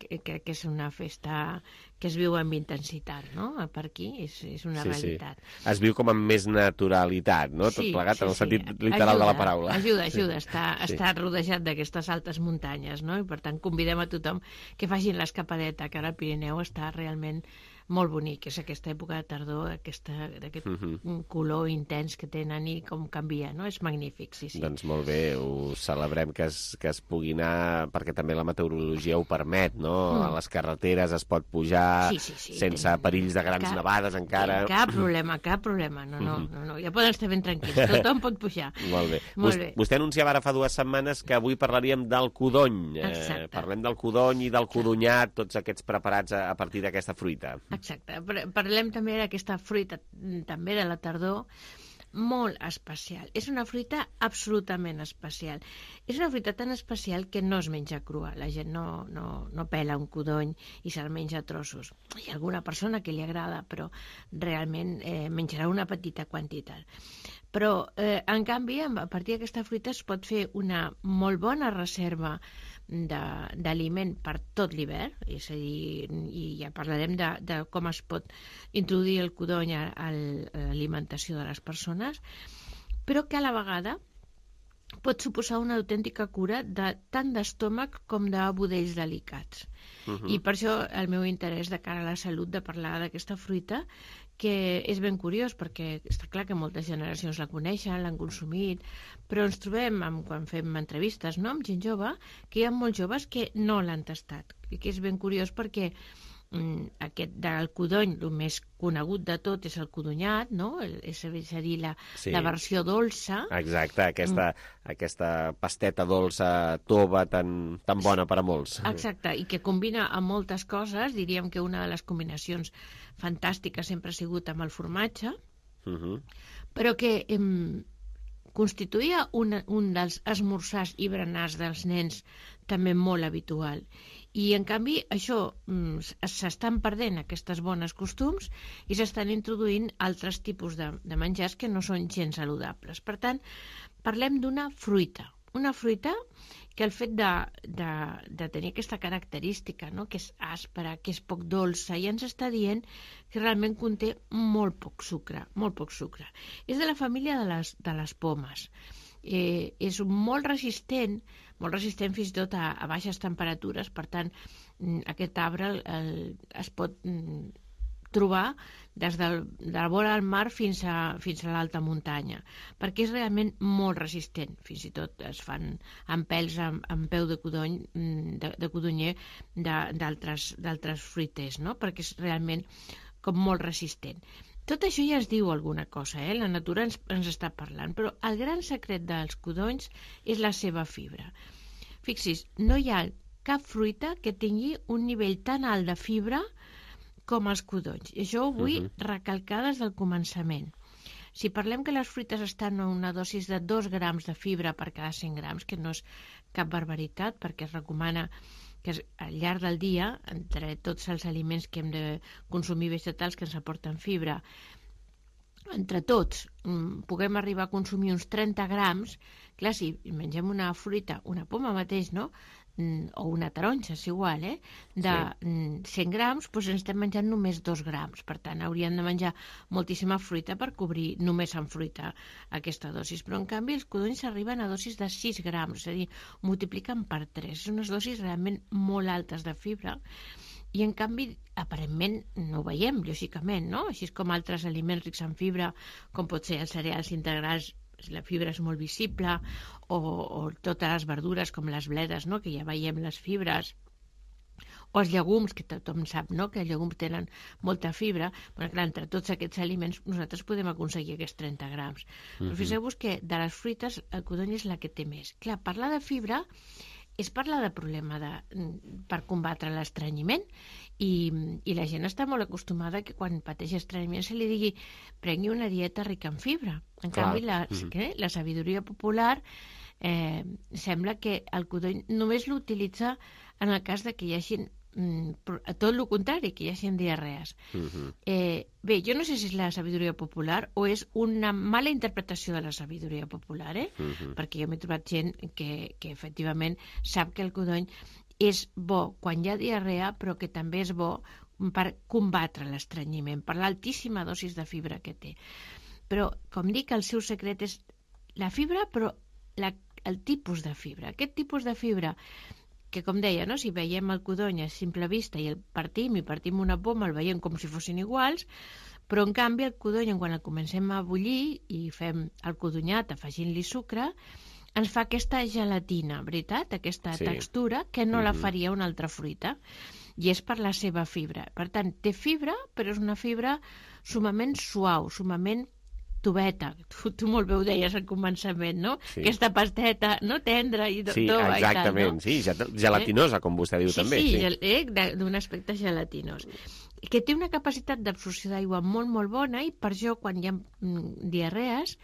crec que és una festa que es viu amb intensitat, no? Per aquí és una realitat. Sí. Es viu com amb més naturalitat, no? Tot plegat en el sentit literal de la paraula. Ajuda, està rodejat d'aquestes altes muntanyes, no? I per tant convidem a tothom que facin l'escapadeta, que ara el Pirineu està realment molt bonic, és aquesta època de tardor, d'aquest color intens que tenen i com canvia, no? És magnífic, sí. Doncs molt bé, ho celebrem que es pugui anar, perquè també la meteorologia ho permet, no? A les carreteres es pot pujar sense perills de grans nevades encara. Cap problema, no, ja poden estar ben tranquils, tothom pot pujar. Molt bé. Vostè anunciava ara fa 2 setmanes que avui parlaríem del codony. Parlem del codony i del codonyat, tots aquests preparats a partir d'aquesta fruita. Exacte. Parlem també d'aquesta fruita, també de la tardor, molt especial. És una fruita absolutament especial. És una fruita tan especial que no es menja crua. La gent no pela un codony i se'l menja a trossos. Hi ha alguna persona que li agrada, però realment menjarà una petita quantitat. Però, en canvi, a partir d'aquesta fruita es pot fer una molt bona reserva d'aliment per tot l'hivern, és a dir, i ja parlarem de com es pot introduir el codony a l'alimentació de les persones, però que a la vegada pot suposar una autèntica cura tant d'estómac com de budells delicats. I per això el meu interès de cara a la salut de parlar d'aquesta fruita, que és ben curiós, perquè està clar que moltes generacions la coneixen, l'han consumit, però ens trobem, quan fem entrevistes amb gent jove, que hi ha molts joves que no l'han tastat, i que és ben curiós perquè aquest del codony, el més conegut de tot és el codonyat, no? És a dir, la versió dolça. Exacte, aquesta pasteta dolça tova tan bona per a molts. Exacte, i que combina amb moltes coses. Diríem que una de les combinacions fantàstiques sempre ha sigut amb el formatge, però que constituïa un dels esmorzars i berenars dels nens també molt habitual. I, en canvi, això s'estan perdent, aquestes bones costums, i s'estan introduint altres tipus de menjars que no són gens saludables. Per tant, parlem d'una fruita. Una fruita que el fet de tenir aquesta característica, no?, que és àspera, que és poc dolça, ja ens està dient que realment conté molt poc sucre, molt poc sucre. És de la família de les pomes. És molt resistent fins i tot a baixes temperatures, per tant, aquest arbre es pot trobar des de la vora del mar fins a l'alta muntanya, perquè és realment molt resistent. Fins i tot es fan amb pèls amb peu de codony, de codonyer d'altres fruiters, no?, perquè és realment com molt resistent. Tot això ja ens diu alguna cosa, la natura ens està parlant, però el gran secret dels codonys és la seva fibra. Fixis, no hi ha cap fruita que tingui un nivell tan alt de fibra com els codonys. I això ho vull recalcar des del començament. Si parlem que les fruites estan a una dosis de 2 grams de fibra per cada 100 grams, que no és cap barbaritat, perquè es recomana que al llarg del dia, entre tots els aliments que hem de consumir vegetals que ens aporten fibra, entre tots puguem arribar a consumir uns 30 grams, clar, si mengem una fruita, una poma mateix, no?, o una taronja, és igual, de 100 grams, doncs ens estem menjant només 2 grams. Per tant, hauríem de menjar moltíssima fruita per cobrir només amb fruita aquesta dosis. Però, en canvi, els codonys arriben a dosis de 6 grams, és a dir, multipliquen per 3. Són unes dosis realment molt altes de fibra i, en canvi, aparentment no ho veiem, lògicament, no? Així com altres aliments rics en fibra, com pot ser els cereals integrals, la fibra és molt visible, o totes les verdures com les bledes, no?, que ja veiem les fibres, o els llegums, que tothom sap, no?, que els llegums tenen molta fibra. Però, clar, entre tots aquests aliments nosaltres podem aconseguir aquests 30 grams. Però fixeu-vos que de les fruites el codony és la que té més. Clar, parlar de fibra és parlar de problema per combatre l'estrenyiment, i la gent està molt acostumada que quan pateix estrenyiment se li digui prengui una dieta rica en fibra. En canvi, la sabidoria popular sembla que el codony només l'utilitza en el cas de que hi hagi tot el contrari, que hi hagi diarrees. Bé, jo no sé si és la sabidoria popular o és una mala interpretació de la sabidoria popular, perquè jo m'he trobat gent que efectivament sap que el codony és bo quan hi ha diarrea, però que també és bo per combatre l'estrenyiment, per l'altíssima dosis de fibra que té. Però, com dic, el seu secret és la fibra, però el tipus de fibra. Aquest tipus de fibra que, com deia, no? Si veiem el codony a simple vista i el partim una poma, el veiem com si fossin iguals, però, en canvi, el codony, quan el comencem a bullir i fem el codonyat afegint-li sucre, ens fa aquesta gelatina, veritat? Aquesta textura que no la faria una altra fruita, i és per la seva fibra. Per tant, té fibra, però és una fibra sumament suau, sumament tubeta. Tu molt bé ho deies al començament, no? Aquesta pasteta, no?, tendra i tova. Sí, exactament, sí, gelatinosa, com vostè diu també. Sí, d'un aspecte gelatinós. Que té una capacitat d'absorció d'aigua molt, molt bona, i per això, quan hi ha diarrees,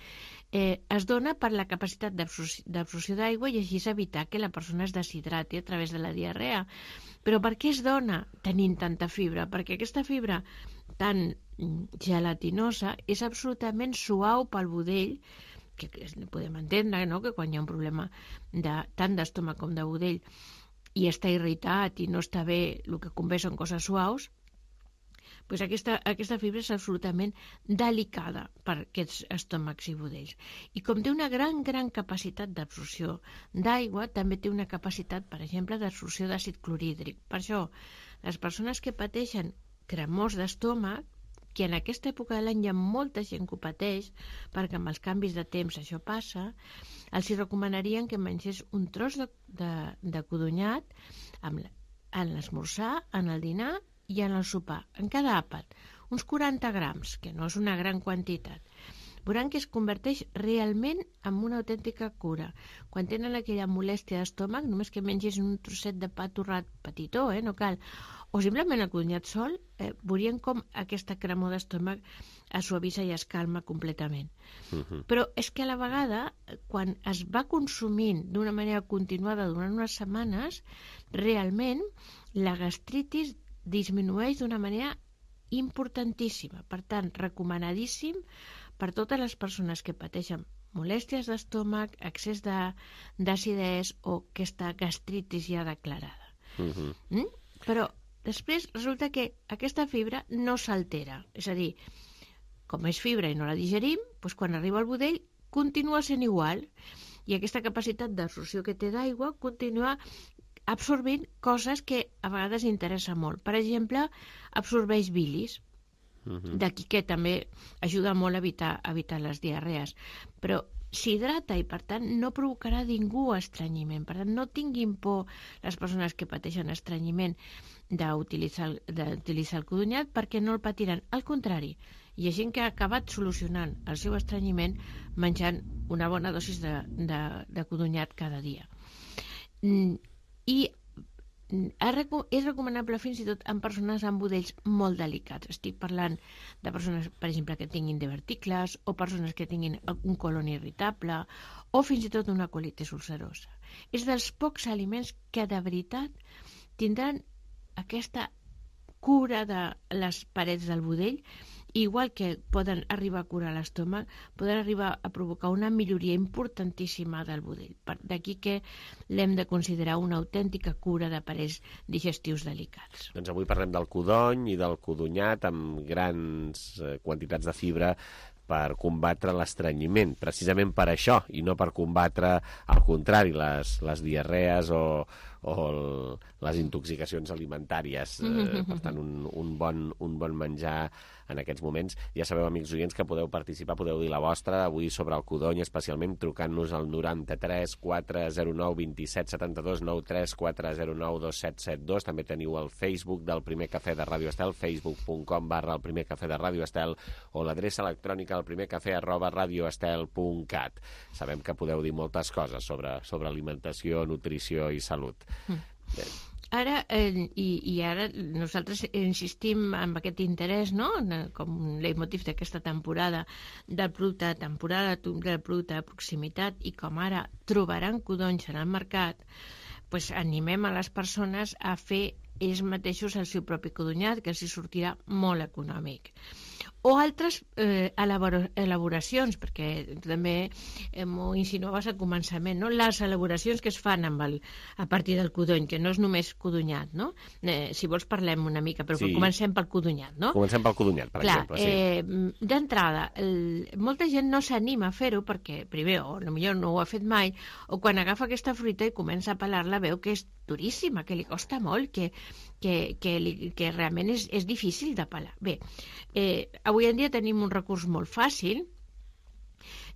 es dona per la capacitat d'absorció d'aigua i així evitar que la persona es deshidrati a través de la diarrea. Però per què es dona tenint tanta fibra? Perquè aquesta fibra tan gelatinosa és absolutament suau pel budell, que podem entendre, no?, que quan hi ha un problema tant d'estómac com de budell i està irritat i no està bé, el que convé són coses suaus, doncs aquesta fibra és absolutament delicada per aquests estómacs i budells. I com té una gran capacitat d'absorció d'aigua, també té una capacitat, per exemple, d'absorció d'àcid clorhídric. Per això, les persones que pateixen cremors d'estómac, que en aquesta època de l'any hi ha molta gent que ho pateix, perquè amb els canvis de temps això passa, els hi recomanarien que mengés un tros de codonyat en l'esmorzar, en el dinar i en el sopar, en cada àpat, uns 40 grams, que no és una gran quantitat. Veuran que es converteix realment en una autèntica cura. Quan tenen aquella molèstia d'estómac, només que mengis un trosset de pa torrat petitó, no cal, o simplement el codonyat sol, veurien com aquesta cremor d'estómac es suavisa i es calma completament. Però és que a la vegada, quan es va consumint d'una manera continuada durant unes setmanes, realment la gastritis disminueix d'una manera importantíssima. Per tant, recomanadíssim per totes les persones que pateixen molèsties d'estómac, excés d'acidesa o aquesta gastritis ja declarada. Però després resulta que aquesta fibra no s'altera. És a dir, com és fibra i no la digerim, doncs quan arriba al budell continua sent igual. I aquesta capacitat d'absorció que té d'aigua continua absorbint coses que a vegades interessa molt. Per exemple, absorbeix bilis. D'aquí que també ajuda molt a evitar les diarrees. Però s'hidrata i, per tant, no provocarà ningú estrenyiment. Per tant, no tinguin por les persones que pateixen estrenyiment d'utilitzar el codonyat perquè no el patiran. Al contrari, hi ha gent que ha acabat solucionant el seu estrenyiment menjant una bona dosis de codonyat cada dia. I és recomanable fins i tot en persones amb budells molt delicats. Estic parlant de persones, per exemple, que tinguin diverticles o persones que tinguin un colon irritable o fins i tot una colitis ulcerosa. És dels pocs aliments que de veritat tindran aquesta cura de les parets del budell, igual que poden arribar a curar l'estómac, poden arribar a provocar una milloria importantíssima del budell. D'aquí que l'hem de considerar una autèntica cura d'aparells digestius delicats. Doncs avui parlem del codony i del codonyat amb grans quantitats de fibra per combatre l'estrenyiment, precisament per això, i no per combatre, al contrari, les diarrees o les intoxicacions alimentàries. Per tant, un bon menjar en aquests moments. Ja sabeu, amics oients, que podeu participar, podeu dir la vostra avui sobre el codony, especialment trucant-nos al 93 409 27 72, 93 409 2772. També teniu el Facebook del Primer Cafè de Ràdio Estel, facebook.com/el Primer Cafè de Ràdio Estel, o l'adreça electrònica al primercafè@radioestel.cat. Sabem que podeu dir moltes coses sobre alimentació, nutrició i salut. Ara nosaltres insistim en aquest interès, no?, com un leitmotiv d'aquesta temporada del producte de temporada, del producte de proximitat, i com ara trobaran codonys en el mercat, doncs animem a les persones a fer ells mateixos el seu propi codonyat, que els hi sortirà molt econòmic. O altres elaboracions, perquè també m'ho insinuaves al començament, no? Les elaboracions que es fan a partir del codony, que no és només codonyat, no? Si vols parlem una mica, però comencem pel codonyat, no? Comencem pel codonyat, per exemple, sí. D'entrada, molta gent no s'anima a fer-ho perquè, primer, o potser no ho ha fet mai, o quan agafa aquesta fruita i comença a pelar-la veu que és duríssima, que li costa molt, que realment és difícil de pelar. Bé, avui en dia tenim un recurs molt fàcil,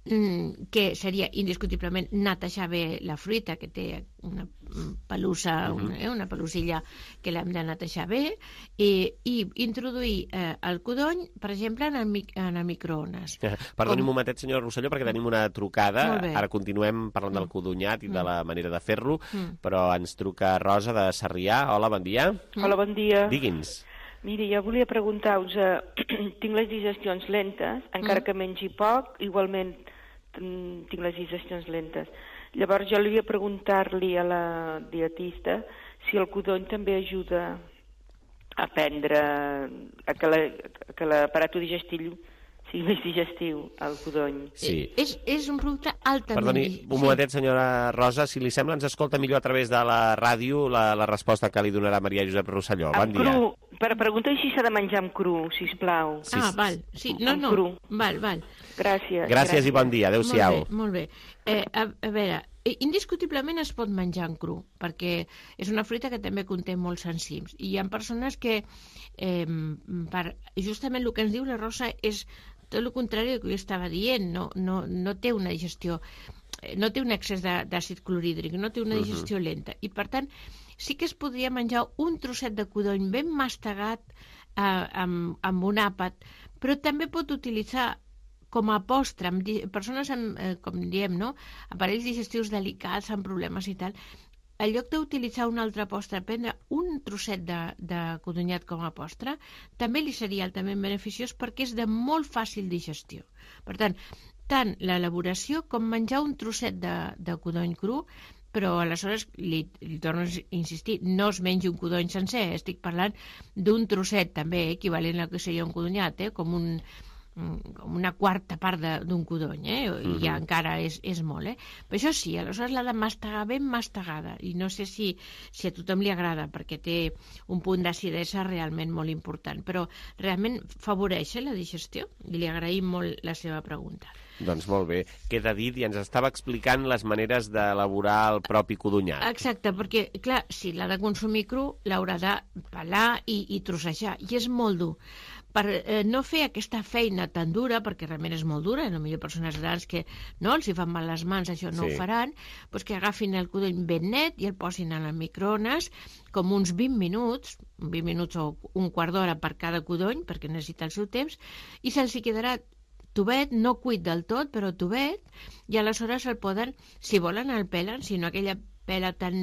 que seria indiscutiblement netejar bé la fruita, que té una pelussa, una pelusilla que l'hem de netejar bé, i introduir el codony, per exemple, en el microones. Perdoni un momentet, senyor Rosselló, perquè tenim una trucada. Ara continuem parlant del codonyat i de la manera de fer-lo, però ens truca Rosa de Sarrià. Hola, bon dia. Hola, bon dia. Digui'ns. Miri, jo volia preguntar-vos, tinc les digestions lentes, encara que mengi poc, igualment tinc les digestions lentes. Llavors jo li volia preguntar-li a la dietista si el codony també ajuda a prendre, a que l'aparat digestiu sigui més digestiu, el codony. Sí. És un producte altament... Perdoni, un momentet, senyora Rosa, si li sembla, ens escolta millor a través de la ràdio la resposta que li donarà Maria Josep Rosselló. Bon dia. Cru. Per preguntar si s'ha de menjar amb cru, sisplau. Val. Sí, no. Val. Gràcies. Gràcies i bon dia. Adéu-siau. Molt bé. A veure, Indiscutiblement es pot menjar en cru, perquè és una fruita que també conté molts enzims. I hi ha persones que, justament el que ens diu la Rosa és tot el contrari del que jo estava dient, no té una digestió, no té un excés d'àcid clorhídric, no té una digestió lenta. I, per tant, sí que es podria menjar un trosset de codony ben mastegat amb un àpat, però també pot utilitzar com a postre, persones amb, com diem, no? Aparells digestius delicats, amb problemes i tal, en lloc d'utilitzar un altre postre, prendre un trosset de codonyat com a postre, també li seria altament beneficiós perquè és de molt fàcil digestió. Per tant l'elaboració com menjar un trosset de codony cru, però aleshores li torno a insistir, no es mengi un codony sencer, estic parlant d'un trosset també equivalent al que seria un codonyat, com una quarta part d'un codony, i ja encara és molt. Però això sí, aleshores l'ha de mastegar ben mastegada, i no sé si a tothom li agrada, perquè té un punt d'acidesa realment molt important, però realment favoreix la digestió, i li agraïm molt la seva pregunta. Doncs molt bé, queda dit, i ens estava explicant les maneres d'elaborar el propi codonyat. Exacte, perquè, clar, si l'ha de consumir cru, l'haurà de pelar i trossejar, i és molt dur. Per no fer aquesta feina tan dura, perquè realment és molt dura, potser persones grans que no els hi fan mal les mans, això no ho faran, doncs que agafin el codony ben net i el posin al microones com uns 20 minuts o un quart d'hora per cada codony, perquè necessita el seu temps, i se'ls hi quedarà tubet, no cuit del tot, però tubet, i aleshores el poden, si volen el pelen, si no aquella pela tan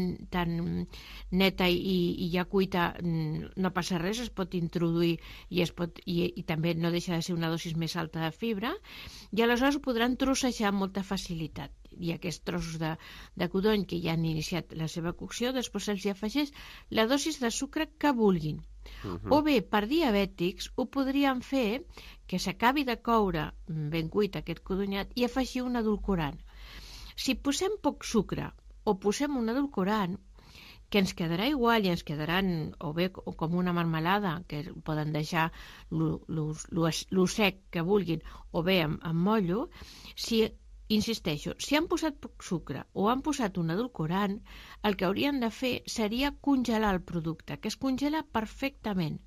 neta i ja cuita, no passa res, es pot introduir i també no deixa de ser una dosis més alta de fibra, i aleshores ho podran trossejar amb molta facilitat. I aquests trossos de codony que ja han iniciat la seva cocció, després se'ls afegeix la dosis de sucre que vulguin. O bé, per diabètics, ho podrien fer que s'acabi de coure ben cuit aquest codonyat i afegir un edulcorant. Si posem poc sucre o posem un edulcorant, que ens quedarà igual i ens quedaran o bé com una marmelada, que poden deixar lo sec que vulguin, o bé amb mollo, insisteixo, si han posat poc sucre o han posat un edulcorant, el que haurien de fer seria congelar el producte, que es congela perfectament.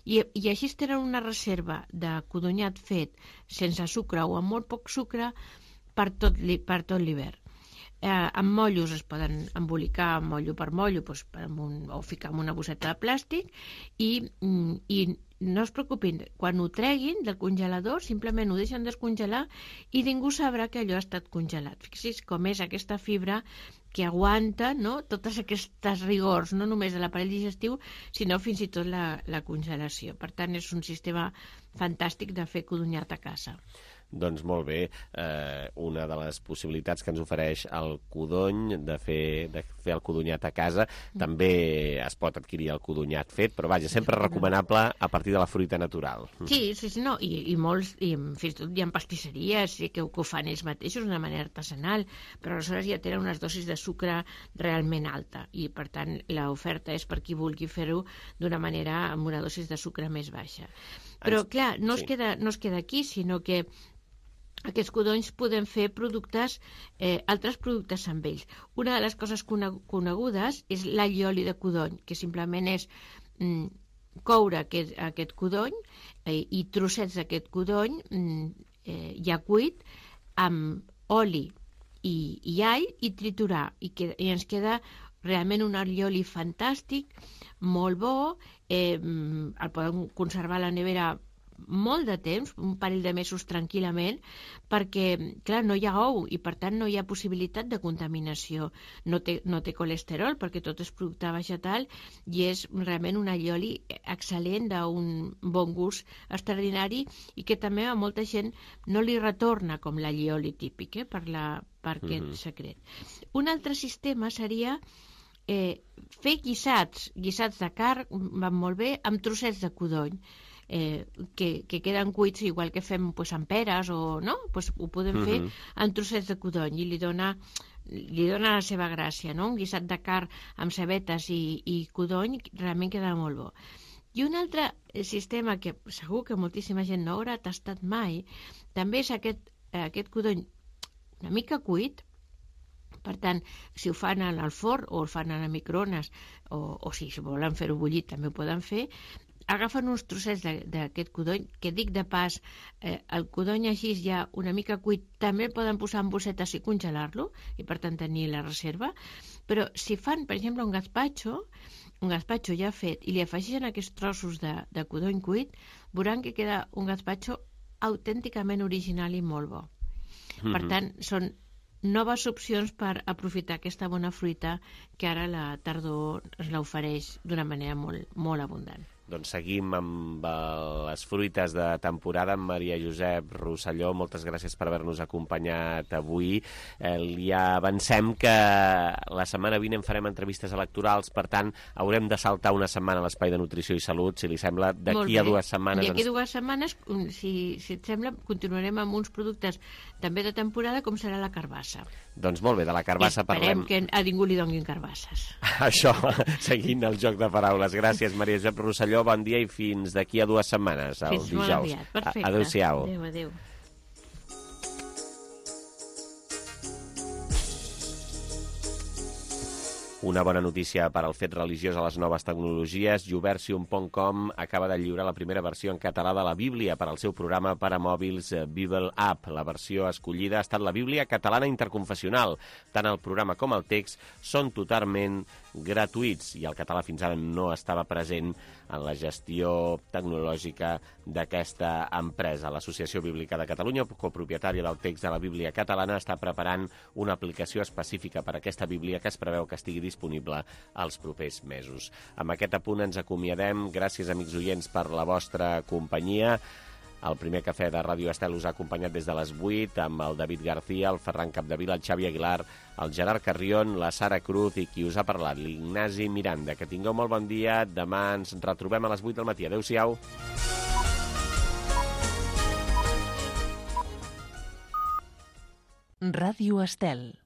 I així tenen una reserva de codonyat fet sense sucre o amb molt poc sucre per tot l'hivern. Amb mollos es poden embolicar mollo per mollo o ficar en una bosseta de plàstic i no es preocupin, quan ho treguin del congelador simplement ho deixen descongelar i ningú sabrà que allò ha estat congelat. Fixi's com és aquesta fibra que aguanta totes aquestes rigors, no només de l'aparell digestiu, sinó fins i tot la congelació. Per tant, és un sistema fantàstic de fer codonyat a casa. Doncs molt bé, una de les possibilitats que ens ofereix el codony de fer el codonyat a casa, també es pot adquirir el codonyat fet, però vaja, sempre recomanable a partir de la fruita natural. Sí, no, i molts, i fins i tot hi ha pastisseries que ho fan ells mateixos d'una manera artesanal, però aleshores ja tenen unes dosis de sucre realment alta, i per tant l'oferta és per qui vulgui fer-ho d'una manera amb una dosis de sucre més baixa. Però clar, no es queda aquí, sinó que aquests codonys podem fer altres productes amb ells. Una de les coses conegudes és l'allioli de codony, que simplement és coure aquest codony i trossets d'aquest codony ja cuit amb oli i all i triturar, i ens queda realment un allioli fantàstic, molt bo, el podem conservar a la nevera molt de temps, un parell de mesos tranquil·lament, perquè, clar, no hi ha ou i per tant no hi ha possibilitat de contaminació. No té colesterol perquè tot és producte vegetal i és realment un allioli excel·lent, d'un bon gust extraordinari i que també a molta gent no li retorna com l'allioli típic per aquest secret. Un altre sistema seria fer guisats de carn, van molt bé, amb trossets de codony. Que queden cuits igual que fem amb peres ho podem fer amb trossets de codony i li dona la seva gràcia, un guisat de carn amb cebetes i codony realment queda molt bo. I un altre sistema que segur que moltíssima gent no haurà tastat mai també és aquest codony una mica cuit, Per tant, si ho fan al forn o ho fan a la microones, o si volen fer-ho bullit també ho poden fer, agafen uns trossets d'aquest codony, que dic de pas, el codony així ja una mica cuit, també el poden posar en bossetes i congelar-lo, i per tant tenir la reserva, però si fan, per exemple, un gazpacho ja fet, i li afegeixen aquests trossos de codony cuit, veuran que queda un gazpacho autènticament original i molt bo. Per tant, són noves opcions per aprofitar aquesta bona fruita que ara la tardor ens l'ofereix d'una manera molt, molt abundant. Doncs seguim amb les fruites de temporada amb Maria Josep Rosselló. Moltes gràcies per haver-nos acompanyat avui. Ja avancem que la setmana vinent farem entrevistes electorals, per tant, haurem de saltar una setmana a l'Espai de Nutrició i Salut, si li sembla, d'aquí a 2 setmanes. D'aquí a 2 setmanes, si et sembla, continuarem amb uns productes també de temporada, com serà la carbassa. Doncs molt bé, de la carbassa parlem. Esperem que a ningú li donguin carbasses. Això, seguint el joc de paraules. Gràcies, Maria Josep Rosselló. Bon dia i fins d'aquí a 2 setmanes, el dijous. Fins molt aviat. Perfecte. Adéu-siau. Adéu. Una bona notícia per al fet religiós a les noves tecnologies. Youversion.com acaba de lliurar la primera versió en català de la Bíblia per al seu programa per a mòbils Bible App. La versió escollida ha estat la Bíblia catalana interconfessional. Tant el programa com el text són totalment gratuïts i el català fins ara no estava present en la gestió tecnològica d'aquesta empresa. L'Associació Bíblica de Catalunya, copropietària del text de la Bíblia catalana, està preparant una aplicació específica per a aquesta Bíblia que es preveu que estigui disponible els propers mesos. Amb aquest apunt ens acomiadem. Gràcies, amics oients, per la vostra companyia. El primer cafè de Ràdio Estel us ha acompanyat des de les 8 amb el David García, el Ferran Capdevila, el Xavi Aguilar, el Gerard Carrión, la Sara Cruz i qui us ha parlat, l'Ignasi Miranda. Que tingueu molt bon dia. Demà ens retrobem a les 8 del matí. Adéu-siau. Ràdio Estel.